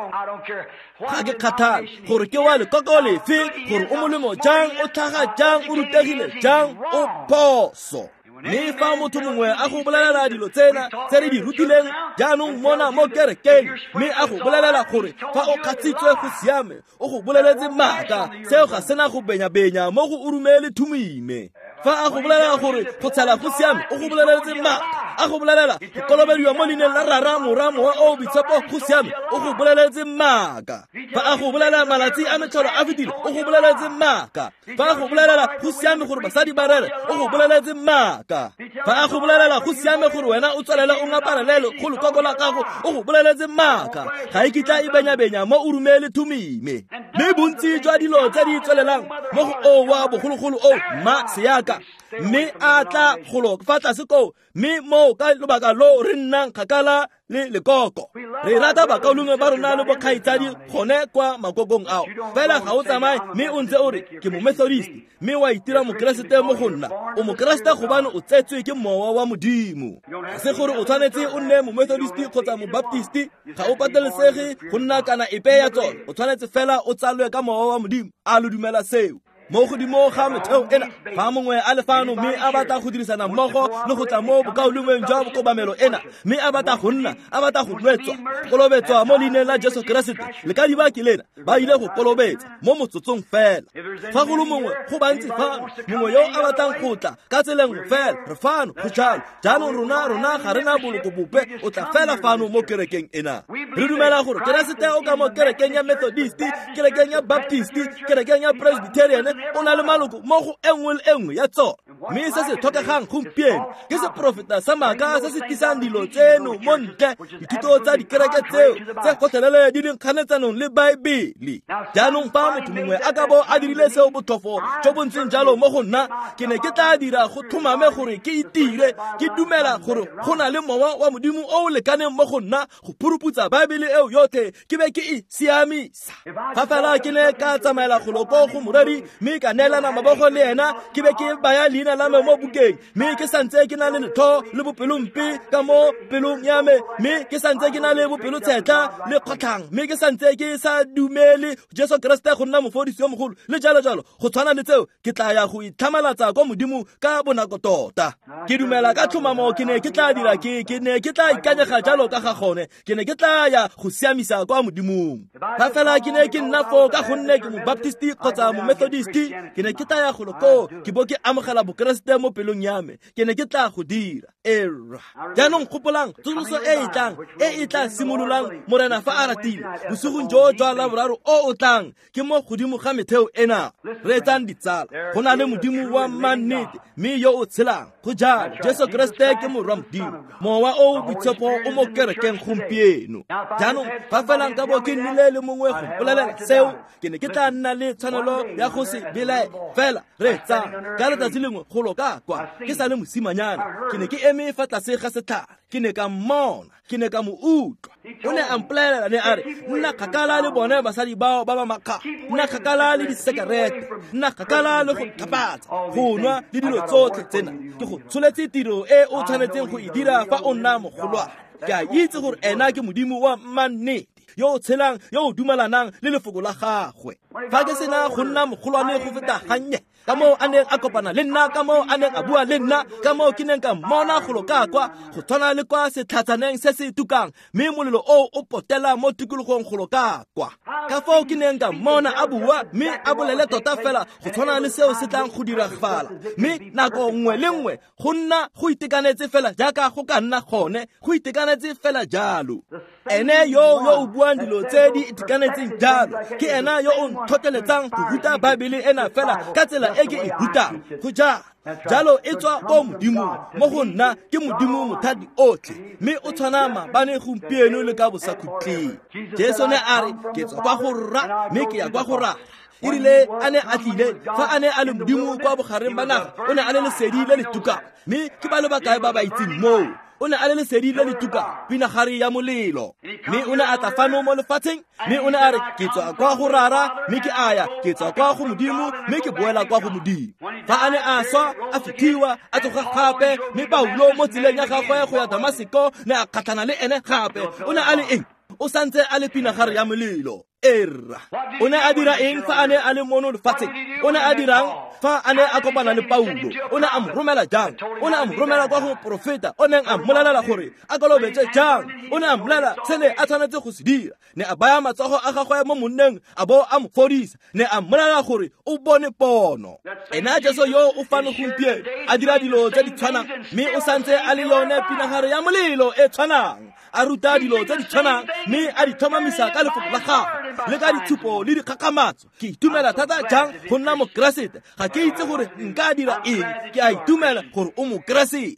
Ga ke kgathale gore ke wa lekoko lefe, gore o molemo jang, o tlhaga jang, o rutegile jang, o phoso. Mme fa motho mongwe a go bolelela dilo tsena tse re di rutileng jaanong mona mo kerekeng, mme a go bolelela gore fa o kgatsitswe go siame, o go boleletse maaka, seo ga sena go benya-benya mo go Urime le Thumime. Fa a go bolelela gore go tshela go siame, o go boleletse maaka. A go bolelela go kolobediwa mo leineng la Rara, Morwa, Mowa o o Boitshepo go siame, o go boleletse maaka. Fa a go bolelela malatsi a metlholo a fetile, o go boleletse maaka. Fa a go bolelela go siame gore basadi ba rere, o go boleletse maaka. Fa a go bolelela go siame gore wena o tswelele o ngaparelele go lekoko la gago, o go boleletse maaka. Ga e kitla e benya-benya mo Urime le Thumime. Mme bontsi jwa dilo tse di tswelelang mo go o wa bogologolo o mma seaka, mme a tla golo fa tlase koo, mme moo ka lobaka lo re nnang kgakala le lekoko. Re rata bakaulengwe ba rona le bokgaitsadi gone kwa makokong ao, fela ga o tsamaye mme o ntse o re ke momethodist, mme wa itira mokeresete mo go nna. O mokeresete gobane o tsetswe ke mowa wa Modimo. Ga se gore o tshwanetse o nne momethodist kgotsa mobaptist, ga o patelesege go nna kana epe ya tsone. O tshwanetse fela o tsalwe ka mowa wa Modimo. A lo dumela seo? Mo godimo ga metheo ena, fa mongwe a le fano mme a batla go dirisana mmogo le go tla mo bokaulengweng jwa kobamelo ena, mme a batla go nna, a batla go nwetswa, kolobetswa mo leineng la Jesu Keresete, le ka diba ke lena, ba ile go kolobetsa mo motsotsong fela. Fa go le mongwe, go bantsi fano, mongwe yo a batlang go tla ka tsela nngwe fela, re fano, go jalo. Jaanong rona ga rena boloko bope, o tla fela fano mo kerekeng ena. Re dumela gore Keresete o ka mo kerekeng ya Methodist, kerekeng ya Baptist, kerekeng ya Presbyterian, o na le maloko mo go e nngwe le e nngwe ya tsone. Mme se se tlhokegang gompieno ke seprofeta sa maaka se se tlisang dilo tseno mo ntle, dithuto tsa dikereke tseo tse gotlhelele di leng kganetsanong le Baebele. Jaanong fa motho mongwe a ka bo a dirile seo botlhofo jo bo ntseng jalo mo go nna, ke ne ke tla dira go tlhomame gore ke itire, ke dumela gore go na le mowa wa Modimo o o lekaneng mo go nna go phuruputsa Baebele eo yotlhe ke be ke e siamisa. Fa fela ke ne ka tsamaela golo ko go moreri mme ka neelana mabogo le ena, ke be ke baya leina la me mo bukeng, mme ke santse ke na le letlho le bopelompe ka mo pelong ya me, mme ke santse ke na le bopelotshetlha le kgotlhang, mme ke santse ke sa dumele Jesu Keresete go nna mofodisi yo mogolo le jalo jalo, go tshwana le tseo, ke tla ya go itlhamalatsa kwa Modimo ka bonako tota. Ke dumela ka tlhomamo ke ne ke tla dira, ke ne ke tla ikanyega jalo ka ga gone, ke ne ke tla ya go siamisa kwa Modimong. Fa fela ke ne ke nna foo ka gonne ke mobaptist kgotsa momethodist, ke ne ke tla ya golo koo ke bo ke amogela bokeresete mo pelong ya me, ke ne ke tla go dira. Era. Jaanong gopolang tsosoloso e e tlang, e e tla simololang Morena fa a ratile, bosigong jo jwa Laboraro o o tlang, ke mo godimo ga metheo ena. Reetsang ditsala, go na le Modimo wa mannete mme yo o tshelang. Go jalo, Jesu Keresete ke morwa Modimo. Mowa o o Boitshepo o mo kerekeng gompieno. Jaanong fa fela nka bo ke nnile le mongwe go mpolelela seo, ke ne ke tla nna le tshwanelo ya go se belaele. Fela reetsang, ka letsatsi lengwe golo ka kwa ke sa le mosimanyana, ke ne ke eme fa tlase ga setlhare, ke ne ka mmona, ke ne ka mo utlwa. O ne a mpolelela, ne a re, nna kgakala le bone basadi bao ba ba makga, nna kgakala le disekerete, nna kgakala le go tlhapatsa, go nwa le dilo tsotlhe tsena. Ke go tsholetse tiro e o tshwanetseng go e dira fa o nna mogolwane. Ke a itse gore ena ke Modimo wa mannete, yo o tshelang, yo o dumelanang le lefoko la gagwe. Fa ke sena go nna mogolwane go feta gannye, ka moo a neng a kopana le nna, ka moo a neng a bua le nna, ka moo ke neng ka mmona golo ka kwa, go tshwana le kwa setlhatsaneng se se tukang, mme molelo oo o potela mo tikologong golo ka kwa. Ka foo ke neng ka mmona a bua mme a bolele tota fela go tshwana le seo se tlang go diragala, mme nako nngwe le nngwe go nna go itekanetse fela jaaka go ka nna gone, go itekanetse fela jalo. Ene yo o buang dilo tse di itekanetseng jalo ke ena yo o ntlhotlheletsang go ruta Baebele ena fela ka tsela e ke e rutang go jalo jalo e tswa ko Modimong mo go nna ke Modimo mothati otlhe mme o tshwana maabane gompieno le ka bosakhutleng. Jesu ne a re ke tswa kwa go Rra mme ke ya kwa go Rara. E rile a ne a tlile fa a ne a le Modimo kwa bogareng ba naga o ne a le lesedi le le tukang mme ke ba le bakae ba ba itseng moo. O ne a le lesedi le le tukang pinagare ya molelo mme o ne a tla fano mo lefatsheng mme o ne a re ke tswa kwa go Rara mme ke a ya ke tswa kwa go Modimo mme ke boela kwa go Modimo. Fa a ne a swa a fitlhiwa a tsoga gape mme Paulo mo tseleng ya gagwe go ya Damaseko ne a kgatlhana le ene gape. O ne a le eng? O santse a le pinagare ya molelo. Erra o ne a dira eng fa a ne a le mono lefatsheng? O ne a dirang fa a ne a kopana le Paulo? O ne a mo romela jang? O ne a mo romela kwa go moporofeta o neng a mmolelela gore a kolobetse jang? O ne a mmolelela se ne a tshwanetse go se dira. Ne a baya matsogo a gagwe mo monneng a bo a mo fodisa. Ne a mmolelela gore o bone pono. Ena Jesu yo o fano gompieno a dira dilo tse di tshwanang mme o santse a le yone pinagare ya molelo e tshwanang, a ruta dilo tse di tshwanang mme a di tlhomamisa ka lefoko la gagwe le ka ditshupo le dikgakgamatso. Ke itumela thata jang go nna Mokeresete. Ga ke itse gore nka dira eng. Ke a itumela gore o Mokeresete.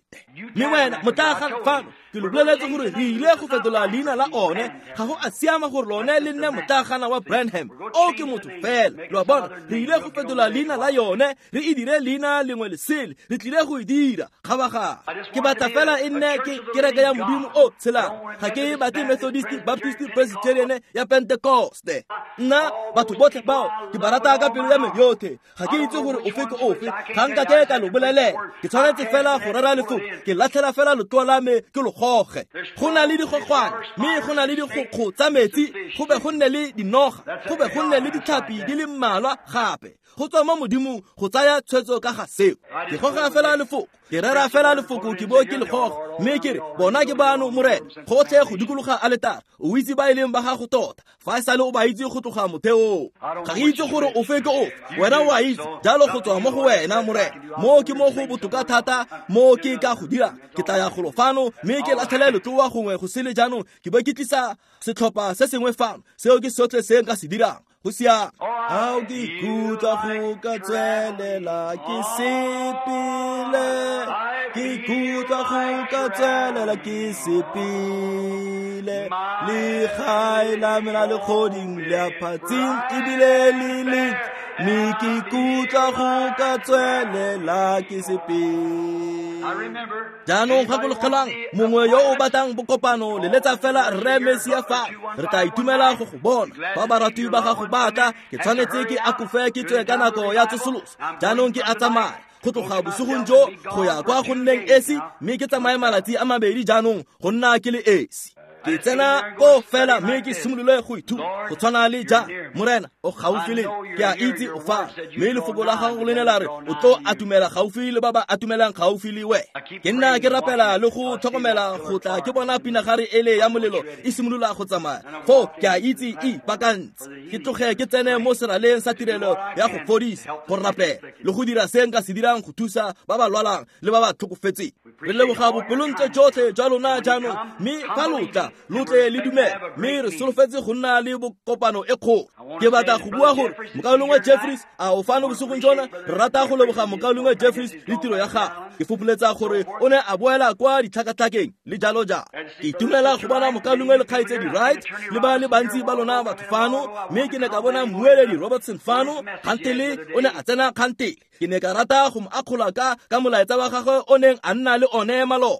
Mme wena motlaaga fano ke lo boleletse gore re ile go fetola leina la one. Ga go a siama gore lone le nne motlagana wa Branham. O ke motho fela. Lo a bona, re ile go fetola leina la yone, re e dire leina lengwe le sele. Re tlile go e dira kgabagare. Ke batla fela e nne ke kereke ya Modimo o tshelang. Ga ke batle Methodist, Baptist, Presbyterian ya Pentecoste. Nna batho botlhe bao ke ba rata ka pelo ya me yotlhe. Ga ke itse gore ofe ke ofe. Ga nka ke ka lo bolelela. Ke tshwanetse fela go rera lefoko. Ke latlhela fela letloa la me ke lo goge. Go na le digogwane mme go na le digokgo tsa metsi, go be go nne le dinoga, go be go nne le ditlhapi di le mmalwa gape. Go tswa mo Modimong go tsaya tshwetso ka ga seo. Ke goga fela lefoko, ke rera fela lefoko, ke bo ke le goga mme ke re bona ke bano Morena gotlhe go dikologa aletara. O itse ba e leng ba gago tota fa e sale o ba itse go tloga motheong. Ga ke itse gore ofe ke ofe, wena o a itse jalo go tswa mo go wena Morena. Mo ke mo go botoka thata mo ke ka go dira. Ke tla ya golo fano mme ke latlhele letloa gongwe go sele jaanong ke bo ke tlisa setlhopha se sengwe fano. Seo ke sotlhe se nka se dirang. Go siame. Ga ke ikutlwa go ka tswelela ke sepele, ke ikutlwa go ka tswelela ke sepele. Legae la me la legodimo le a phatsing ebile le lentle, mme ke ikutlwa go ka tswelela ke sepele. Jaanong gakologelwang mongwe yo o batlang bokopano leletsa fela Rre Mesia fa re tla itumela go go bona. Fa baratwi ba gago ba tla, ke tshwanetse ke akofe ke tswe ka nako ya tsosoloso. Jaanong ke a tsamaya go tloga bosigong jo go ya kwa go nneng esi, mme ke tsamaye malatsi a mabedi jaanong go nna ke le esi. Ke tsena ko fela mme ke simolole go ithuta go tshwana le ja Morena o gaufi le ke a itse o fa mme lefoko la gago le ne la re o tlo atumela gaufi le ba ba atumelang gaufi le we. Ke nna ke rapela le go tlhokomela go tla ke bona pinagare ele ya molelo e simolola go tsamaya. Foo ke a itse e ipaakantse. Ke tloge ke tsene mo seraleng sa tirelo ya go fodisa, go rapela le go dira se nka se dirang go thusa ba ba lwalang le ba ba tlhokofetseng. Re leboga bopelontle jotlhe jwa lona jaanong, mme fa lo tla lo tle le dumele mme re solofetse go nna le bokopano e kgolo. Ke batla go bua gore mokaulengwe Jeffries a o fano bosigong jona. Re rata go leboga mokaulengwe Jeffries le tiro ya gagwe. Ke fopholetsa gore o ne a boela kwa ditlhakatlhakeng le jalo jalo. Ke itumela go bona mokaulengwe le kgaitsedi Wright le ba le bantsi ba lona batho fano, mme ke ne ka bona mmueledi Robertson fano kgantele o ne a tsena kgantele. Ke ne ka rata go mo akgola ka molaetsa wa gagwe o neng a nna le one maloba.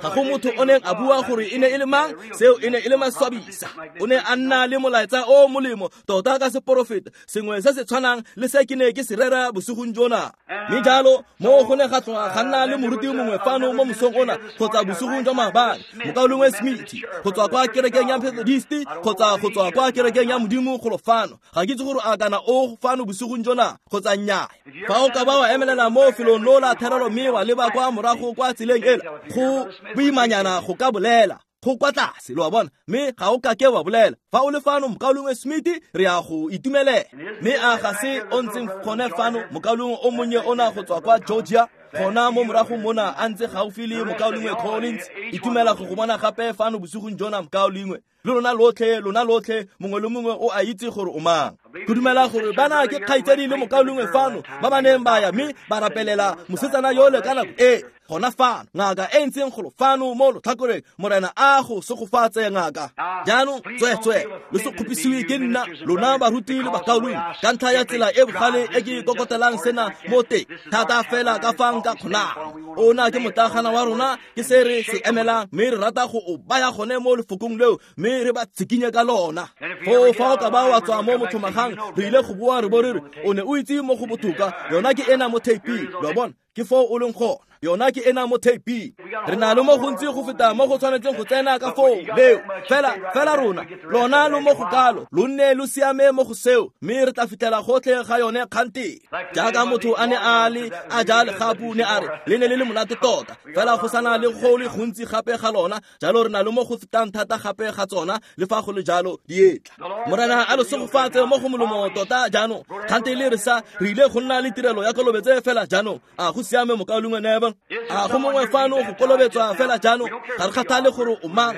Ga go motho o neng a bua gore e ne e le mang, seo e ne e le maswabisa. O ne a nna le molaetsa o molemo tota ka seporofeta sengwe se se tshwanang le se ke ne ke se rera bosigong jona. Mme jalo mo go ne ga tloga ga nna le moruti mongwe fano mo mosong ona kgotsa bosigong jwa maabane, mokaulengwe Smith go tswa kwa kerekeng ya Methodist kgotsa go tswa kwa kerekeng ya Modimo golo fano. Ga ke itse gore a kana o fano bosigong jona kgotsa nnyaa. Fa o ka ba wa emelela mo felong lo la therelo mme wa leba kwa morago kwa tseleng ela, go boimanyana go ka bolela go kwa tlase, lo a bona, mme ga o kake wa bolela. Fa o le fano mokaulengwe Smith, re ya go itumelela. Mme a ga se o ntseng gone fano mokaulengwe o monnye ona go tswa kwa Georgia, gona mo morago mona a ntse gaufi le mokaulengwe Collins. Itumela go go bona gape fano bosigong jona mokaulengwe. Le lona lotlhe, mongwe le mongwe o a itse gore o mang. Ke dumela gore bana ke kgaitsedi le mokaulengwe fano ba ba neng ba ya mme ba rapelela mosetsana yole ka nako e gona fano ngaka e ntseng golo fano mo lotlhakoreng. Morena a go segofatse ngaka. Jaanong tsweetswee lo se kgopisiwe ke nna lona baruti le bakaulengwe ka ntlha ya tsela e bogale e ke kokotelang sena mo teng thata fela ka fa nka kgonang. Ona ke motlagana wa rona, ke se re se emelang, mme re rata go o baya gone mo lefokong leo mme re ba tshikinye ka lona. Foo fa o ka ba wa tswa mo mothomagang, re ile go boa re bo re re o ne o itse mo go botoka, yona ke ena mo theiping. Lo a bona, ke foo o leng gona, yona ke ena mo theiping. Re na le mo gontsi go feta mo go tshwanetseng go tsena ka foo leo, fela rona lona lo mo go kalo, lo nne lo siame mo go seo, mme re tla fitlhela gotlhe ga yone kganteng. Jaaka motho a ne a le a ja legapu, ne a re le ne le le monate tota, fela go sana le go le gontsi gape ga lona, jalo re na le mo go fetang thata gape ga tsona, le fa go le jalo di etla. Morena a lo segofatse mo go molomo tota jaanong. Kgante le re sa re ile go nna le tirelo ya kolobetse fela jaanong. A go siame mokaulengwe Neville? A go mongwe fano go kolobetswa fela jaanong? Ga re kgathale gore o mang,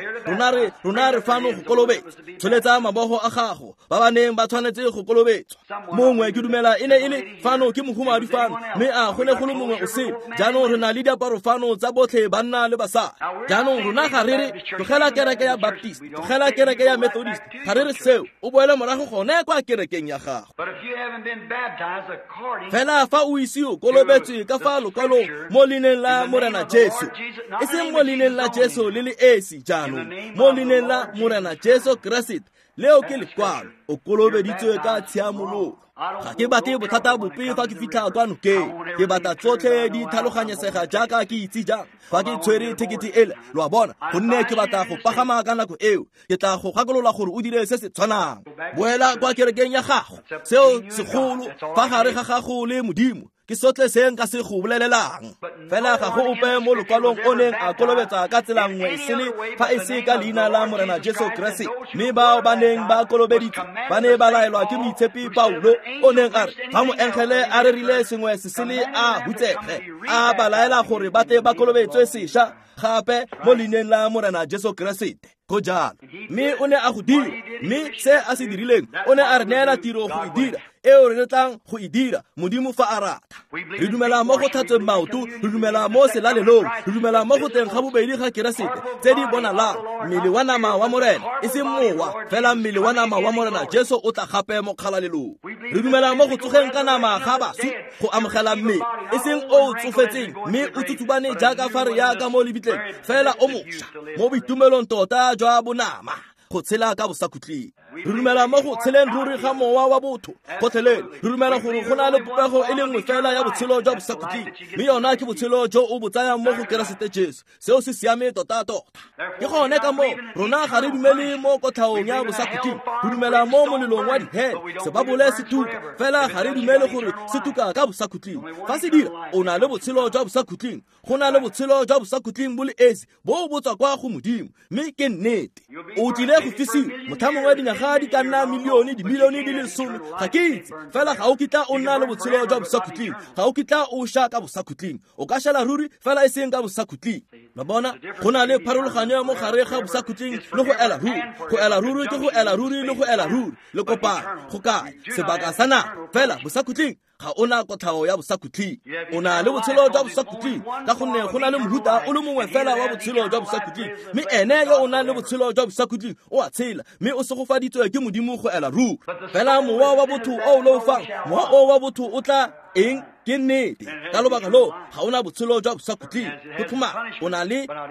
rona re fano go kolobetsa. Tsholetsa mabogo a gago ba ba neng ba tshwanetse go kolobetswa. Mongwe ke dumela e ne e le fano ke mohumadi fano, mme a go ne go le mongwe o sele. Jaanong re na le diaparo fano tsa botlhe banna le basadi. Jaanong rona ga re re tlogela kereke ya Baptist, tlogela kereke ya Methodist, ga re re seo, o boele morago gone kwa kerekeng ya gago. Fela fa o ise o kolobetswe ka fa lokwalong mo leineng la Morena Jesu, e seng mo leineng la Jesu le le esi jaanong, mo leineng la Morena Jesu Keresete, leo ke lekwalo, o kolobeditswe ka tshiamologo. Ga ke batle bothata bope fa ke fitlha kwa nokeng, ke batla tsotlhe di tlhaloganyesega jaaka ke itse jang fa ke tshwere thekete ele, lo a bona, gonne ke batla go pagama ka nako eo. Ke tla go gakolola gore o dire se se tshwanang. Boela kwa kerekeng ya gago, seo segolo fa gare ga gago le Modimo, ke sotlhe se nka se go bolelelang. Fela ga go ope mo lokwalong o neng a kolobetsa ka tsela nngwe e sele fa e se ka leina la Morena Jesu Keresete. Mme bao ba neng ba kolobeditswe ba ne ba laelwa ke moitshepi Paulo, o neng a re fa moengele a rerile sengwe se sele a hutsege, a ba laela gore ba tle ba kolobetswe sešwa gape mo leineng la Morena Jesu Keresete. Go jalo. Mme o ne a go dira, mme se a se dirileng, o ne a re neela tiro go e dira, eo re tlang go e dira, Modimo fa a rata. Re dumela mo go tlhatsweng maoto, re dumela mo selalelong, re dumela mo go teng ga bobedi ga Keresete, tse di bonalang, mmele wa nama wa Morena, e seng mowa, fela mmele wa nama wa Morena Jesu o tla gape mo kgalalelong. Re dumela mo go tsogeng ka nama ga baswi, go amogela mmele, e seng o o tsofetseng mme o tsutsubane jaaka fa re ya ka mo lebitleng, fela o mošwa mo boitumelong tota jwa bonama, go tshela ka bosakhutleng. Re dumela mo go tsheleng ruri ga mowa wa botho gotlhelele. Re dumela gore go na le popego e le nngwe fela ya botshelo jwa bosakhutleng, mme yona ke botshelo jo o bo tsayang mo go Keresete Jesu. Seo se siame tota-tota. Ke gone ka moo rona ga re dumele mo kotlhaong ya bosakhutleng, re dumela mo molelong wa dihele, sebabole se tuka, fela ga re dumele gore se tuka ka bosakhutleng. Fa se dira, o na le botshelo jwa bosakhutleng. Go na le botshelo jwa bosakhutleng bo le esi bo bo tswa kwa go Modimo, mme ke nnete. O tlile go fisiwa motlha mongwe dinyaga di ka nna milione, dimilione di le 10, ga ke itse, fela ga o kitla o nna le botshelo jwa bosakhutleng, ga o kitla o sha ka bosakhutleng. O ka shela ruri, fela e seng ka bosakhutleng. Lo bona, go na le pharologanyo mo gare ga bosakhutleng le go ela ruri. Go ela ruri ke go ela ruri le go ela ruri, le kopana go kae sebaka sa nako, fela bosakhutleng ga ona kotlhao ya bosakhutleng. O na le botshelo jwa bosakhutleng ka gonne go na le mohuta o le mongwe fela wa botshelo jwa bosakhutleng, mme ene yo o nang le botshelo jwa bosakhutleng o a tshela, mme o segofaditswe ke Modimo go ela ruri. Fela mowa wa botho o o leofang, mowa o wa botho o tla eng? Ke nnete. Ka lobaka loo ga ona botshelo jwa bosakhutleng. Go tlhoma o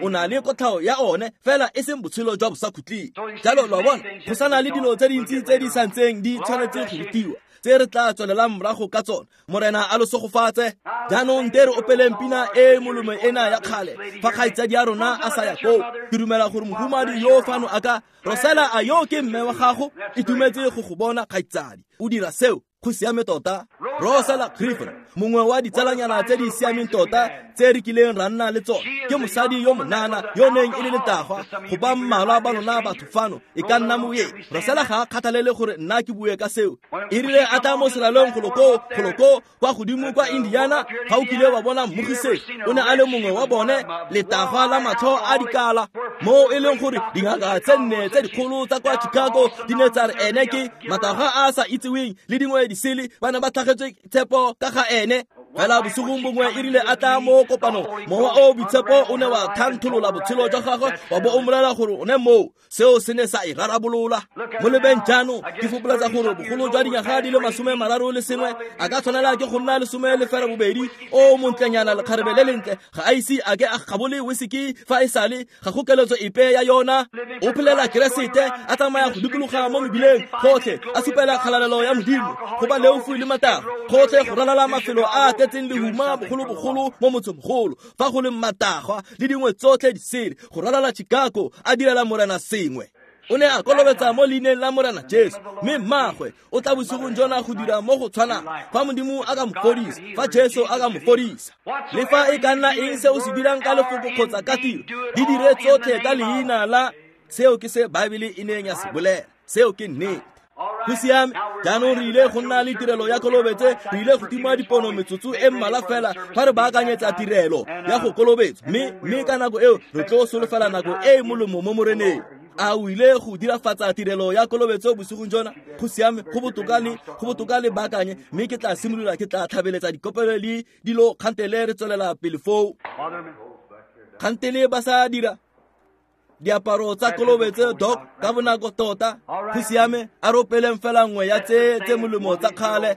na le kotlhao ya one, fela e seng botshelo jwa bosakhutleng. Jalo lo a bona, go sana le dilo tse dintsi tse di santseng di tshwanetse go rutiwa, tse re tla tswelelang morago ka tsona. Morena a lo segofatse. Jaanong te re opeleng pina e molomo ena ya kgale fa kgaitsadi ya rona a sa ya koo. Ke dumela gore mohumadi yo fano a ka Rosela, a yo ke mme wa gago? Itumetse go go bona kgaitsadi. O dira seo, go siame tota. Rosela Griffin. Mongwe wa ditsalanyana tse di siameng tota tse re kileng ra nna le tsone ke mosadi yo monana yo neng e le letagwa go ba mmalwa ba lona batho fano e ka nna moyeng. Rosela ga a kgathalele gore nna ke bue ka seo. E rile a tla mo selalong goloko kwa godimo kwa Indiana, ga o kile wa bona mmogisegi, o ne a le mongwe wa bone, letagwa la matlho a dikala, mo e leng gore dingaka tse nne tse dikgolo tsa kwa Chicago di ne tsa re ene ke matagwa a sa itseweng le dingwe disele, ba ne ba tlhagetswe tshepo ka ga ene. Fela bosigong bongwe e rile a tla mo kopanong, mowa o boitshepo o ne wa thantholola botshelo jwa gagwe wa bo o mmolelela gore o ne moo. Seo se ne sa e rarabolola. Mo lebeng jaanong ke fopoletsa gore bogolo jwa dinyaga di le 31 a ka tshwanela ke go nna 12. O montlenyana lekgarebe le lentle, ga a ise a ke a gabole whisky fa e sale, ga go keletso epe ya yona. O phelela Keresete, a tsamaya go dikologa mo mebileng gotlhe, a supela kgalalelo ya Modimo go ba leofu le matagwa gotlhe go ralala mafelo a tletseng lehuma bogolobogolo mo motsengmogolo fa go leng matagwa le dingwe tsotlhe disele, go ralala Chicago a direla Morena sengwe. O ne a kolobetsa mo leineng la Morena Jesu, mme mmagwe o tla bosigong jona go dira mo go tshwanang fa Modimo a ka mo fodisa, fa Jesu a ka mo fodisa. Le fa e ka nna eng se o se dirang ka lefoko kgotsa ka tiro, di dire tsotlhe ka leina la. Seo ke se Baebele e neng ya se bolela. Seo ke nnete. Go siame. Jaanong re ile go nna le tirelo ya kolobetse, re ile go tima dipono metsotso e mmalwa fela fa re baakanyetsa tirelo ya go kolobetsa, mme ka nako eo re tlo solofela nako e e molemo mo Moreneng. A o ile go dirafatsa tirelo ya kolobetso bosigong jona? Go siame, go botoka le baakanye, mme ke tla simolola, ke tla tlhabeletsa dikopelo le dilo kgantele re tswelela pele foo. Kgantele ba sa dira diaparo tsa kolobetso dok ka bonako tota. Go siame, a ropeleng fela nngwe ya tse molemo tsa kgale,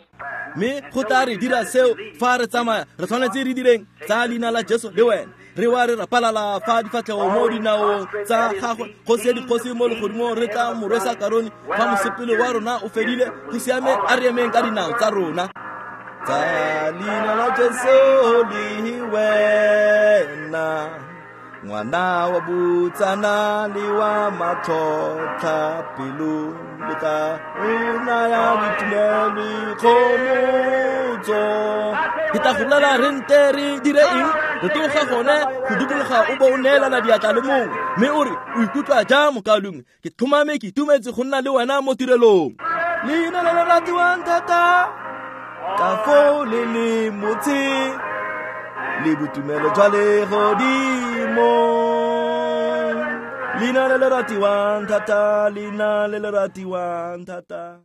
mme go tla re dira seo fa re tsamaya. Re tshwanetse re direng tsa leina la Jesu le wena. Re wa re rapalala fa difatlhego mo dinaong tsa gagwe, kgosi ya dikgosi mo legodimong, re tla mo rwesa karone fa mosepele wa rona o fedile. Go siame, a re emeng ka dinao tsa rona. Tsa leina la Jesu le wena, ngwana wa botsana le wa matlhotlha pelo, le tla o naya boitumelo kgomotso. Ke tla go bolela re nte re dire eng? Re tloga gone go dikologa o bo o neelana diatla le mongwe, mme o re o ikutlwa jang mokaulengwe? Ke tlhomame ke itumetse go nna le wena mo tirelong. Leina le le ratiwang thata ka foo le le motse le boitumelo jwa legodimo. Leina le le ratiwang thata, leina le le ratiwang thata.